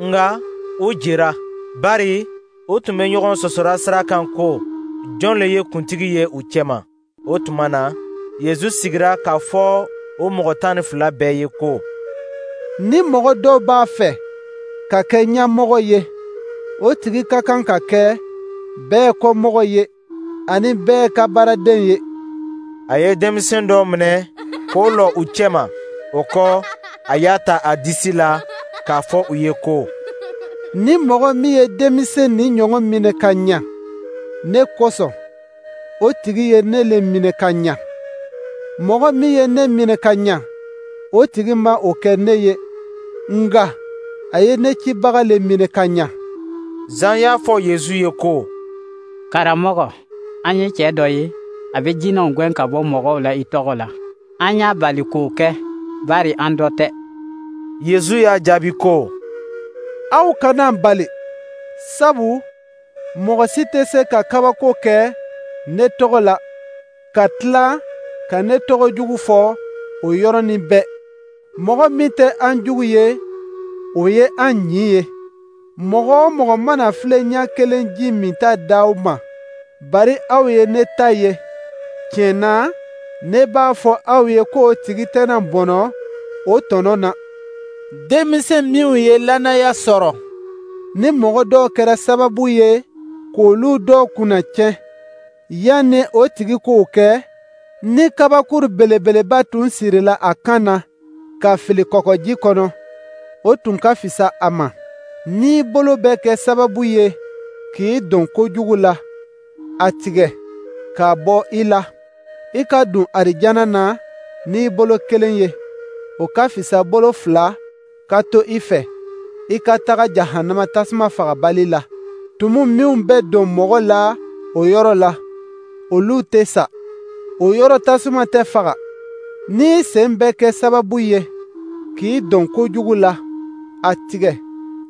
Nka u jera, bari u tun bɛ ɲɔgɔn sɔsɔra sira kan ko jɔn le ye kuntigi ye u cɛma. O tuma na, Yesu sigira k'a fɔ o mɔgɔ tan ni fila bɛɛ ye ko: Ni mɔgɔ dɔw b'a fɛ ka kɛ ɲɛmɔgɔ ye, o tigi ka kan ka kɛ bɛɛ kɔmɔgɔ ye ani bɛɛ ka baaraden ye. A ye denmisɛn dɔ minɛ k'o lɔ u cɛma. O kɔ, a y'a ta a disi la k'a fɔ u ye ko: Ni mɔgɔ min ye denmisɛn nin ɲɔgɔn minɛ ka ɲa ne kosɔn, o tigi ye ne le minɛ ka ɲa. Mɔgɔ min ye ne minɛ ka ɲa, o tigi ma o kɛ ne ye, nka a ye ne cibaga le minɛ ka ɲa. Zan y'a fɔ Yesu ye ko: Karamɔgɔ, an ye cɛ dɔ ye, a bɛ jinɛw gɛn ka bɔ mɔgɔw la i tɔgɔ la. An y'a bali k'o kɛ, bari an dɔ tɛ. Yesu y'a jaabi ko: Aw kana bali, sabu mɔgɔ si tɛ se ka kabako kɛ ne tɔgɔ la, ka tila ka ne tɔgɔ jugu fɔ o yɔrɔnin bɛɛ. Mɔgɔ min tɛ an jugu ye, o ye an ɲin ye. Mɔgɔ o mɔgɔ mana filen ɲɛ kelen ji minta d'aw ma, bari aw ye ne ta ye, tiɲɛ na, ne b'a fɔ aw ye k'o tigi tɛna bɔnɔ o tɔnɔ na. Denmisɛn minw ye lannaya sɔrɔ, ni mɔgɔ dɔw kɛra sababu ye k'olu dɔw kunnatiɲɛ, yanni o tigi k'o kɛ, ni kabakuru belebeleba tun sirila a kan na ka fili kɔgɔji kɔnɔ, o tun ka fisa a ma. N'i bolo bɛ kɛ sababu ye k'i don kojugu la, a tigɛ k'a bɔ i la. I ka don arijana na n'i bolo kelen ye, o ka fisa bolo fila ka to i fɛ, i ka taga jahanama tasuma fagabali la. Tumu minw bɛ don mɔgɔ la o yɔrɔ la, olu tɛ sa. O yɔrɔ tasuma tɛ faga. N'i sen bɛ kɛ sababu ye k'i don kojugu la, a tigɛ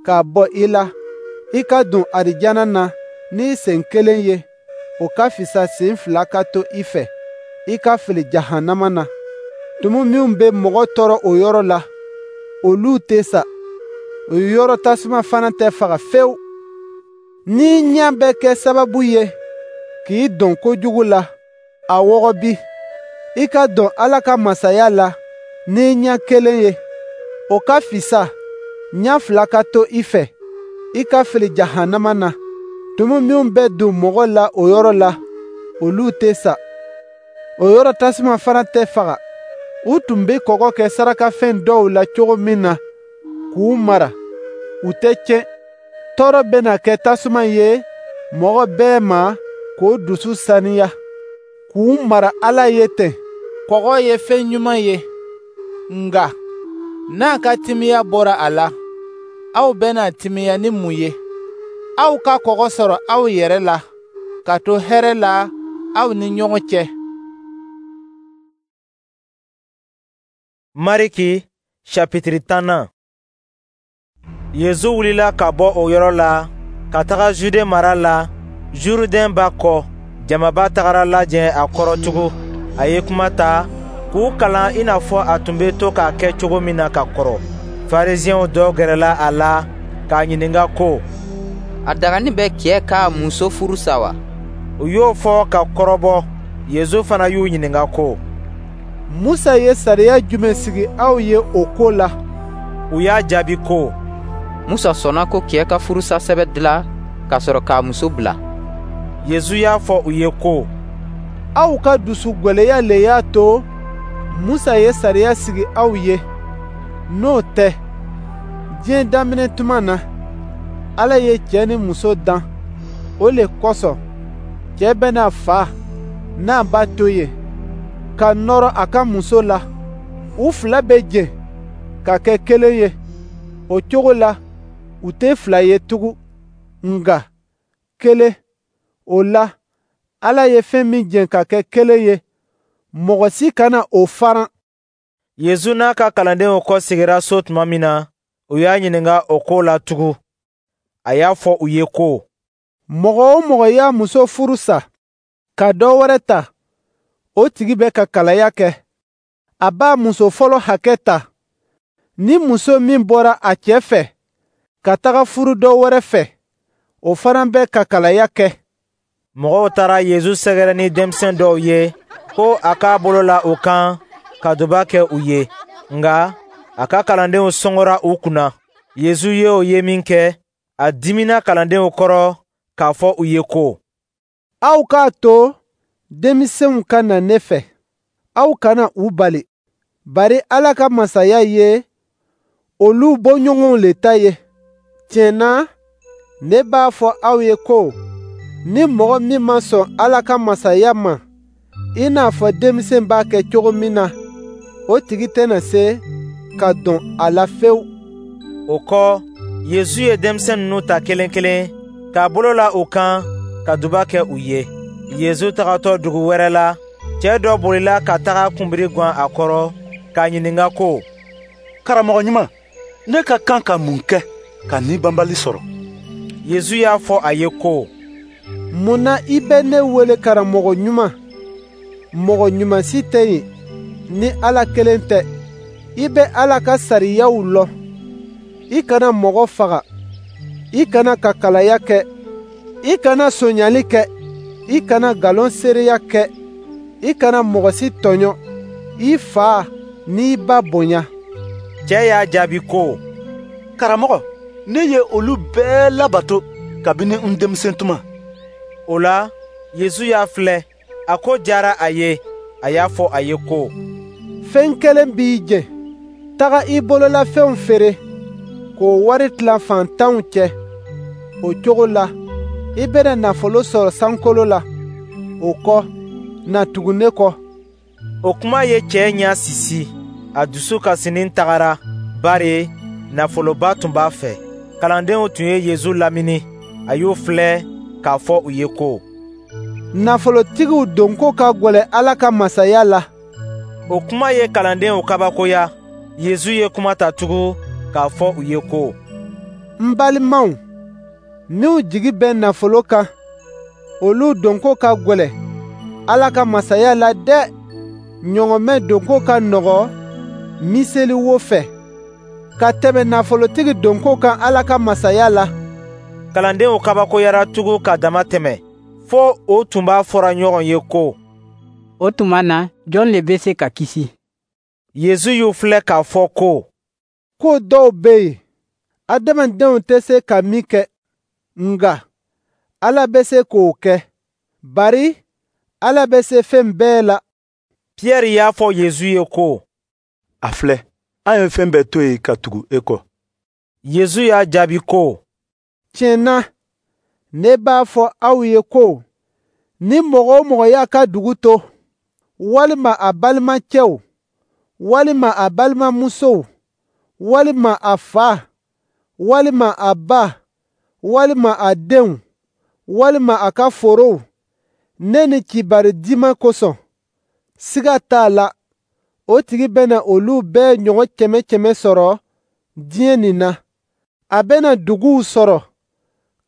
k'a bɔ i la. I ka don arijana na n'i sen kelen ye, o ka fisa sen fila ka to i fɛ, i ka fili jahanama na. Tumu minw bɛ mɔgɔ tɔɔrɔ o yɔrɔ la, olu tɛ sa. O yɔrɔ tasuma fana tɛ faga fewu. N'i ɲɛ bɛ kɛ sababu ye k'i don kojugu la, a wɔgɔbi. I ka don Ala ka masaya la n'i ɲɛ kelen ye, o ka fisa ɲɛ fila ka to i fɛ, i ka fili jahanama na. Tumu minw bɛ don mɔgɔ la o yɔrɔ la, olu tɛ sa. O yɔrɔ tasuma fana tɛ faga. U tun bɛ kɔgɔ kɛ sarakafɛn dɔw la cogo min na k'u mara, u tɛ tiɲɛ. Tɔɔrɔ bɛna kɛ tasuma ye mɔgɔ bɛɛ ma k'o dusu saniya, k'u mara Ala ye ten. Kɔgɔ ye fɛn ɲuman ye, nka n'a ka timiya bɔra a la, aw bɛna timiya ni mun ye? Aw ka kɔgɔ sɔrɔ aw yɛrɛ la, ka to hɛrɛ la aw ni ɲɔgɔn cɛ. Mariki chapitre tannan. Yezu wulila ka bɔ o yɔrɔ la ka taga Jude mara la, Jurudɛn ba kɔ. Jamaba tagara lajɛ a kɔrɔ tugun. A ye kuma ta k'u kalan i n'a fɔ a tun bɛ to k'a kɛ cogo min na ka kɔrɔ. Farisiɛnw dɔ gɛrɛla a la k'a ɲininka ko: A dagani bɛ cɛ k'a muso furu sa wa? U y'o fɔ ka kɔrɔbɔ. Yezu fana y'u ɲininka ko: Musa ye sariya jumɛn sigi aw ye o ko la? U y'a jaabi ko: Musa sɔnna ko cɛ ka furusa sɛbɛn dila ka sɔrɔ k'a muso bila. Yezu y'a fɔ u ye ko: Aw ka dusu gwɛlɛya le y'a to Musa ye sariya sigi aw ye. N'o tɛ, diɲɛ daminɛ tuma na, Ala ye cɛ ni muso dan. O le kosɔn, cɛ bɛna fa n'a ba to yen, ka nɔrɔ a ka muso la. U fila bɛ jɛ ka kɛ kelen ye. O cogo la, u tɛ fila ye tugun, nka kelen. O la, Ala ye fɛn min jɛ ka kɛ kelen ye, mɔgɔ si kana o faran. Yezu n'a ka kalandenw kɔsegira so tuma min na, u y'a ɲininka o ko la tugun. A y'a fɔ u ye ko: Mɔgɔ o mɔgɔ y'a muso furu sa ka dɔ wɛrɛ ta, o tigi bɛ ka kalaya kɛ. A b'a muso fɔlɔ hakɛ ta. Ni muso min bɔra a cɛ fɛ ka taga furu dɔ wɛrɛ fɛ, o fana bɛ ka kalaya kɛ. Mɔgɔw taara Yezu sɛgɛrɛ ni denmisɛn dɔw ye ko a k'a bolo la u kan ka duba kɛ u ye. Nka a ka kalandenw sɔngɔra u kunna. Yezu ye o ye min kɛ, a dimina kalandenw kɔrɔ k'a fɔ u ye ko: Aw k'a to denmisɛnw ka na ne fɛ, aw kana u bali, bari Ala ka masaya ye olu bɔɲɔgɔnw le ta ye. Tiɲɛ na, ne b'a fɔ aw ye ko ni mɔgɔ min ma sɔn Ala ka masaya ma, i n'a fɔ denmisɛn b'a kɛ cogo min na, o tigi tɛna se ka don a la fewu. O kɔ, Yezu ye denmisɛn ninnu ta kelen kelen k'a bolo la u kan ka duba kɛ u ye. Yezu tagatɔ dugu wɛrɛ la, cɛ dɔ bolila ka taga kunbiri gwan a kɔrɔ k'a ɲininka ko: Karamɔgɔ ɲuman, ne ka kan ka mun kɛ ka ni banbali sɔrɔ? Yezu y'a fɔ a ye ko: Mun na i bɛ ne wele karamɔgɔ ɲuman? Mɔgɔ ɲuman si tɛ yen ni Ala kelen tɛ. I bɛ Ala ka sariyaw lɔn. I kana mɔgɔ faga, i kana kakalaya kɛ, i kana sonyali kɛ, i kana nkalon seereya kɛ, i kana mɔgɔ si tɔɲɔ, i fa n'i ba bonya. Cɛ y'a jaabi ko: Karamɔgɔ, ne ye olu bɛɛ labato kabini n denmisɛn tuma. O la, Yezu y'a filɛ, a ko diyara a ye. A y'a fɔ a ye ko: Fɛn kelen b'i jɛ. Taga i bololafɛnw feere k'o wari tila faantanw cɛ. O cogo la, i bɛna nafolo sɔrɔ sankolo la. O kɔ, na tugu ne kɔ. O kuma ye cɛ ɲɛ sisi. A dusu kasinin tagara, bari nafoloba tun b'a fɛ. Kalandenw tun ye Yesu lamini. A y'u filɛ k'a fɔ u ye ko: Nafolotigiw donko ka gwɛlɛn Ala ka masaya la. O kuma ye kalandenw kabakoya. Yesu ye kuma ta tugun k'a fɔ u ye ko: N balimaw, minw jigi bɛ nafolo kan, olu donko ka gwɛlɛn Ala ka masaya la dɛ! Ɲɔgɔmɛ donko ka nɔgɔ miseli wo fɛ, ka tɛmɛ nafolotigi donko kan Ala ka masaya la. Kalandenw kabakoyara tugun ka dama tɛmɛ, fo o tun b'a fɔra ɲɔgɔn ye ko: O tuma na, jɔn le bɛ se ka kisi? Yesu y'u filɛ k'a fɔ ko: Ko dɔw bɛ yen, adamadenw tɛ se ka min kɛ, nka Ala bɛ se k'o kɛ, bari Ala bɛ se fɛn bɛɛ la. Piyɛri y'a fɔ Yesu ye ko: A filɛ, an ye fɛn bɛɛ to yen ka tugu e kɔ. Yesu y'a jaabi ko: Tiɲɛ na, ne b'a fɔ aw ye ko ni mɔgɔ o mɔgɔ y'a ka dugu to, walima a balimacɛw, walima a balimamusow, walima a fa, walima a ba, walima a denw, walima a ka forow, ne ni kibaru diman kosɔn, siga t'a la, o tigi bɛna olu bɛɛ ɲɔgɔn kɛmɛ kɛmɛ sɔrɔ diɲɛ nin na. A bɛna duguw sɔrɔ,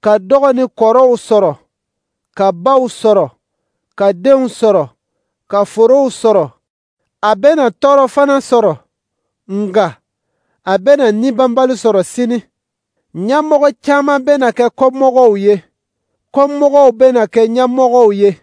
ka dɔgɔ ni kɔrɔw sɔrɔ, ka baw sɔrɔ, ka denw sɔrɔ, ka forow sɔrɔ. A bɛna tɔɔrɔ fana sɔrɔ, nka a bɛna nibɔnbali sɔrɔ sini. Ɲɛmɔgɔ caman bɛna kɛ kɔmɔgɔw ye, kɔmɔgɔw bɛna kɛ ɲɛmɔgɔw ye.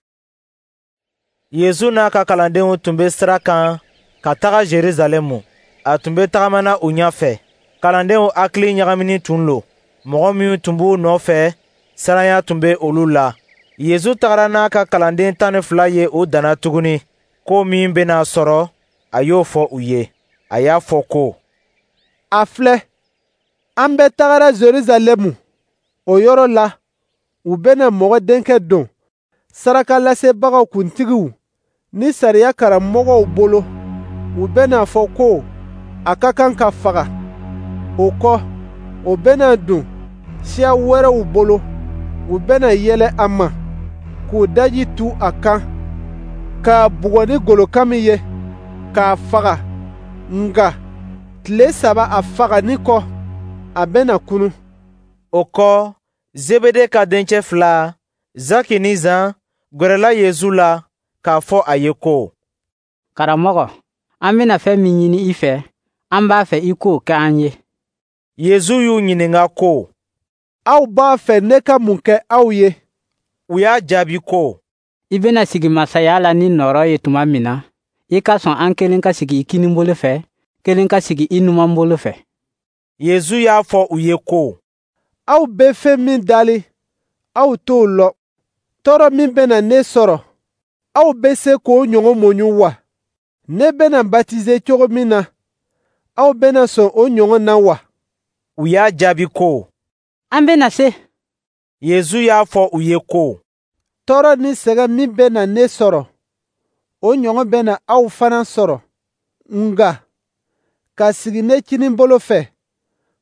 Yesu n'a ka kalandenw tun bɛ sira kan ka taga Jerusalɛmu. A tun bɛ tagamana u ɲɛfɛ. Kalandenw hakili ɲagaminin tun lo. Mɔgɔ minnu tun b'u nɔfɛ, siranya tun bɛ olu la. Yesu tagara n'a ka kalanden tan ni fila ye u danna tuguni. Ko min bɛna sɔrɔ, a y'o fɔ u ye. A y'a fɔ ko: A filɛ, an bɛ tagara Jerusalɛmu. O yɔrɔ la, u bɛna Mɔgɔ Denkɛ don sarakalasebagaw kuntigiw ni sariya karamɔgɔw bolo. U bɛna fɔ ko a ka kan ka faga. O kɔ, o bɛna don siya wɛrɛw bolo. U bɛna yɛlɛ a ma, k'u daji tu a kan, k'a bugɔ ni golokamin ye, k'a faga. Nka tile saba a fagali kɔ, a bɛna kunun. O kɔ, Zebede ka dencɛ fila, Zaki ni Zan, gwɛrɛla Yesu la k'a fɔ a ye ko: Karamɔgɔ, an bɛna fɛn min ɲini i fɛ, an b'a fɛ i k'o kɛ an ye. Yesu y'u ɲininka ko: Aw b'a fɛ ne ka mun kɛ aw ye? U y'a jaabi ko: I bɛna sigi masaya la ni nɔɔrɔ ye tuma min na, i ka sɔn an kelen ka sigi i kininbolo fɛ, kelen ka sigi i numanbolo fɛ. Yesu y'a fɔ u ye ko: Aw bɛ fɛn min dali, aw t'o lɔn. Tɔɔrɔ min bɛna ne sɔrɔ, aw bɛ se k'o ɲɔgɔn muɲu wa? Ne bɛna batize cogo min na, aw bɛna sɔn o ɲɔgɔn na wa? U y'a jaabi ko: An bɛna se. Yesu y'a fɔ u ye ko: Tɔɔrɔ ni sɛgɛn min bɛna ne sɔrɔ, o ɲɔgɔn bɛna aw fana sɔrɔ. Nka ka sigi ne kininbolo fɛ,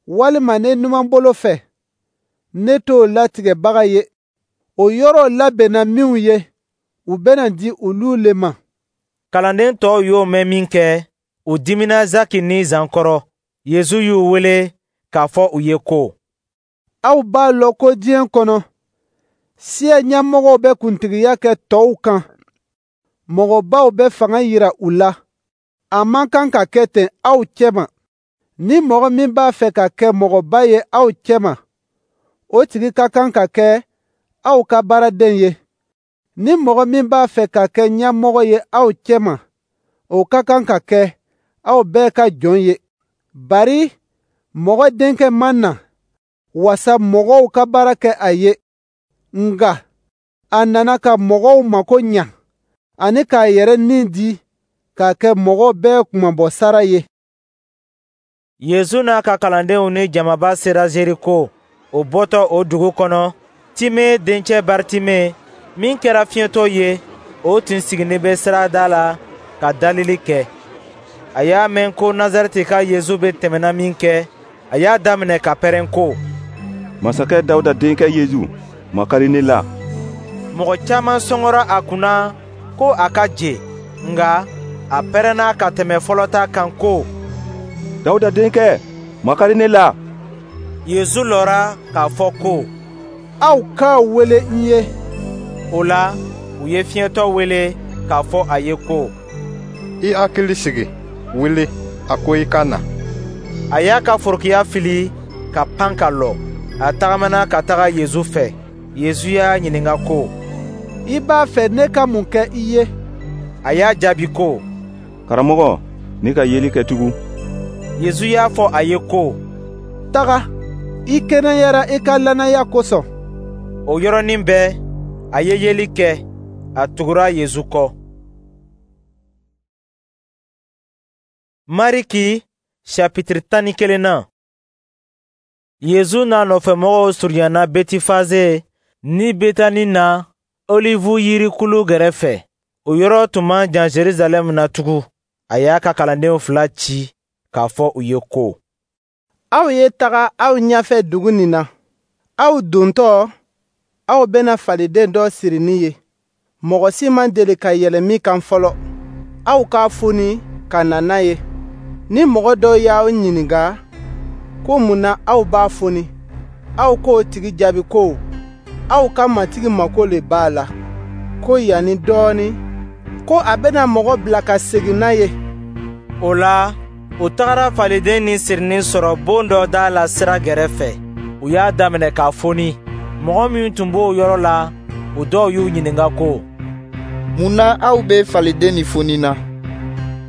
walima ne numanbolo fɛ, ne t'o latigɛbaga ye. O yɔrɔ labɛnna minw ye, u bɛna di olu le ma. Kalanden tɔw y'o mɛn minkɛ, u dimina Zaki ni Zan kɔrɔ. Yesu y'u wele k'a fɔ u ye ko: Aw b'a lɔn ko diɲɛ kɔnɔ, siya ɲɛmɔgɔw bɛ kuntigiya kɛ tɔw kan. Mɔgɔbaw bɛ fanga yira u la. A man kan ka kɛ ten aw cɛma. Ni mɔgɔ min b'a fɛ ka kɛ mɔgɔba ye aw cɛma, o tigi ka kan ka kɛ aw ka baaraden ye. Ni mɔgɔ min b'a fɛ ka kɛ ɲɛmɔgɔ ye aw cɛma, o ka kan ka kɛ aw bɛɛ ka jɔn ye. Bari Mɔgɔ Denkɛ ma na wasa mɔgɔw ka baara kɛ a ye, nka a nana ka mɔgɔw mako ɲa ani k'a yɛrɛ ni di k'a kɛ mɔgɔ bɛɛ kunmabɔ sara ye. Yesu n'a ka kalandenw ni jamaba sera Jeriko. O bɔtɔ o dugu kɔnɔ, Time dencɛ Baritime, min kɛra fiɲɛtɔ ye, o tun sigilen bɛ sirada la ka dalili kɛ. A y'a mɛn ko Nazarɛtika Yesu bɛ tɛmɛna min kɛ, a y'a daminɛ ka pɛrɛn ko: Masakɛ Dawuda denkɛ Yesu, makari ne la. Mɔgɔ caman sɔngɔra a kunna ko a ka je, nka a pɛrɛnna ka tɛmɛ fɔlɔ ta kan ko: Dawuda denkɛ, makari ne la. Yesu lɔra k'a fɔ ko: Aw k'a wele n ye. O la, u ye fiɲɛtɔ wele k'a fɔ a ye ko: I hakili sigi, wuli, a ko i ka na. A y'a ka forokiya fili ka pan ka lɔ. A tagamana ka taga Yesu fɛ. Yesu y'a ɲininka ko: I b'a fɛ ne ka mun kɛ i ye? A y'a jaabi ko: Karamɔgɔ, ne ka yeli kɛ tugun. Yesu y'a fɔ a ye ko: Taga, i kɛnɛyara i ka lannaya kosɔn. O yɔrɔnin bɛɛ, a ye yeli kɛ, a tugura Yesu kɔ. Mariki chapitre tan ni kelennan. Yesu n'a nɔfɛmɔgɔw surunyana Betifaze ni Betani na Olivu yirikulu gɛrɛfɛ. O yɔrɔ tun man jan Jerusalɛm na tugun. A y'a ka kalandenw fila ci k'a fɔ u ye ko: Aw ye taga aw ɲɛfɛ dugu nin na. Aw dontɔ, aw bɛna faliden dɔ sirinin ye, mɔgɔ si ma deli ka yɛlɛn min kan fɔlɔ. Aw k'a foni ka na n'a ye. Ni mɔgɔ dɔ y'aw ɲininka ko mun na aw b'a foni, aw k'o tigi jaabi ko aw ka Matigi mago le b'a la, ko yanni dɔɔnin, ko a bɛna mɔgɔ bila ka segin n'a ye. O la, u tagara faliden ni sirinin sɔrɔ bon dɔ da la sira gɛrɛfɛ. U y'a daminɛ k'a foni. Mɔgɔ minnu tun b'o yɔrɔ la, u dɔw y'u ɲininka ko: Mun na aw bɛ faliden nin foni na?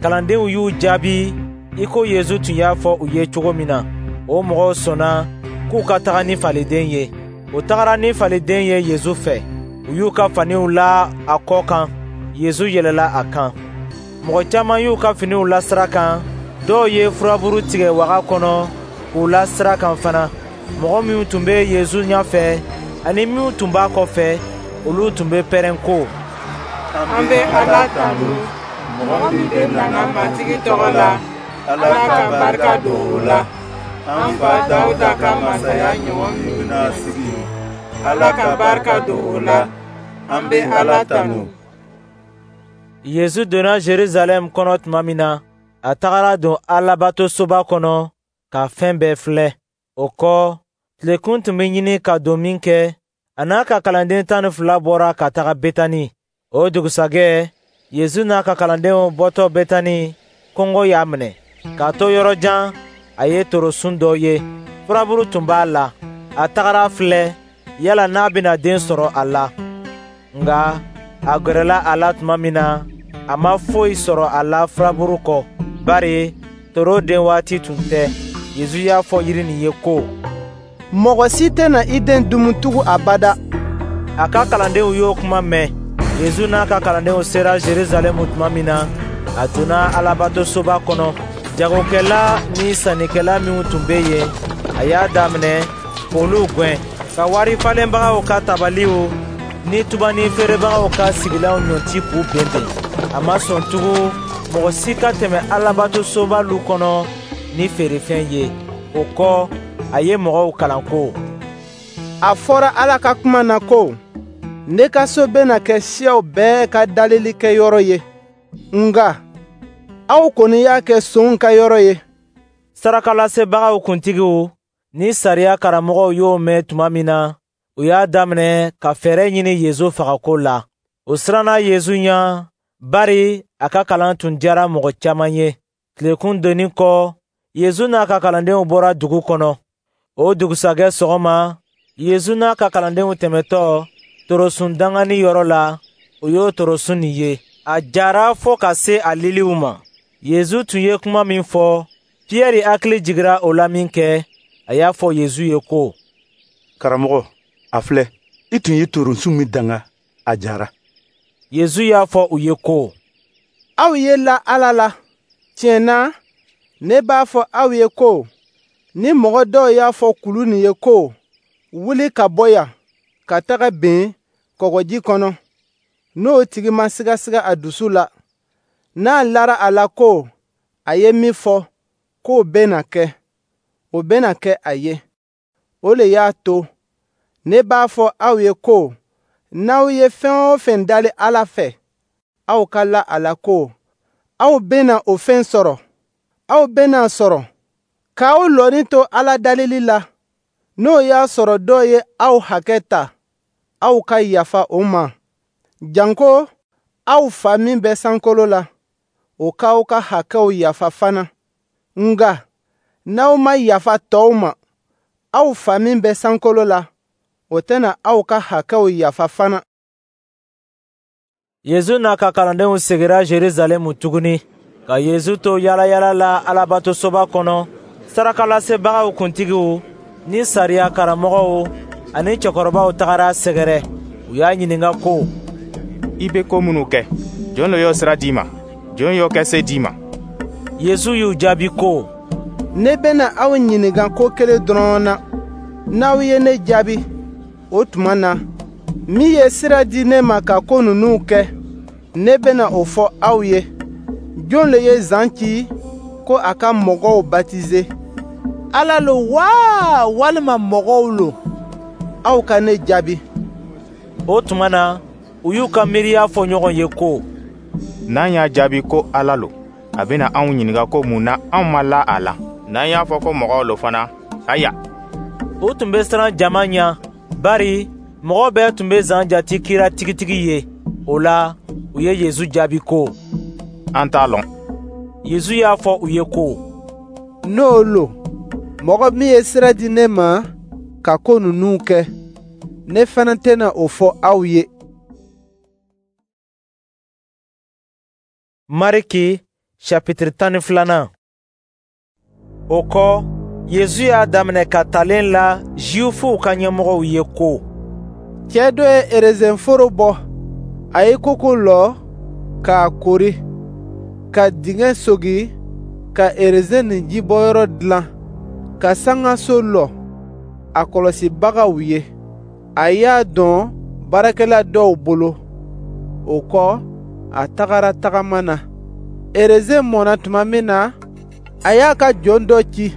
Kalandenw y'u jaabi i ko Yesu tun y'a fɔ u ye cogo min na. O mɔgɔw sɔnna k'u ka taga ni faliden ye. U tagara ni faliden ye Yesu fɛ. U y'u ka faniw la a kɔ kan. Yesu yɛlɛla a kan. Mɔgɔ caman y'u ka finiw la sira kan. Dɔw ye furaburu tigɛ waga kɔnɔ k'u la sira kan fana. Mɔgɔ minnu tun bɛ Yesu ɲɛfɛ ani minnu tun b'a kɔfɛ, olu tun bɛ pɛrɛn ko: An bɛ Ala tanu, mɔgɔ min bɛ nana Matigi tɔgɔ la, Ala ka barika don o la. An fa Dawuda ka masaya ɲɔgɔn min bɛna sigi, Ala ka barika don o la. An bɛ Ala tanu. Yesu donna Jerusalɛm kɔnɔ tuma min na, a tagara don Alabatosoba kɔnɔ ka fɛn bɛɛ filɛ. O kɔ, tilekun tun bɛ ɲini ka don min kɛ, a n'a ka kalanden tan ni fila bɔra ka taga Betani. O dugusajɛ, Yesu n'a ka kalandenw bɔtɔ Betani, kɔngɔ y'a minɛ. K'a to yɔrɔ jan, a ye torosun dɔ ye. Furaburu tun b'a la. A tagara filɛ yala n'a bɛna den sɔrɔ a la. Nka a gɛrɛla a la tuma min na, a ma foyi sɔrɔ a la furaburu kɔ, bari toro den waati tun tɛ. Yesu y'a fɔ yiri nin ye ko: Mɔgɔ si tɛna i den dumu tugun abada. A ka kalandenw y'o kuma mɛn. Yesu n'a ka kalandenw sera Jerusalɛm tuma min na, a donna Alabatosoba kɔnɔ. Jagokɛla ni sannikɛla minnu tun bɛ yen, a y'a daminɛ k'olu gɛn, ka wari falenbagaw ka tabaliw ni tubani feerebagaw ka sigilanw ɲɔnti k'u benben. A ma sɔn tugun mɔgɔ si ka tɛmɛ Alabatosoba lu kɔnɔ ni feerefɛn ye. O kɔ, a ye mɔgɔw kalan ko: A fɔra Ala ka kuma na ko: Ne ka so bɛna kɛ siyaw bɛɛ ka dalilikɛyɔrɔ ye. Nka aw kɔni y'a kɛ sonw ka yɔrɔ ye. Sarakalasebagaw kuntigiw ni sariya karamɔgɔw y'o mɛn tuma min na, u y'a daminɛ ka fɛɛrɛ ɲini Yesu fagako la. U siranna Yesu ɲɛ, bari a ka kalan tun diyara mɔgɔ caman ye. Tilekun donnen kɔ, Yesu n'a ka kalandenw bɔra dugu kɔnɔ. O dugusajɛ sɔgɔma, Yesu n'a ka kalandenw tɛmɛtɔ torosun danganni yɔrɔ la, u y'o torosun nin ye. A jara fɔ ka se a liliw ma. Yesu tun ye kuma min fɔ, Piyɛri hakili jigira o la min kɛ, a y'a fɔ Yesu ye ko: Karamɔgɔ, a filɛ, i tun ye torosun min danga, a jara. Yesu y'a fɔ u ye ko: Aw ye la Ala la. Tiɲɛ na, Ne b'a fɔ aw ye ko, ni mɔgɔ dɔw y'a fɔ kulu nin ye ko, wuli ka bɔ yan, ka taga ben kɔgɔji kɔnɔ, n'o tigi ma sigasiga a dusu la, n'a lara a la ko a ye min fɔ, k'o bɛna kɛ, o bɛna kɛ a ye. O le y'a to ne b'a fɔ aw ye ko, n'aw ye fɛn o fɛn dali Ala fɛ, aw ka la a la ko aw bɛna o fɛn sɔrɔ. Aw bɛna a sɔrɔ. K'aw lɔnni to Ala dalili la, n'o y'a sɔrɔ dɔ ye aw hakɛ ta, aw ka yafa o ma, janko aw Fa min bɛ sankolo la, o k'aw ka hakɛw yafa fana. Nka n'aw ma yafa tɔw ma, aw Fa min bɛ sankolo la, o tɛna aw ka hakɛw yafa fana. Yezu n'a ka kalandenw segira Jerusalɛmu tuguni, ka Yezu to yaalayaala la Alabatosoba kɔnɔ, sarakalasebagaw kuntigiw ni sariya karamɔgɔw ani cɛkɔrɔbaw tagara a sɛgɛrɛ. U y'a ɲininka ko, I bɛ ko minnu kɛ, jɔn le y'o sira di i ma? Jɔn y'o kɛ se di i ma? Yezu y'u jaabi ko, Ne bɛna aw ɲininka ko kelen dɔrɔn na. N'aw ye ne jaabi, o tuma na, min ye sira di ne ma ka ko ninnu kɛ, ne bɛna o fɔ aw ye. Jɔn le ye Zan ci ko a ka mɔgɔw batize? Ala lo wa, walima mɔgɔw lo? Aw ka ne jaabi. O tuma na, u y'u ka miiriya fɔ ɲɔgɔn ye ko, N'an y'a jaabi ko Ala lo, a bɛna anw ɲininka ko mun na anw ma la a la. N'an y'a fɔ ko mɔgɔw lo fana, aya. U tun bɛ siran jama ɲɛ, bari mɔgɔ bɛɛ tun bɛ Zan jate kira tigitigi ye. O la, u ye Yezu jaabi ko, An t'a lɔn. Yezu y'a fɔ u ye ko, N'o lo, mɔgɔ min ye sira di ne ma ka ko ninnu kɛ, ne fana tɛna o fɔ aw ye. Mariki chapitre tan ni filanan. O kɔ, Yezu y'a daminɛ ka talen la Zuwifuw ka ɲɛmɔgɔw ye ko, Cɛ dɔ ye erezenforo bɔ, a ye koko lɔ k'a kori, ka dingɛ sogi, ka erezen nin jibɔyɔrɔ dilan, ka sangaso lɔ a kɔlɔsibagaw ye. A y'a dɔn baarakɛla dɔw bolo. O kɔ, a tagara tagama na. Erezen mɔna tuma min na, a y'a ka jɔn dɔ ci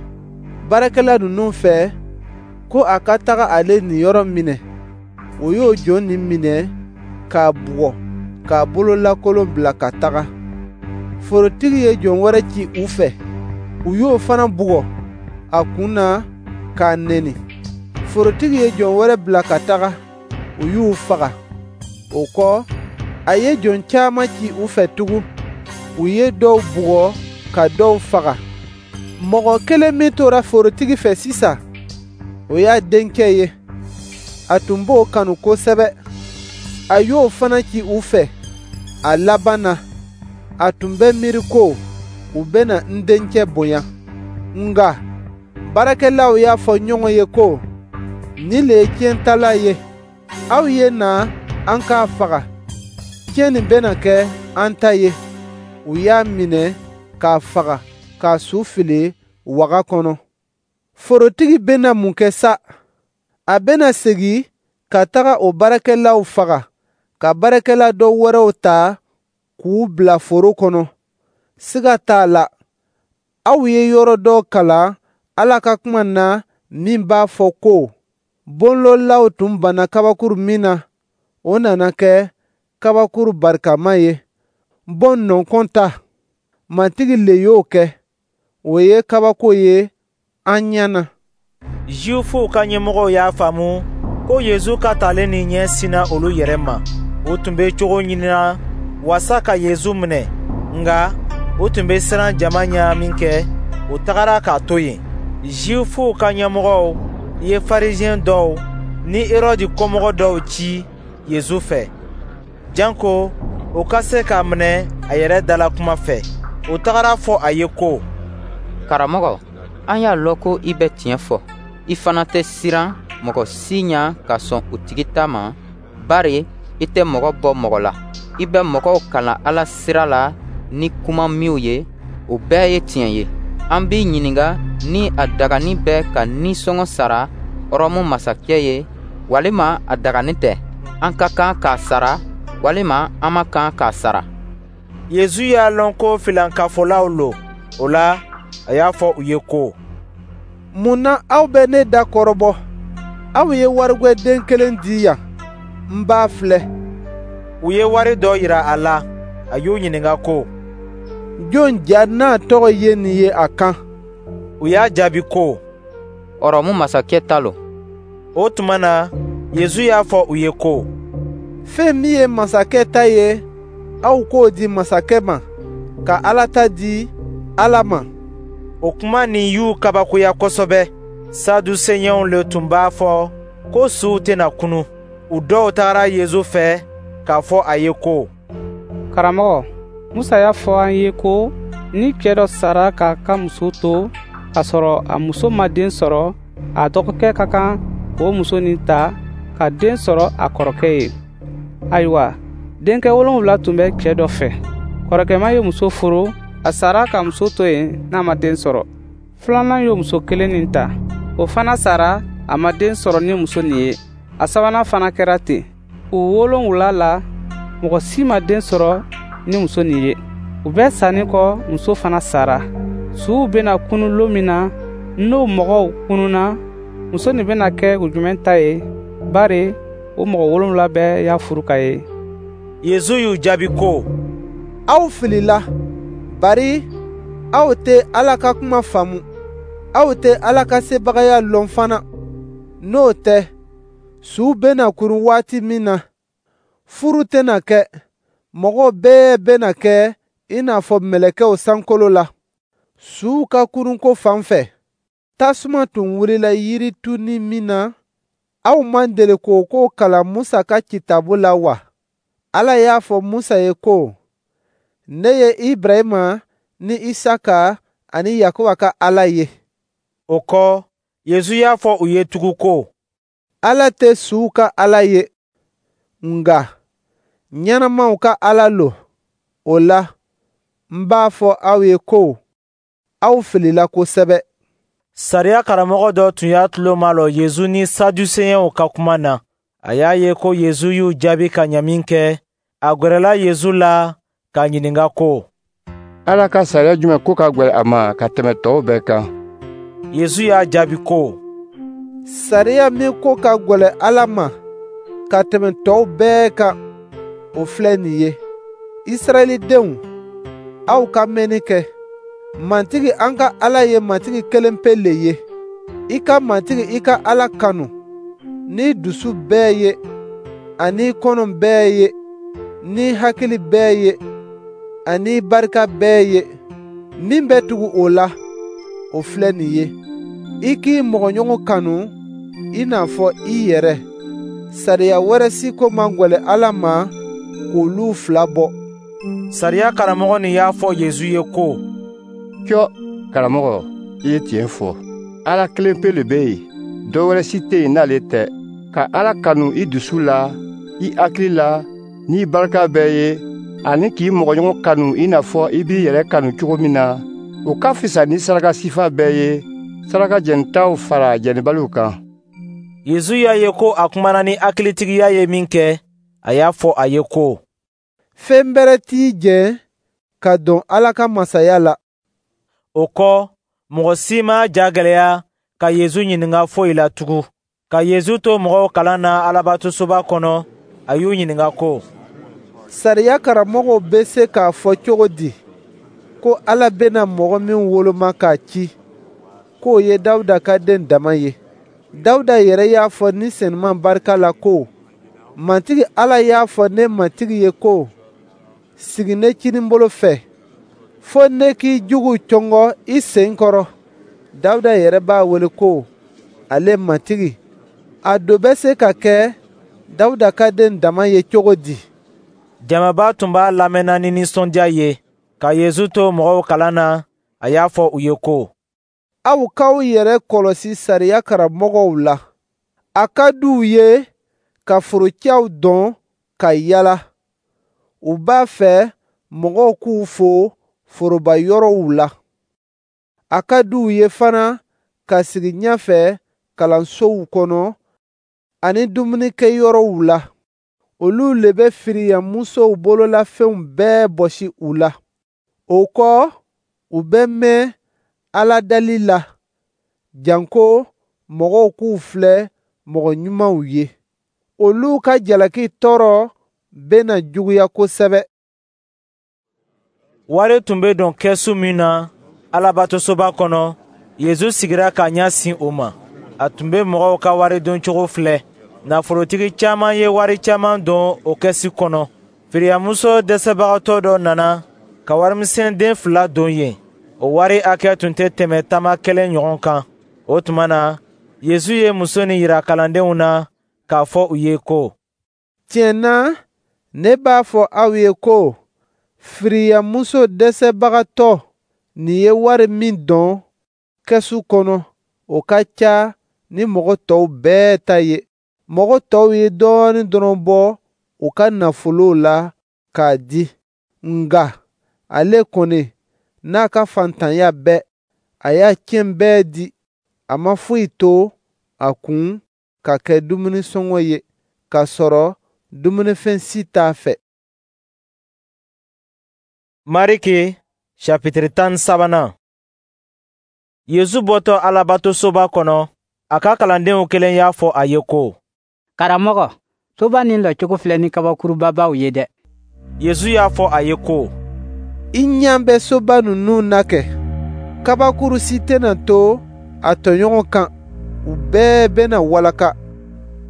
baarakɛla ninnu fɛ ko a ka taga ale niyɔrɔ minɛ. O y'o jɔn nin minɛ k'a bugɔ, k'a bololakolon bila ka taga. Forotigi ye jɔn wɛrɛ ci u fɛ. U y'o fana bugɔ a kun na k'a neni. Forotigi ye jɔn wɛrɛ bila ka taga. U y'u faga. O kɔ, a ye jɔn caman ci u fɛ tugun. U ye dɔw bugɔ ka dɔw faga. Mɔgɔ kelen min tora forotigi fɛ sisan, o y'a denkɛ ye. A tun b'o kanu kosɛbɛ. A y'o fana ci u fɛ. A laban na, a tun bɛ miiri ko u bɛna n denkɛ bonya. Nka baarakɛlaw y'a fɔ ɲɔgɔn ye ko, nin le ye tiɲɛtala ye. Aw ye na an k'a faga. Tiɲɛ nin bɛna kɛ an ta ye. U y'a minɛ k'a faga, k'a su fili waga kɔnɔ. Forotigi bɛna mun kɛ sa? A bɛna segin ka taga o baarakɛlaw faga, ka baarakɛla dɔ wɛrɛw ta k'u bila foro kɔnɔ. Siga t'a la, aw ye yɔrɔ dɔ kalan Ala ka kuma na min b'a fɔ ko, bonlɔlaw tun banna kabakuru min na, o nana kɛ kabakuru barikama ye. Bon nɔnkɔn ta, Matigi le y'o kɛ, o ye kabako ye an ɲɛ na. Zuwifuw ka ɲɛmɔgɔw y'a faamu ko Yezu ka talen nin ɲɛ sinna olu yɛrɛ ma. U tun bɛ cogo ɲinina wasa ka Yezu minɛ, nka u tun bɛ siran jama ɲɛ min kɛ, u tagara k'a to yen. Zuwifuw ka ɲɛmɔgɔw ye Farisiyɛn dɔw ni Herɔdi kɔmɔgɔ dɔw ci Yezu fɛ, janko u ka se k'a minɛ a yɛrɛ dala kuma fɛ. U tagara fɔ a ye ko, Karamɔgɔ, an y'a lɔn ko i bɛ tiɲɛ fɔ. I fana tɛ siran mɔgɔ si ɲɛ ka sɔn u tigi ta ma, bari i tɛ mɔgɔ bɔ mɔgɔ la. I bɛ mɔgɔw kalan Ala sira la ni kuma minw ye, o bɛɛ ye tiɲɛ ye. An b'i ɲininka ni a dagani bɛ ka nisɔngɔ sara Rɔmu masakɛ ye, walima a dagani tɛ. An ka kan k'a sara, walima an man kan k'a sara. Yezu y'a lɔn ko filankafolaw lo. O la, a y'a fɔ u ye ko: Mun na aw bɛ ne da kɔrɔbɔ? Aw ye warigwɛ den kelen di yan, n b'a filɛ. U ye wari dɔ yira a la. A y'u ɲininka ko: Jon ja n'a tɔgɔ ye nin ye a kan? U y'a jaabi ko: Ɔrɔmu masakɛ ta lo. O tuma na, Yezu y'a fɔ u ye ko: Fɛn min ye masakɛ ta ye, aw k'o di masakɛ ma, ka Ala ta di Ala ma. O kuma nin y'u kabakoya kosɛbɛ. Saduseɲɛw le tun b'a fɔ ko suw tɛna kunun. U dɔw tagara Yezu fɛ k'a fɔ a ye ko: Karamɔgɔ, Musa y'a fɔ an ye ko ni cɛ dɔ sara k'a ka muso to k'a sɔrɔ a muso ma den sɔrɔ, a dɔgɔkɛ ka kan k'o muso nin ta ka den sɔrɔ a kɔrɔkɛ ye. Ayiwa, denkɛ wolonwula tun bɛ cɛ dɔ fɛ. Kɔrɔkɛma ye muso furu, a sara ka muso to yen n'a ma den sɔrɔ. Filanan y'o muso kelen nin ta, o fana sara, a ma den sɔrɔ ni muso nin ye. A sabanan fana kɛra ten. U wolonwula la, mɔgɔ si ma den sɔrɔ ni muso nin ye. U bɛɛ sanni kɔ, muso fana sara. Suw bɛna kunun lon min na, n'o mɔgɔw kununna, muso nin bɛna kɛ u jumɛn ta ye, bari o mɔgɔ wolonwula bɛɛ y'a furu ka ye? Yezu y'u jaabi ko: Aw filila, bari aw tɛ Ala ka kuma faamu, aw tɛ Ala ka sebagaya lɔn fana. N'o tɛ, suw bɛna kurun waati min na, furu tɛna kɛ, mɔgɔ bɛɛ bɛna kɛ i n'a fɔ mɛlɛkɛw sankolo la. Suw ka kurunko fan fɛ, tasuma tun wulila yirituni min na, aw man deli k'o ko kalan Musa ka kitabu la wa? Ala y'a fɔ Musa ye ko: Ne ye Ibrahima ni Isaka ani Yakuba ka Ala ye. O kɔ, Yezu y'a fɔ u ye tugun ko: Ala tɛ suw ka Ala ye, nka ɲɛnamaw ka Ala lo. O la, n b'a fɔ aw ye ko aw filila kosɛbɛ. Sariya karamɔgɔ dɔ tun y'a tulo malɔ Yezu ni Saduseɲɛw ka kuma na. A y'a ye ko Yezu y'u jaabi ka ɲa minkɛ, a gwɛrɛla Yezu la k'a ɲininka ko: Ala ka sariya jumɛn ko ka gwɛlɛn a ma ka tɛmɛ tɔw bɛɛ kan? Yezu y'a jaabi ko: Sariya min ko ka gwɛlɛn Ala ma ka tɛmɛ tɔw bɛɛ kan, o filɛ nin ye: Israɛlidenw, aw ka mɛnni kɛ. Matigi an ka Ala ye Matigi kelenpe le ye. I ka Matigi i ka Ala kanu n'i dusu bɛɛ ye, ani kɔnɔ bɛɛ ye, n'i hakili bɛɛ ye, ani barika bɛɛ ye. Min bɛ tugu o la, o filɛ nin ye: i k'i mɔgɔɲɔgɔn kanu i n'a fɔ i yɛrɛ. Sariya wɛrɛ si ko man gwɛlɛn Ala ma k'olu fila bɔ. Sariya karamɔgɔ nin y'a fɔ Yezu ye ko: Cɔ, karamɔgɔ, i ye tiɲɛ fɔ. Ala kelenpe le bɛ yen, dɔ wɛrɛ si tɛ yen n'ale tɛ. Ka Ala kanu i dusu la, i hakili la, n'i barika bɛɛ ye, ani k'i mɔgɔɲɔgɔn kanu i n'a fɔ i b'i yɛrɛ kanu cogo min na, o ka fisa ni saraka sifa bɛɛ ye, saraka jɛnitaw fara jɛnibaliw kan. Yezu y'a ye ko a kumana ni hakilitigiya ye minkɛ, a y'a fɔ a ye ko: Fɛn bɛrɛ t'i jɛ ka don Ala ka masaya la. O kɔ, mɔgɔ si ma ja gwɛlɛya ka Yezu ɲininka foyi la tugun. Ka Yezu to mɔgɔw kalan na Alabatosoba kɔnɔ, a y'u ɲininka ko: Sariya karamɔgɔw bɛ se k'a fɔ cogo di ko Ala bɛna mɔgɔ min woloma k'a ci, k'o ye Dawuda ka den dama ye? Dawuda yɛrɛ y'a fɔ Ni Senuma barika la ko: Matigi Ala y'a fɔ ne Matigi ye ko: Sigi ne kininbolo fɛ, fo ne k'i juguw cɔngɔ i sen kɔrɔ. Dawuda yɛrɛ b'a wele ko ale Matigi. A do bɛ se ka kɛ Dawuda ka den dama ye cogo di? Jamaba tun b'a lamɛnna ni nisɔndiya ye. Ka Yezu to mɔgɔw kalan na, a y'a fɔ u ye ko: Aw k'aw yɛrɛ kɔlɔsi sariya karamɔgɔw la. A ka di u ye ka forocɛw dɔn ka yala. U b'a fɛ mɔgɔw k'u fo foroba yɔrɔw la, A ka di u ye fana ka sigi ɲɛfɛ kalansow kɔnɔ ani dumunikɛyɔrɔw la. Olu le bɛ firiyamusow bololafɛnw bɛɛ bɔsi u la. O kɔ, u bɛ mɛn Ala dali la, janko mɔgɔw k'u filɛ mɔgɔ ɲumanw ye. Olu ka jalaki tɔɔrɔ bɛna juguya kosɛbɛ. Wari tun bɛ don kɛsu min na Alabatosoba kɔnɔ, Yezu sigira k'a ɲɛ sin o ma. A tun bɛ mɔgɔw ka wari doncogo filɛ. Nafolotigi caman ye wari caman don o kɛsu kɔnɔ. Firiyamuso dɛsɛbagatɔ dɔ nana ka warimisɛn den fila don yen. O wari hakɛ tun tɛ tɛmɛ tama kelen ɲɔgɔn kan. O tuma na, Yezu ye muso nin yira kalandenw na k'a fɔ u ye ko: Tiɲɛ na, ne b'a fɔ aw ye ko firiyamuso dɛsɛbagatɔ nin ye wari min don kɛsu kɔnɔ, o ka ca ni mɔgɔ tɔw bɛɛ ta ye. Mɔgɔ tɔw ye dɔɔnin dɔrɔn bɔ u ka nafolo la k'a di, nka ale kɔni n'a ka faantanya bɛɛ, a y'a cɛn bɛɛ di. A ma foyi to a kun ka kɛ dumunisɔngɔ ye, k'a sɔrɔ dumunifɛn si t'a fɛ. Mariki chapitre tan ni sabanan. Yezu bɔtɔ Alabatosoba kɔnɔ, a ka kalandenw kelen y'a fɔ a ye ko: Karamɔgɔ, soba nin lɔcogo filɛ ni kabakurubabaw ye dɛ. Yezu y'a fɔ a ye ko: I ɲɛ bɛ soba ninnu na kɛ, kabakuru si tɛna to a tɔɲɔgɔn kan, u bɛɛ bɛna walaka.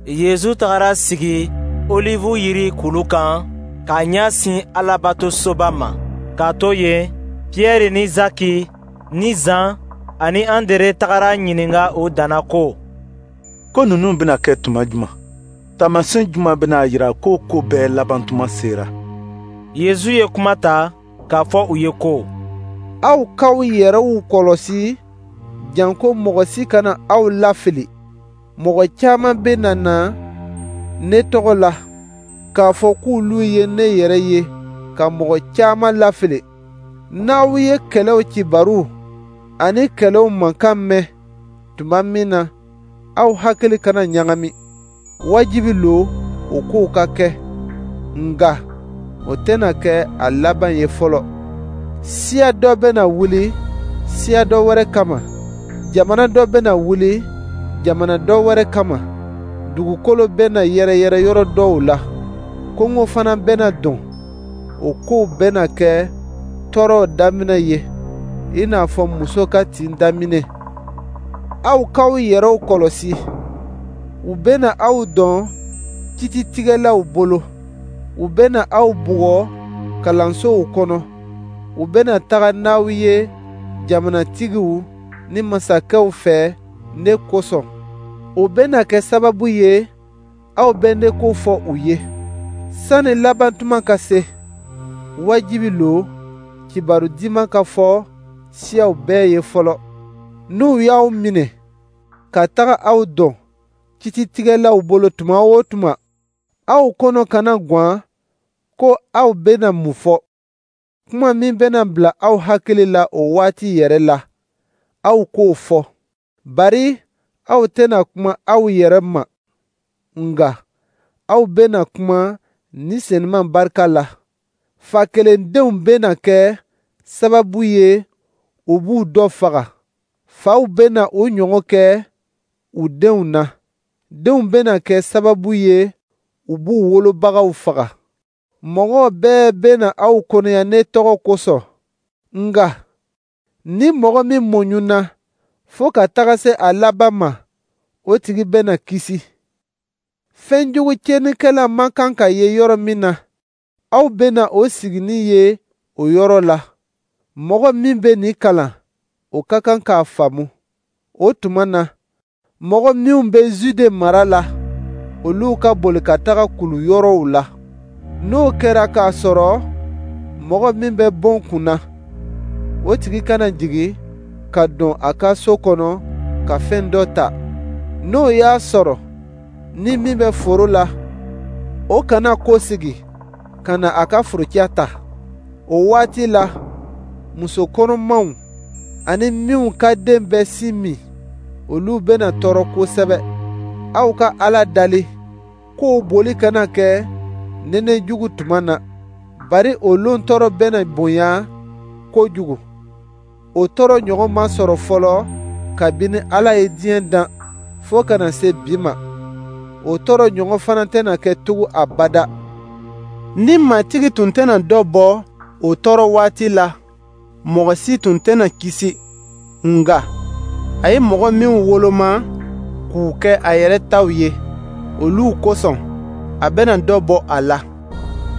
Yezu tagara sigi Olivu yiri kulu kan k'a ɲɛ sin Alabatosoba ma. K'a to yen, Piyɛri ni Zaki ni Zan ani Andere tagara ɲininka o danna ko: Ko ninnu bɛna kɛ tuma juman? Taamasiyɛn juman bɛna a jira ko ko bɛɛ laban tuma sera? Yezu ye kuma ta k'a fɔ u ye ko: Aw k'aw yɛrɛw kɔlɔsi, janko mɔgɔ si kana aw lafili. Mɔgɔ caman bɛna na ne tɔgɔ la k'a fɔ k'olu ye ne yɛrɛ ye, ka mɔgɔ caman lafili. N'aw ye kɛlɛw kibaru ani kɛlɛw mankan mɛn tuma min na, aw hakili kana ɲagami. Wajibi lo o kow ka kɛ, nka o tɛna kɛ a laban ye fɔlɔ. Siya dɔ bɛna wuli siya dɔ wɛrɛ kama, jamana dɔ bɛna wuli jamana dɔ wɛrɛ kama. Dugukolo bɛna yɛrɛyɛrɛ yɔrɔ dɔw la, kɔngɔ fana bɛna don. O kow bɛna kɛ tɔɔrɔw daminɛ ye, i n'a fɔ muso ka tin daminɛ. Aw k'aw yɛrɛw kɔlɔsi, u bɛna aw dɔn kititigɛlaw bolo, u bɛna aw bugɔ kalansow kɔnɔ, u bɛna taga n'aw ye jamanatigiw ni masakɛw fɛ ne kosɔn. O bɛna kɛ sababu ye aw bɛ ne ko fɔ u ye. Sani labantuma ka se, wajibi lo kibaru diman ka fɔ siyaw bɛɛ ye fɔlɔ. N'u y'aw minɛ ka taga aw dɔn kititigɛlaw bolo tuma o tuma, aw kɔnɔ kana gwan ko aw bɛna mun fɔ. Kuma min bɛna bila aw hakili la o waati yɛrɛ la, aw k'o fɔ. Bari aw tɛna kuma aw yɛrɛ ma, nka aw bɛna kuma Ni Senuma barika la. Fa kelendenw bɛna kɛ sababu ye u b'u dɔ faga. Faw bɛna u ɲɔgɔn kɛ u denw na. Denw bɛna kɛ sababu ye u b'u wolobagaw faga. Mɔgɔ bɛɛ bɛna aw kɔniya ne tɔgɔ kosɔn. Nka ni mɔgɔ min muɲuna fo ka taga se a laban ma, o tigi bɛna kisi. Fɛnjugu tiɲɛnikɛla man kan ka ye yɔrɔ min na, aw bɛna o siginin ye o yɔrɔ la. Mɔgɔ min bɛ nin kalan, o ka kan k'a faamu. O tuma na, mɔgɔ minw bɛ Zude mara la, olu ka boli ka taga kulu yɔrɔw la. N'o kɛra k'a sɔrɔ mɔgɔ min bɛ bon kunna, o tigi kana jigin ka don a ka so kɔnɔ ka fɛn dɔ ta. N'o y'a sɔrɔ ni min bɛ foro la, o kana kɔsegin ka na a ka forocɛ ta. O waati la, muso kɔnɔmaw ani minnu ka den bɛ sin min, olu bɛna tɔɔrɔ kosɛbɛ. Aw ka Ala dali k'o boli kana kɛ nɛnɛ jugu tuma na, bari o lon tɔɔrɔ bɛna bonya kojugu. O tɔɔrɔ ɲɔgɔn ma sɔrɔ fɔlɔ kabini Ala ye diɲɛ dan fo ka na se bi ma. O tɔɔrɔ ɲɔgɔn fana tɛna kɛ tugun abada. Ni Matigi tun tɛna dɔ bɔ o tɔɔrɔ waati la, mɔgɔ si tun tɛna kisi. Nka a ye mɔgɔ minw woloma k'u kɛ a yɛrɛ taw ye, olu kosɔn a bɛna dɔ bɔ a la.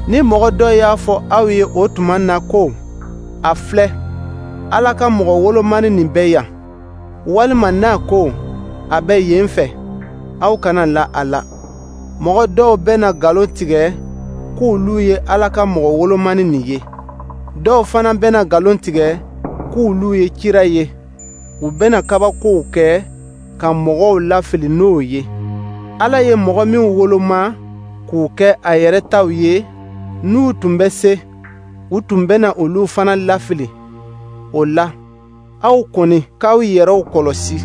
Ni mɔgɔ dɔ y'a fɔ aw ye o tuma na ko, a filɛ, Ala ka mɔgɔ wolomani nin bɛ yan, walima n'a ko, a bɛ yen fɛ, aw kana la a la. Mɔgɔ dɔw bɛna nkalon tigɛ k'olu ye Ala ka mɔgɔ wolomani nin ye. Dɔw fana bɛna nkalon tigɛ k'olu ye kira ye. U bɛna kabakow kɛ ka mɔgɔw lafili n'o ye. Ala ye mɔgɔ minw woloma k'u kɛ a yɛrɛ taw ye, n'u tun bɛ se, u tun bɛna olu fana lafili. O la, aw kɔni k'aw yɛrɛw kɔlɔsi.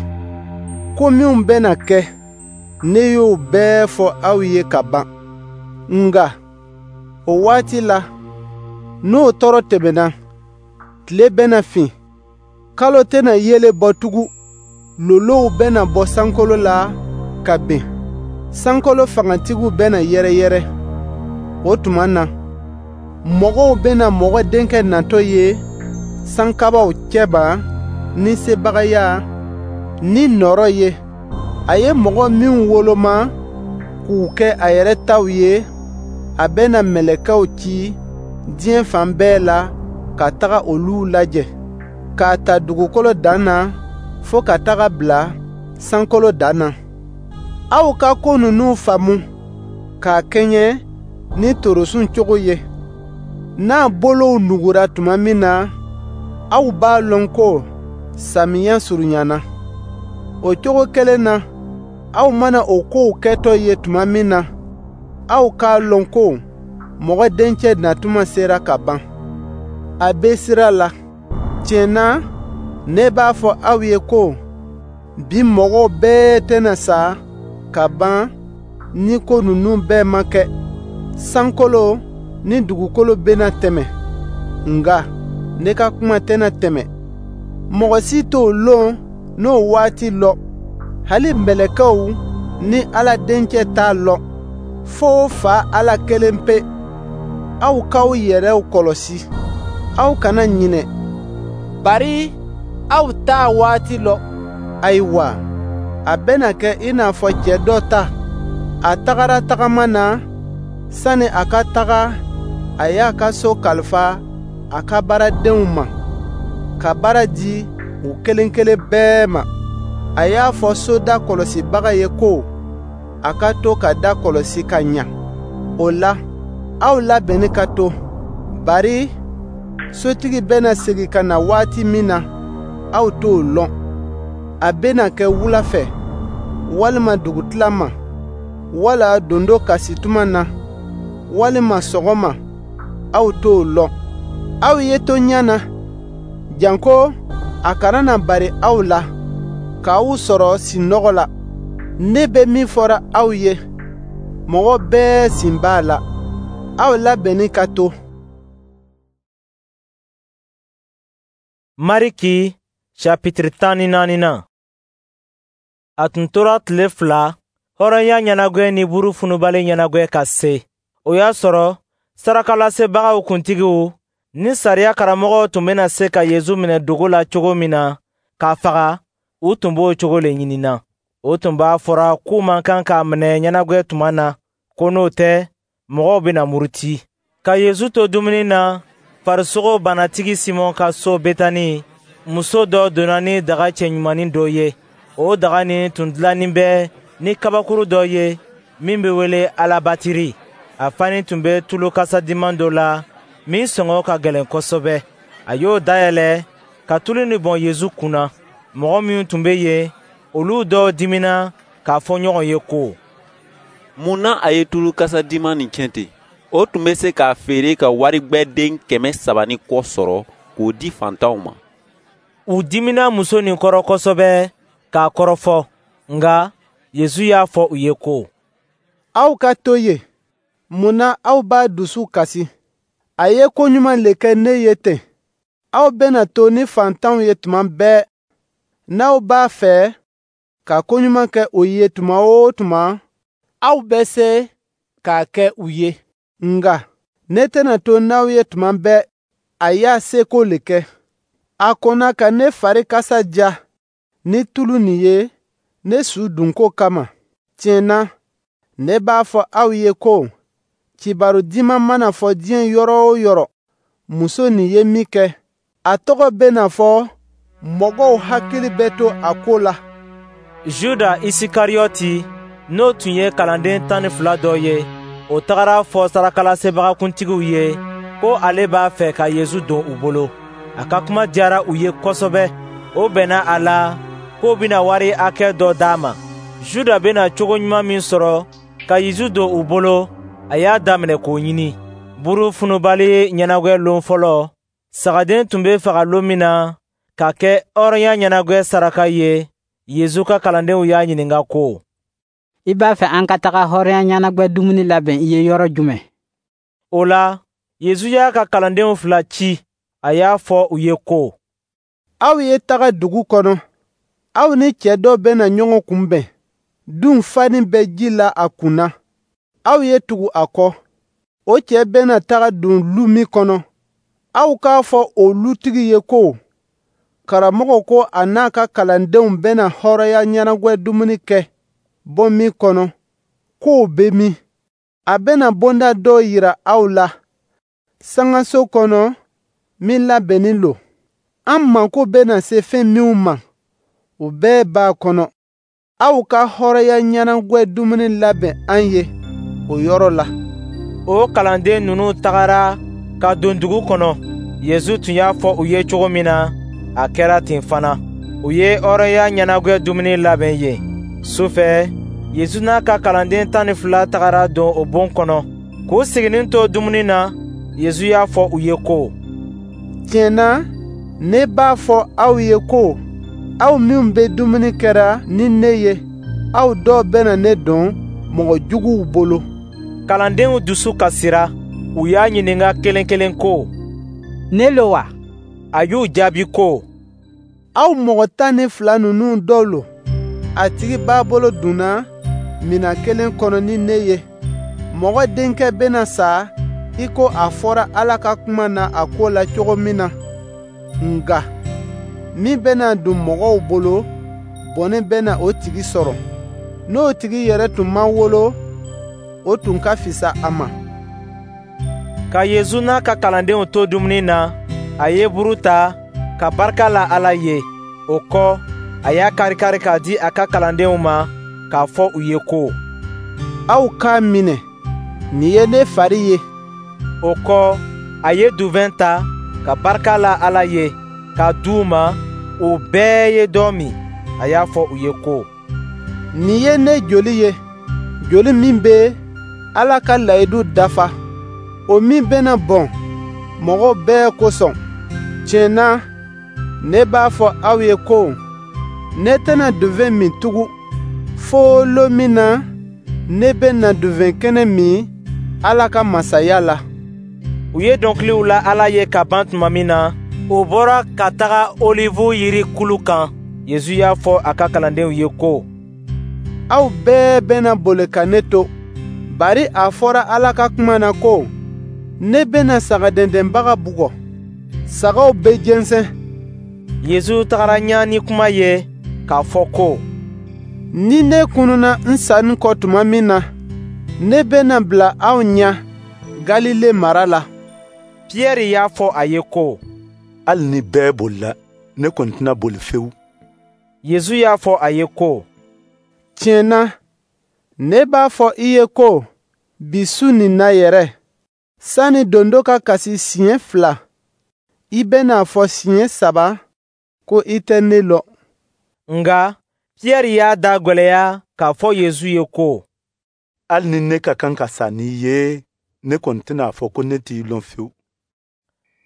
Ko minw bɛna kɛ, ne y'o bɛɛ fɔ aw ye ka ban. Nka o waati la, n'o tɔɔrɔ tɛmɛna, tile bɛna fin, kalo tɛna yeelen bɔ tugun, lolow bɛna bɔ sankolo la ka bin, sankolo fangatigiw bɛna yɛrɛyɛrɛ. O tuma na, mɔgɔw bɛna Mɔgɔ Denkɛ natɔ ye sankabaw cɛma ni sebagaya ni nɔɔrɔ ye. A ye mɔgɔ minw woloma k'u kɛ a yɛrɛ taw ye, a bɛna mɛlɛkɛw ci diɲɛ fan bɛɛ la ka taga olu lajɛ, k'a ta dugukolo dan na fo ka taga bila sankolo dan na. Aw ka ko ninnu faamu k'a kɛɲɛ ni torosun cogo ye. N'a bolow nugura tuma min na, aw b'a lɔn ko samiyɛ surunyana. O cogo kelen na, aw mana o kow kɛtɔ ye tuma min na, aw k'a lɔn ko Mɔgɔ Dencɛ natuma sera ka ban. A bɛ sira la. Tiɲɛ na, ne b'a fɔ aw ye ko bi mɔgɔw bɛɛ tɛna sa ka ban ni ko ninnu bɛɛ ma kɛ. Sankolo ni dugukolo bɛna tɛmɛ, nka ne ka kuma tɛna tɛmɛ. Mɔgɔ si t'o lon n'o waati lɔ, hali mɛlɛkɛw ni Ala Dencɛ t'a lɔn, fo Fa Ala kelen pe. Aw k'aw yɛrɛw kɔlɔsi, aw kana ɲinɛ, bari aw t'a waati lɔn. Ayiwa, a bɛna kɛ i n'a fɔ cɛ dɔ ta. A tagara tagama na, sani a ka taga, a y'a ka so kalifa a ka baaradenw ma, ka baara di u kelen kelen bɛɛ ma. A y'a fɔ soda kɔlɔsibaga ye ko a ka to ka da kɔlɔsi ka ɲa. O la, aw labɛnni ka to, bari sotigi bɛna segin ka na waati min na, aw t'o lɔn. A bɛna kɛ wula fɛ, walima dugutila ma, wala dondo kasi tuma na, walima sɔgɔma, aw t'o lɔn. Aw ye to ɲɛ na, janko a kana na bari aw la, k'aw sɔrɔ sinɔgɔ la. Ne bɛ min fɔra aw ye, mɔgɔ bɛɛ sen b'a la. Aw labɛnni ka to. Mariki chapitre tan ni naaninan. A tun tora tile fila, hɔrɔnya ɲɛnagwɛ ni buru funubali ɲɛnagwɛ ka se. O y'a sɔrɔ sarakalasebagaw kuntigiw ni sariya karamɔgɔw tun bɛna se ka Yezu minɛ dogo la cogo min na k'a faga, u tun b'o cogo le ɲinina. O tun b'a fɔra k'u man kan k'a minɛ ɲɛnagwɛ tuma na, ko n'o tɛ, mɔgɔw bɛna muruti. Ka Yezu to dumuni na, farisogo banatigi Simɔn ka so Betani, muso dɔ donna ni daga cɛɲumannin dɔ ye. O daga nin tun dilannin bɛ ni kabakuru dɔ ye min bɛ wele alabatiri. A fani tun bɛ tulu kasadiman dɔ la min sɔngɔ ka gɛlɛn kosɛbɛ. A y'o dayɛlɛ ka tulu nin bɔn Yezu kun na. Mɔgɔ minnu tun bɛ yen, olu dɔw dimina k'a fɔ ɲɔgɔn ye ko: Mun na a ye tulu kasadiman nin tiɲɛ ten? O tun bɛ se k'a feere ka warigbɛden kɛmɛ saba ni kɔ sɔrɔ k'o di fantanw ma. U dimina muso nin kɔrɔ kosɛbɛ k'a kɔrɔfɔ. Nka Yesu y'a fɔ u ye ko: Aw ka to yen. Mun na aw b'a dusu kasi? A ye ko ɲuman le kɛ ne ye ten. Aw bɛna to ni faantanw ye tuma bɛɛ. N'aw b'a fɛ ka ko ɲuman kɛ o ye tuma o tuma, aw bɛ se k'a kɛ u ye. Nka ne tɛna to n'aw ye tuma bɛɛ. A y'a seko le kɛ. A kɔnna ka ne fari kasa diya ni tulu nin ye ne su dunko kama. Tiɲɛ na, ne b'a fɔ aw ye ko kibaru diman mana fɔ diɲɛ yɔrɔ o yɔrɔ, muso nin ye min kɛ, a tɔgɔ bɛna fɔ, mɔgɔw hakili bɛ to a ko la. Juda Isikariyɔti, n'o tun ye kalanden tan ni fila dɔ ye, o tagara fɔ sarakalasebaga-kuntigiw ye ko ale b'a fɛ ka Yesu don u bolo. A ka kuma diyara u ye kosɛbɛ. O bɛnna a la k'o bɛna wari hakɛ dɔ d'a ma. Juda bɛna cogo ɲuman min sɔrɔ ka Yesu don u bolo, a y'a daminɛ k'o ɲini. Buru funubali ɲɛnagwɛ lon fɔlɔ, sagaden tun bɛ faga lon min na ka kɛ hɔrɔnya ɲɛnagwɛ saraka ye, Yesu ka kalandenw y'a ɲininka ko: I b'a fɛ an ka taga hɔrɔnya ɲɛnagwɛ dumuni labɛn i ye yɔrɔ jumɛn? O la, Yesu y'a ka kalandenw fila ci. A y'a fɔ u ye ko: Aw ye taga dugu kɔnɔ. Aw ni cɛ dɔ bɛna ɲɔgɔn kunbɛn. Dun fani bɛ ji la a kun na. Aw ye tugu a kɔ. O cɛ bɛna taga don lu min kɔnɔ, aw k'a fɔ o lutigi ye ko karamɔgɔ ko a n'a ka kalandenw bɛna hɔrɔnya ɲɛnagwɛ dumuni kɛ bon min kɔnɔ, k'o bɛ min. A bɛna bonda dɔ yira aw la sangaso kɔnɔ min labɛnnin lo. An mako bɛna se fɛn minw ma, o bɛɛ b'a kɔnɔ. Aw ka hɔrɔnya ɲɛnagwɛ dumuni labɛn an ye o yɔrɔ la. O kalanden ninnu tagara ka don dugu kɔnɔ. Yesu tun y'a fɔ u ye cogo min na, a kɛra ten fana. U ye hɔrɔnya ɲɛnagwɛ dumuni labɛn yen. Su fɛ, Yesu n'a ka kalanden tan ni fila tagara don o bon kɔnɔ. K'u siginin to dumuni na, Yesu y'a fɔ u ye ko: Tiɲɛ na, ne b'a fɔ aw ye ko aw minw bɛ dumuni kɛra ni ne ye, aw dɔ bɛna ne don mɔgɔ juguw bolo. Kalandenw dusu kasira. U y'a ɲininka kelen kelen ko: Ne lo wa? A y'u jaabi ko: Aw mɔgɔ tan ni fila ninnu dɔ lo. A tigi b'a bolo donna minan kelen kɔnɔ ni ne ye. Mɔgɔ Denkɛ bɛna sa i ko a fɔra Ala ka kuma na a ko la cogo min na. Nka min bɛna don mɔgɔw bolo, bɔnɛ bɛna o tigi sɔrɔ. N'o tigi yɛrɛ tun ma wolo, o tun ka fisa a ma. Ka Yesu n'a ka kalandenw to dumuni na, a ye buru ta ka barika la Ala ye. O kɔ, a y'a kari-kari k'a di a ka kalandenw ma k'a fɔ u ye ko: Aw k'a minɛ, nin ye ne fari ye. O kɔ, a ye duvɛn ta ka barika la Ala ye k'a di u ma. U bɛɛ ye dɔ min. A y'a fɔ u ye ko: Nin ye ne joli ye, joli min bɛ Ala ka layidu dafa, o min bɛna bɔn mɔgɔ bɛɛ kosɔn. Tiɲɛ na, ne b'a fɔ aw ye ko ne tɛna duvɛn min tugun, fo lon min na ne bɛna duvɛn kɛnɛ min Ala ka masaya la. U ye dɔnkiliw la Ala ye ka ban tuma min na, u bɔra ka taga Olivu yiri kulu kan. Yesu y'a fɔ a ka kalandenw ye ko: Aw bɛɛ bɛna boli ka ne to, bari a fɔra Ala ka kuma na ko ne bɛna sagadɛndɛnbaga bugɔ, sagaw bɛ jɛnsɛn. Yesu tagara ɲa ni kuma ye k'a fɔ ko: Ni ne kununa n sanni kɔ tuma min na, ne bɛna bila aw ɲɛ Galile mara la. Piyɛri y'a fɔ a ye ko: Hali ni bɛɛ bolila, ne kɔni tɛna boli fewu. Yesu y'a fɔ a ye ko: Tiɲɛ na, ne b'a fɔ i ye ko bi su nin na yɛrɛ, sani dondo ka kasi siɲɛ fila, i bɛna fɔ siɲɛ saba ko i tɛ ne lɔn. Nka Piyɛri y'a da gwɛlɛya k'a fɔ Yesu ye ko: Hali ni ne ka kan ka sa n'i ye, ne kɔni tɛna a fɔ ko ne t'i lɔn fewu.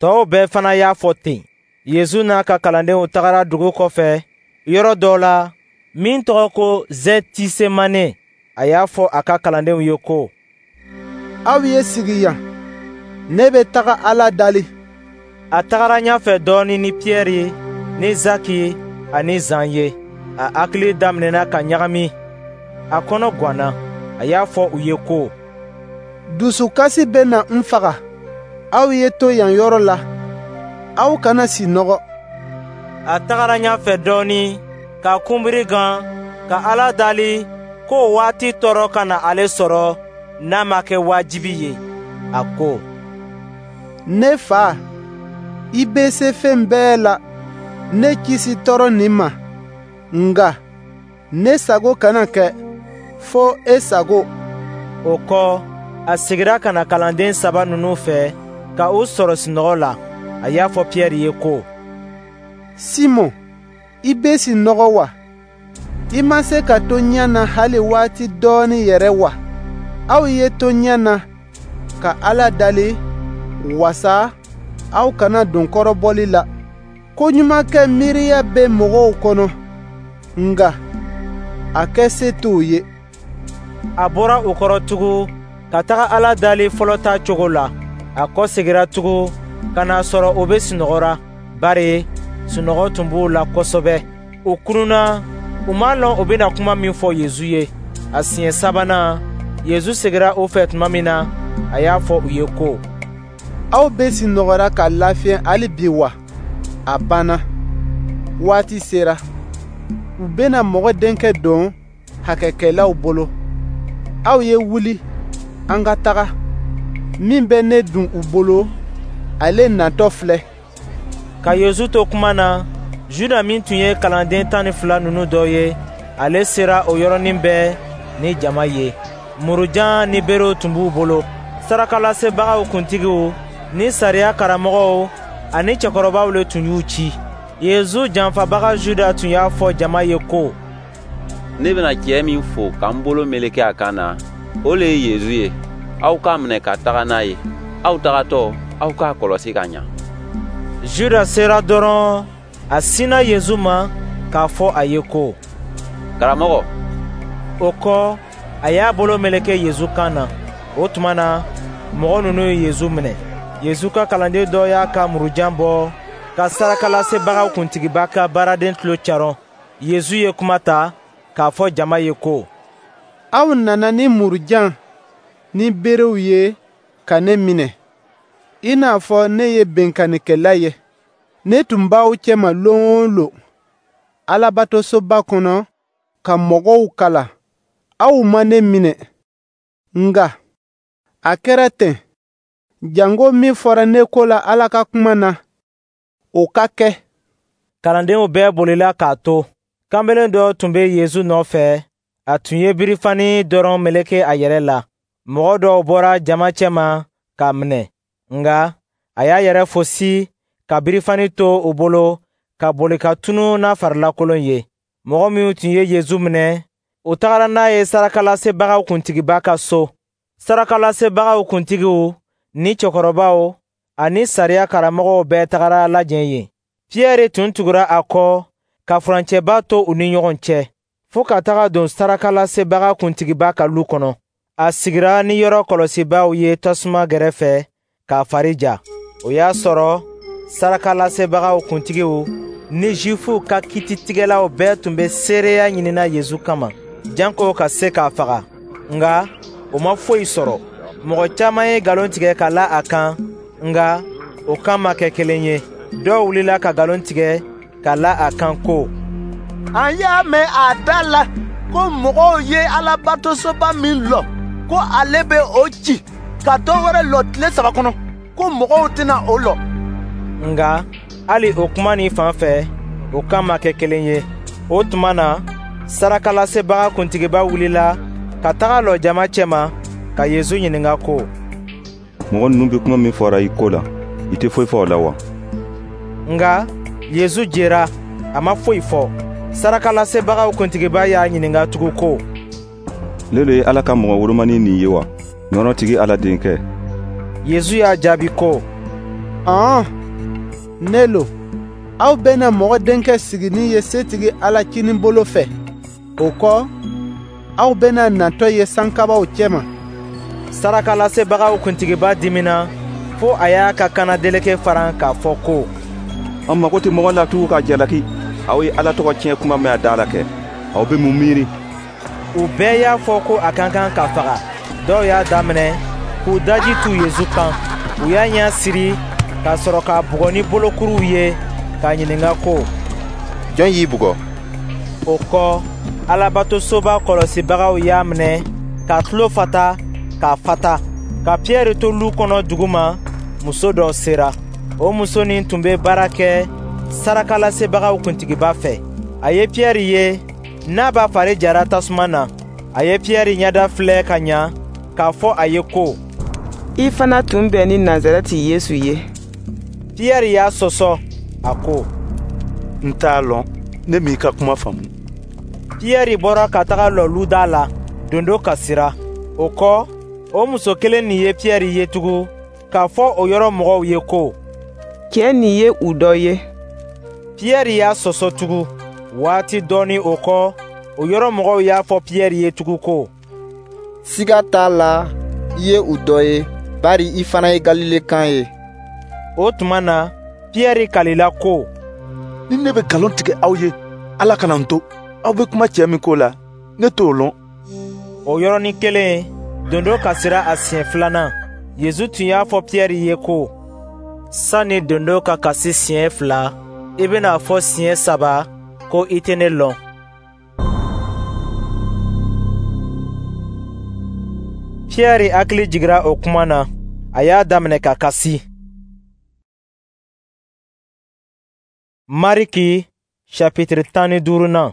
Tɔw bɛɛ fana y'a fɔ ten. Yezu n'a ka kalandenw tagara dugu kɔfɛ yɔrɔ dɔ la min tɔgɔ ko Zɛtisemane. A y'a fɔ a ka kalandenw ye ko: Aw ye sigi yan, ne bɛ taga Ala dali. A tagara ɲɛfɛ dɔɔnin ni Piyɛri ni Zaki ani Zan ye. A hakili daminɛna ka ɲagami, a kɔnɔ gwanna. A y'a fɔ u ye ko: Dusukasi bɛ na n faga. Aw ye to yan yɔrɔ la, aw kana sinɔgɔ. A tagara ɲɛfɛ dɔɔnin ka kunbiri gan ka Ala dali k'o waati tɔɔrɔ kana ale sɔrɔ n'a ma kɛ wajibi ye. A ko: Ne Fa, i bɛ se fɛn bɛɛ la, ne kisi tɔɔrɔ nin ma. Nka ne sago kana kɛ, fɔ e sago. O kɔ, a segira ka na kalanden saba ninnu fɛ ka u sɔrɔ sunɔgɔ la. A y'a fɔ Piyɛri ye ko: Simɔn, i bɛ sunɔgɔ wa? I ma se ka to ɲɛ na hali waati dɔɔnin yɛrɛ wa? Aw ye to ɲɛ na ka Ala dali wasa aw kana don kɔrɔbɔli la. Ko ɲuman kɛ miiriya bɛ mɔgɔw kɔnɔ, nka a kɛ se t'u ye. A bɔra u kɔrɔ tugun ka taga Ala dali fɔlɔ ta cogo la. A kɔsegira tugun ka n'a sɔrɔ u bɛ sunɔgɔra, bari sunɔgɔ tun b'u la kosɛbɛ. U kununna, u m'a lɔn u bɛna kuma min fɔ Yezu ye. A siɲɛ sabanan, Yezu segira u fɛ tuma min na, a y'a fɔ u ye ko: Aw bɛ sunɔgɔra ka lafiɲɛ hali bi wa? A banna. Waati sera. U bɛna Mɔgɔ Denkɛ don hakɛkɛlaw bolo. Aw ye wuli, an ka taga. Min bɛ ne dun u bolo, ale natɔ filɛ. Ka Yezu to kuma na, Juda min tun ye kalanden tan ni fila ninnu dɔ ye, ale sera o yɔrɔnin bɛɛ ni jama ye. Murujan ni berew tun b'u bolo. Sarakalasebagaw kuntigiw ni sariya karamɔgɔw ani cɛkɔrɔbaw le tun y'u ci. Yezu janfabaga Juda tun y'a fɔ jama ye ko: Ne bɛna cɛ min fo ka n bolo meleke a kan na, o le ye Yezu ye. Aw k'a minɛ ka taga n'a ye. Aw tagatɔ, aw k'a kɔlɔsi ka ɲa. Juda sera dɔrɔn, a sinna Yezu ma k'a fɔ a ye ko: Karamɔgɔ. O kɔ, a y'a bolo meleke Yezu kan na. O tuma na, mɔgɔ ninnu ye Yezu minɛ. Yezu ka kalanden dɔ y'a ka murujan bɔ ka sarakalasebagaw kuntigiba ka baaraden tulo caron. Yezu ye kuma ta k'a fɔ jama ye ko: Aw nana ni murujan ni berew ye ka ne minɛ, i n'a fɔ ne ye binkannikɛla ye. Ne tun b'aw cɛma lon o lon Alabatosoba kɔnɔ ka mɔgɔw kalan. Aw ma ne minɛ. Nka a kɛra ten, janko min fɔra ne ko la Ala ka kuma na, o ka kɛ. Kalandenw bɛɛ bolila k'a to. Kanbelen dɔ tun bɛ Yezu nɔfɛ, a tun ye birifani dɔrɔn meleke a yɛrɛ la. Mɔgɔ dɔw bɔra jama cɛma k'a minɛ, nka a y'a yɛrɛ fosi ka birifani to u bolo ka boli ka tunu n'a farilakolon ye. Mɔgɔ minnu tun ye Yezu minɛ, u tagara n'a ye sarakalasebagaw kuntigiba ka so. Sarakalasebagaw kuntigiw ni cɛkɔrɔbaw ani sariya karamɔgɔw bɛɛ tagara lajɛ yen. Piyɛri tun tugura a kɔ ka furancɛba to u ni ɲɔgɔn cɛ, fo ka taga don sarakalasebagaw kuntigiba ka lu kɔnɔ. A sigira ni yɔrɔ kɔlɔsibaaw ye tasuma gɛrɛfɛ k'a fari ja. O y'a sɔrɔ sarakalasebagaw kuntigiw ni Jufuw ka kititigɛlaw bɛɛ tun bɛ seereya ɲinina Yezu kama, janko ka se k'a faga. Nka u ma foyi sɔrɔ. Mɔgɔ caman ye nkalon tigɛ ka la a kan, nka o kan ma kɛ kelen ye. Dɔw wulila ka nkalon tigɛ ka la a kan ko: An y'a mɛn a da la ko mɔgɔw ye Alabatosoba min lɔ, ko ale bɛ o ci ka dɔ wɛrɛ lɔ tile saba kɔnɔ, ko mɔgɔw tɛna o lɔ. Nka hali o kuma nin fan fɛ, o kan ma kɛ kelen ye. O tuma na, sarakalasebaga kuntigiba wulila ka taga lɔ jama cɛma ka Yezu ɲininka ko: Mɔgɔ ninnu bɛ kuma min fɔra i ko la, i tɛ foyi fɔ o la wa? Nka Yezu jera, a ma foyi fɔ. Sarakalasebagaw kuntigiba y'a ɲininka tugun ko: Ne le ye Ala ka mɔgɔ wolomani nin ye wa, nɔɔrɔtigi Ala denkɛ? Yezu y'a jaabi ko: Ɔn, ne lo. Aw bɛna Mɔgɔ Denkɛ siginin ye Setigi Ala kininbolo fɛ. O kɔ, aw bɛna natɔ ye sankabaw cɛma.» Sarakalasebagaw kuntigiba diminna fo a y'a ka kannadeleke faran k'a fɔ ko: «An mago tɛ mɔgɔ la tugun k'a jalaki. Aw ye Ala tɔgɔ tiɲɛ kuma mɛn a da la kɛ. Aw bɛ mun miiri?» U bɛɛ y'a fɔ ko a ka kan ka faga. Dɔw y'a daminɛ k'u daji tu Yesu kan. U y'a ɲɛ siri ka sɔrɔ k'a bugɔ ni bolokuruw ye, k'a ɲininka ko: «Jɔn y'i bugɔ?» O kɔ, Alabatosoba kɔlɔsibagaw y'a minɛ k'a tulo fata k'a fata. Ka Piyɛri to lu kɔnɔ duguma, muso dɔ sera. O muso nin tun bɛ baara kɛ sarakalasebagaw kuntigiba fɛ. A ye Piyɛri ye n'a b'a fari jara tasuma na. A ye Piyɛri ɲɛda filɛ ka ɲa k'a fɔ a ye ko: «I fana tun bɛ ni Nazarɛti Yesu ye.» Piyɛri y'a sɔsɔ, a ko: «N t'a lɔn, ne m'i ka kuma faamu.» Piyɛri bɔra ka taga lɔ luda la. Dondo kasira. O kɔ, o muso kelen nin ye Piyɛri ye tugun k'a fɔ o yɔrɔ mɔgɔw ye ko: «Cɛ nin ye u dɔ ye.» Piyɛri y'a sɔsɔ tugun. Waati dɔɔnin o kɔ, o yɔrɔ mɔgɔw y'a fɔ Piyɛri ye tugun ko: «Siga t'a la, i ye u dɔ ye, bari i fana ye Galilekan ye.» O tuma na, Piyɛri kalila ko: «Ni ne bɛ nkalon tigɛ aw ye, Ala kana n to. Aw bɛ kuma cɛ min ko la, ne t'o lɔn.» O yɔrɔnin kelen, dondo kasira a siɲɛ filanan. Yesu tun y'a fɔ Piyɛri ye ko: «Sani dondo ka kasi siɲɛ fila, i bɛna a fɔ siɲɛ saba ko i tɛ ne lɔn.» Piyɛri hakili jigira o kuma na, a y'a daminɛ ka kasi. Mariki chapitre tan ni duurunan.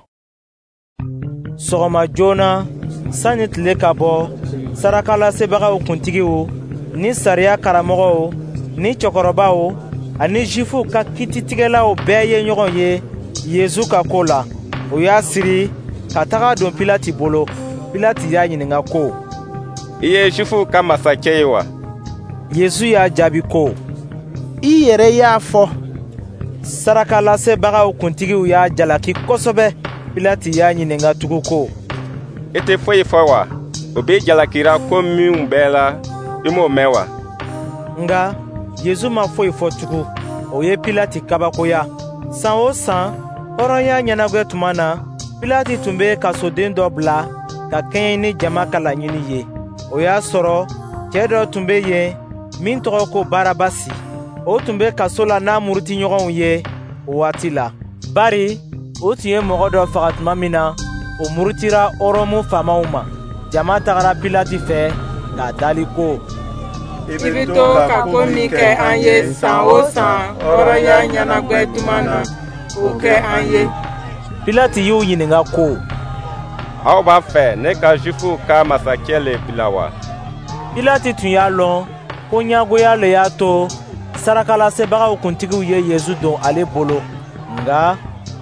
Sɔgɔma joona, sani tile ka bɔ, sarakalasebagaw kuntigiw ni sariya karamɔgɔw ni cɛkɔrɔbaw ani Zifuw ka kititigɛlaw bɛɛ ye ɲɔgɔn ye Yesu ka ko la. U y'a siri ka taga don Pilati bolo. Pilati y'a ɲininka ko: «I ye Zifuw ka masakɛ ye wa?» Yesu y'a jaabi ko: «I yɛrɛ y'a fɔ.» Sarakalasebagaw kuntigiw y'a jalaki kosɛbɛ. Pilati y'a ɲininka tugun ko: «I tɛ foyi fɔ wa? U b'i jalakira ko minnu bɛɛ la, i m'o mɛn wa?» Nka Yesu ma foyi fɔ tugun. O ye Pilati kabakoya. San o san, hɔrɔnya ɲɛnagwɛ tuma na, Pilati tun bɛ kasoden dɔ bila ka kɛɲɛ ni jama ka laɲini ye. O y'a sɔrɔ cɛ dɔ tun bɛ yen min tɔgɔ ko Barabasi. O tun bɛ kaso la n'a murutiɲɔgɔnw ye o waati la. Bari o tun ye mɔgɔ dɔ faga tuma min na, o murutira Ɔrɔmu faamaw ma. Jama tagara Pilati fɛ k'a dali ko: «I bɛ to ka ko min kɛ an ye san o san hɔrɔnya ɲɛnagwɛ tuma na, o kɛ an ye.» Pilati y'u ɲininka ko: «Aw b'a fɛ ne ka Zifuw ka masakɛ le bila wa?» Pilati tun y'a lɔn ko ɲɛngoya le y'a to sarakalasebagaw kuntigiw ye Yesu don ale bolo. Nka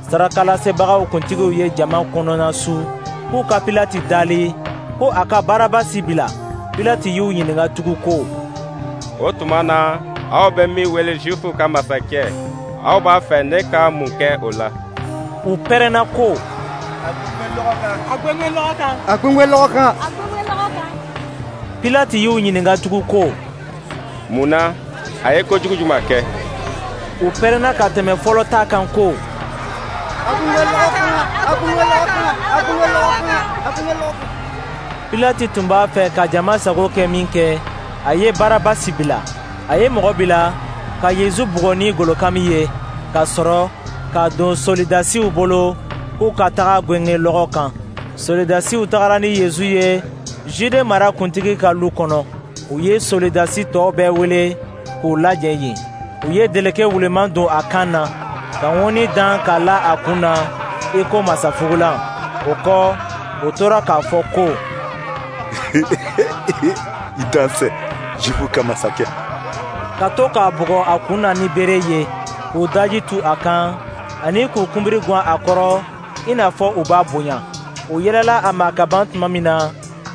sarakalasebagaw kuntigiw ye jama kɔnɔnasu k'u ka Pilati dali ko a ka Barabasi bila. Pilati y'u ɲininka tugun ko: «O tuma na, aw bɛ min wele Zifuw ka masakɛ, aw b'a fɛ ne ka mun kɛ o la?» U pɛrɛnna ko: «A gwengwen lɔgɔ kan! A gwengwen lɔgɔ kan!» Pilati y'u ɲininka tugun ko: «Mun na? A ye kojugu jumɛn kɛ?» U pɛrɛnna ka tɛmɛ fɔlɔ ta kan ko: «A gwengwen lɔgɔ kan! A gwengwen lɔgɔ kan! A gwengwen lɔgɔ kan! A gwengwen lɔgɔ kan!» Pilati tun b'a fɛ ka jama sago kɛ min kɛ, a ye Barabasi bila. A ye mɔgɔ bila ka Yesu bugɔ ni golokami ye, ka sɔrɔ k'a don solidasiw bolo k'u ka taga gwenge lɔgɔ kan. Solidasiw tagara ni Yesu ye Jude mara kuntigi ka lu kɔnɔ. U ye solidasi tɔw bɛɛ wele k'u lajɛ yen. U ye deleke wuleman don a kan na, ka ŋɔni dan k'a la a kun na i ko masafugulan. O kɔ, u tora k'a fɔ ko: «I dansɛ, Zifuw ka masakɛ.» Ka to k'a bugɔ a kun na ni bere ye, k'u daji tu a kan, ani k'u kunbiri gwan a kɔrɔ i n'a fɔ u b'a bonya. U yɛlɛla a ma ka ban tuma min na,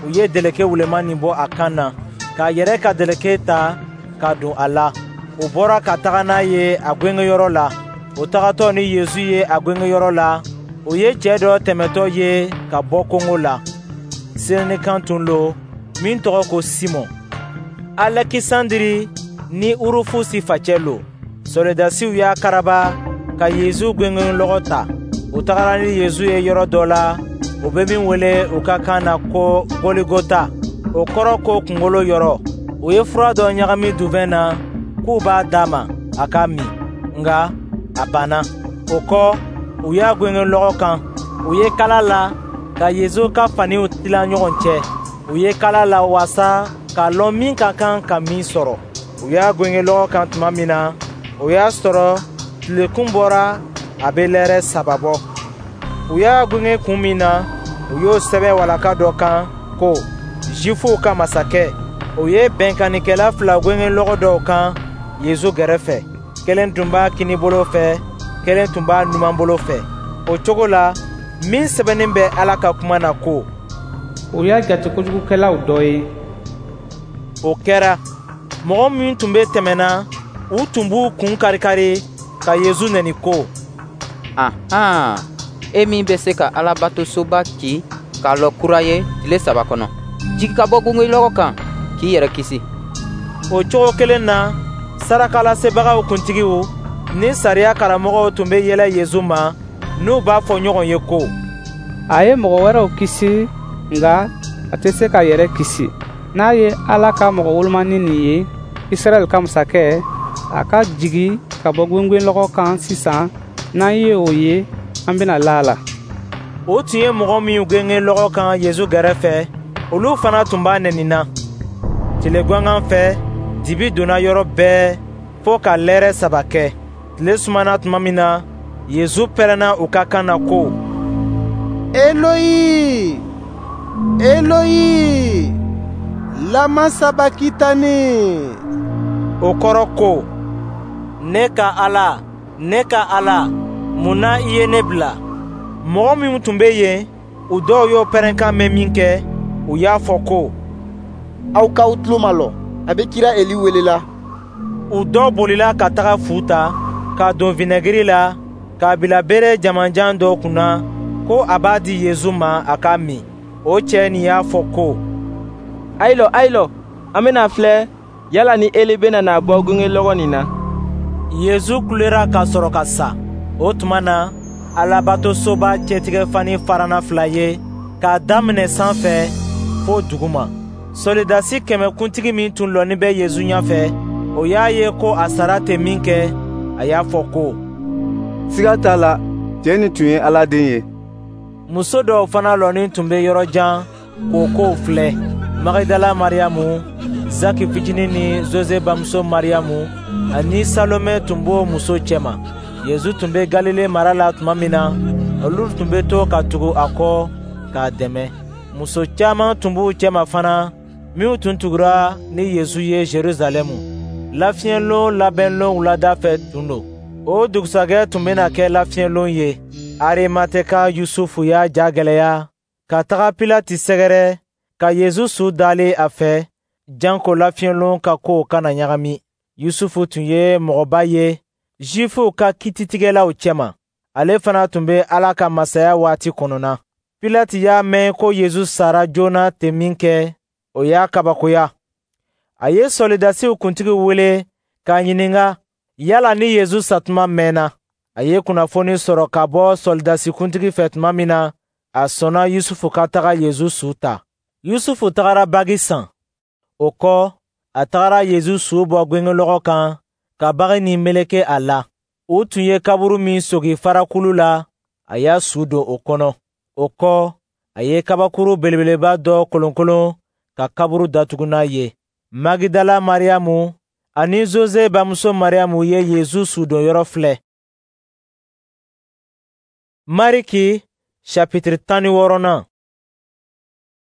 u ye deleke wuleman nin bɔ a kan na, k'a yɛrɛ ka deleke ta ka don a la. U bɔra ka taga n'a ye a gwengwenyɔrɔ la. O tagatɔ ni Yezu ye a gwengwenyɔrɔ la, o ye cɛ dɔ tɛmɛtɔ ye ka bɔ kongo la. Sirɛnikan tun lo min tɔgɔ ko Simɔn. Alɛkisandiri ni Urufusi facɛ lo. Sɔrɔdasiw y'a karaba ka Yezu gwengwenlɔgɔ ta. U tagara ni Yezu ye yɔrɔ dɔ la, u bɛ min wele u ka kan na ko Goligota, o kɔrɔ ko kunkolo yɔrɔ. U ye fura dɔ ɲagami duvɛn na k'u b'a d'a ma a k'a min, nka a banna. O kɔ, u y'a gwengwen lɔgɔ kan. U ye kala la ka Yezu ka faniw tila ɲɔgɔn cɛ. U ye kala la waasa k'a lɔn min ka kan ka min sɔrɔ. U y'a gwengwen lɔgɔ kan tuma min na, o y'a sɔrɔ tilekun bɔra, a bɛ lɛrɛ saba bɔ. U y'a gwenge kun min na, u y'o sɛbɛn walaka dɔ kan ko Zifuw ka masakɛ. O ye bɛnkannikɛla fila gwengwen lɔgɔ dɔw kan Yezu gɛrɛfɛ. Kelen tun b'a kinibolo fɛ, kelen tun b'a numanbolo fɛ. O cogo la, min sɛbɛnnin bɛ Ala ka kuma na ko: U y'a jate kojugukɛlaw dɔ ye. O kɛra. Mɔgɔ min tun bɛ tɛmɛna, u tun b'u kun karikari ka Yezu neni ko: Ahan, e min bɛ se ka Alabatosoba ci k'a lɔ kura ye tile saba kɔnɔ, jigi ka bɔ gwengwenlɔgɔ kan k'i yɛrɛ kisi. O cogo kelen na, sarakalasebagaw kuntigiw ni sariya karamɔgɔw tun bɛ yɛlɛ Yezu ma, n'u b'a fɔ ɲɔgɔn ye ko: A ye mɔgɔ wɛrɛw kisi, nka a tɛ se k'a yɛrɛ kisi. N'a ye Ala ka mɔgɔ wolomanin nin ye, Israɛl ka masakɛ, a ka jigi ka bɔ gwengwenlɔgɔ kan sisan, n'an ye o ye, an bɛna la a la. O tun ye mɔgɔ minw gengen lɔgɔ kan Yezu gɛrɛfɛ, olu fana tun b'a nɛnina. Tile gangan fɛ, dibi donna yɔrɔ bɛɛ fo ka lɛrɛ saba kɛ. Tile sumana tuma min na, Yezu pɛrɛnna u ka kan na ko: Eloyi, Eloyi, lama sabakitani. O kɔrɔ ko: Ne ka Ala, ne ka Ala, mun na i ye ne bila? Mɔgɔ minnu tun bɛ yen, u dɔw y'o pɛrɛnkan mɛn minkɛ, u y'a fɔ ko: Aw k'aw tulo malɔ, a bɛ kira Eli welela. U dɔw bolila ka taga fu ta, k'a don vinɛgiri la, k'a bila bere jamanjan dɔ kunna, ko a b'a di Yezu ma a k'a min. O cɛ nin y'a fɔ ko: Ayi lɔ, ayi lɔ, an bɛna filɛ yala ni Eli bɛna n'a bɔ gwengwenlɔgɔ nin na. Yezu kulera ka sɔrɔ ka sa. O tuma na, Alabatosoba cɛtigɛfani farana fila ye, k'a daminɛ sanfɛ fo duguma. Sɔrɔdasi kɛmɛkuntigi min tun lɔnin bɛ Yezu ɲɛfɛ, o y'a ye ko a sara ten minkɛ, a y'a fɔ ko: Siga t'a la, cɛ nin tun ye Ala den ye. Muso dɔw fana lɔnin tun bɛ yɔrɔ jan k'o kow filɛ. Magidala Mariyamu, Zaki fitinin ni Zoze bamuso Mariyamu ani Salome tun b'o muso cɛma. Yezu tun bɛ Galile mara la tuma min na, olu tun bɛ to ka tugu a kɔ k'a dɛmɛ. Muso caman tun b'u cɛma fana minnu tun tugura ni Yezu ye Jerusalɛmu. Lafiɲɛlon labɛnlon wulada fɛ tun don. O dugusajɛ tun bɛna kɛ lafiɲɛlon ye. Arimateka Yusufu y'a ja gwɛlɛya ka taga Pilati sɛgɛrɛ ka Yezu su dalen a fɛ, janko lafiɲɛlon ka kow kana ɲagami. Yusufu tun ye mɔgɔba ye Zifuw ka kiititigɛlaw cɛma. Ale fana tun bɛ Ala ka masaya waati kɔnɔna. Pilati y'a mɛn ko Yezu sara joona ten minkɛ, o y'a kabakoya. A ye sɔrɔdasiw kuntigi wele k'a ɲininka yala ni Yezu satuma mɛnna. A ye kunnafoni sɔrɔ ka bɔ sɔrɔdasi kuntigi fɛ tuma min na, a sɔnna Yusufu ka taga Yezu su ta. Yusufu tagara bagi san. O kɔ, a tagara Yezu su bɔ gwengwenlɔgɔ kan ka bagi nin meleke a la. U tun ye kaburu min sogi farakulu la, a y'a su don o kɔnɔ. O kɔ, a ye kabakuru belebeleba dɔ kolonkolon ka kaburu datugu n'a ye. Magidala Mariyamu ani Zoze bamuso Mariyamu ye Yezu sudonyɔrɔ filɛ. Mariki chapitre tan ni wɔɔrɔnan.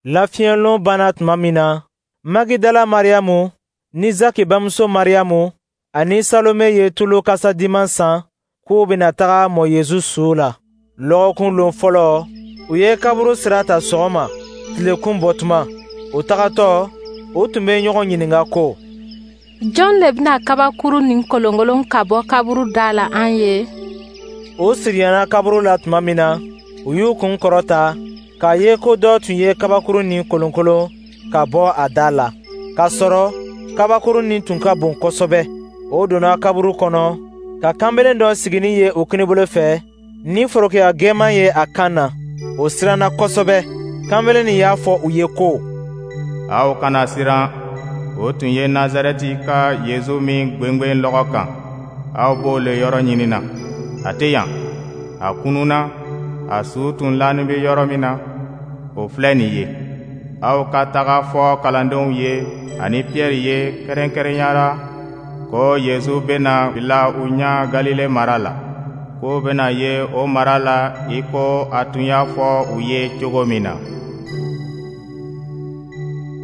Lafiɲɛlon banna tuma min na, Magidala Mariyamu ni Zaki bamuso Mariyamu ani Salome ye tulu kasadiman san k'u bɛna taga mɔ Yezu su la. Lɔgɔkun lon fɔlɔ, u ye kaburu sira ta sɔgɔma, tilekun bɔtuma. U tagatɔ, u tun bɛ ɲɔgɔn ɲininka ko: Jɔn le bɛna kabakuru nin kolonkolon ka bɔ kaburu da la an ye? O surunyana kaburu la tuma min na, u y'u kun kɔrɔta k'a ye ko dɔ tun ye kabakurun nin kolonkolon ka bɔ a da la, k'a sɔrɔ kabakurun nin tun ka bon kosɛbɛ. O donna kaburu kɔnɔ ka kanbelen dɔ siginin ye u kinibolo fɛ, ni forokiya gɛman ye a kan na. O siranna kosɛbɛ. Kanbelen nin y'a fɔ u ye ko: Aw kana siran. O tun ye Nazarɛti ka Yezu min gwengwen lɔgɔ kan, aw b'o le yɔrɔ ɲinina. A tɛ yan, a kununna. A su tun lanin bɛ yɔrɔ min na, o filɛ nin ye. Aw ka taga fɔ kalandenw ye ani Piyɛri ye kɛrɛnkɛrɛnnenya la ko Yezu bɛna bila u ɲɛ Galile mara la, k'o bɛna ye o mara la i ko a tun y'a fɔ u ye cogo min na.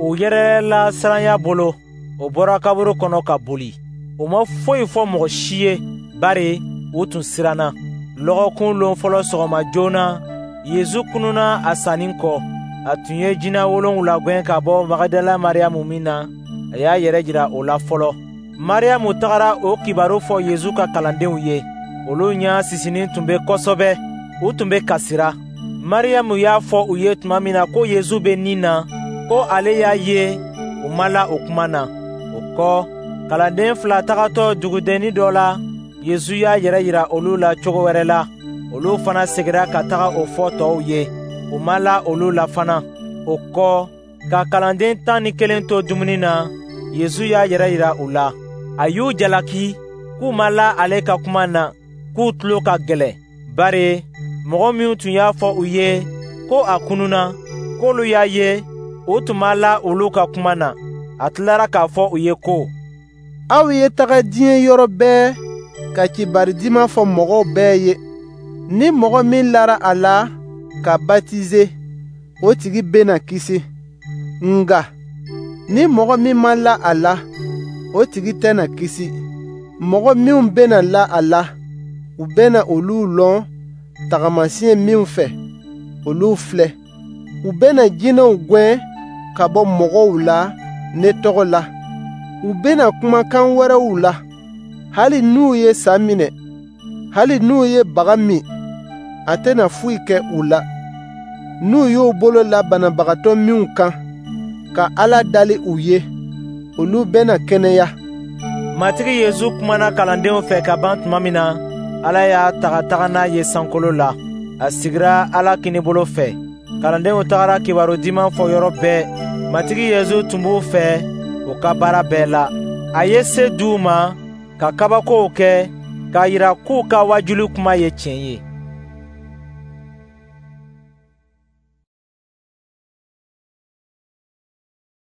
U yɛrɛla siranya bolo, o bɔra kaburu kɔnɔ ka boli. U ma foyi fɔ mɔgɔ si ye, bari u tun siranna. Lɔgɔkun lon fɔlɔ sɔgɔma joona, Yezu kununna a sanni kɔ. A tun ye jinɛ wolonwula gɛn ka bɔ Magadala Mariyamu min na, a y'a yɛrɛ jira o la fɔlɔ. Mariyamu tagara o kibaru fɔ Yezu ka kalandenw ye. Olu ɲɛ sisinin tun bɛ kosɛbɛ, u tun bɛ kasira. Mariyamu y'a fɔ u ye tuma min na ko Yezu bɛ ni na, ko ale y'a ye, u ma la o kuma na. O kɔ, kalanden fila tagatɔ dugudennin dɔ la, Yezu y'a yɛrɛ yira olu la cogo wɛrɛ la. Olu fana seginna ka taga o fɔ tɔw ye. U ma la olu la fana. O kɔ, ka kalanden tan ni kelen to dumuni na, Yezu y'a yɛrɛ yira u la. A y'u jalaki k'u ma la ale ka kuma na, k'u tulo ka gɛlɛn, bari mɔgɔ minnu tun y'a fɔ u ye ko a kununna, k'olu y'a ye, u tun ma la olu ka kuma na. A tilara k'a fɔ u ye ko: Aw ye taga diɲɛ yɔrɔ bɛɛ ka kibari diman fɔ mɔgɔw bɛɛ ye. Ni mɔgɔ min lara a la ka batize, o tigi bɛna kisi. Nka ni mɔgɔ min ma la a la, o tigi tɛna kisi. Mɔgɔ minw bɛna la a la, u bɛna olu lɔn tagamasiyɛn minw fɛ, olu filɛ: U bɛna jinɛw gɛn ka bɔ mɔgɔw la ne tɔgɔ la. U bɛna kuma kan wɛrɛw la. Hali n'u ye sa minɛ, hali n'u ye baga min, a tɛna foyi kɛ u la. N'u y'u bolo la banabagatɔ minw kan, ka Ala dali u ye, olu bɛna kɛnɛya. Matigi Yezu kumana kalandenw fɛ ka ban tuma min na, Ala y'a ta ka taga n'a ye sankolo la. A sigira Ala kinibolo fɛ. Kalandenw tagara kibaru diman fɔ yɔrɔ bɛɛ. Matigi Yezu tun b'u fɛ u ka baara bɛɛ la. A ye se d'u ma ka kabakow kɛ k'a yira k'u ka wajuli kuma ye tiɲɛ ye.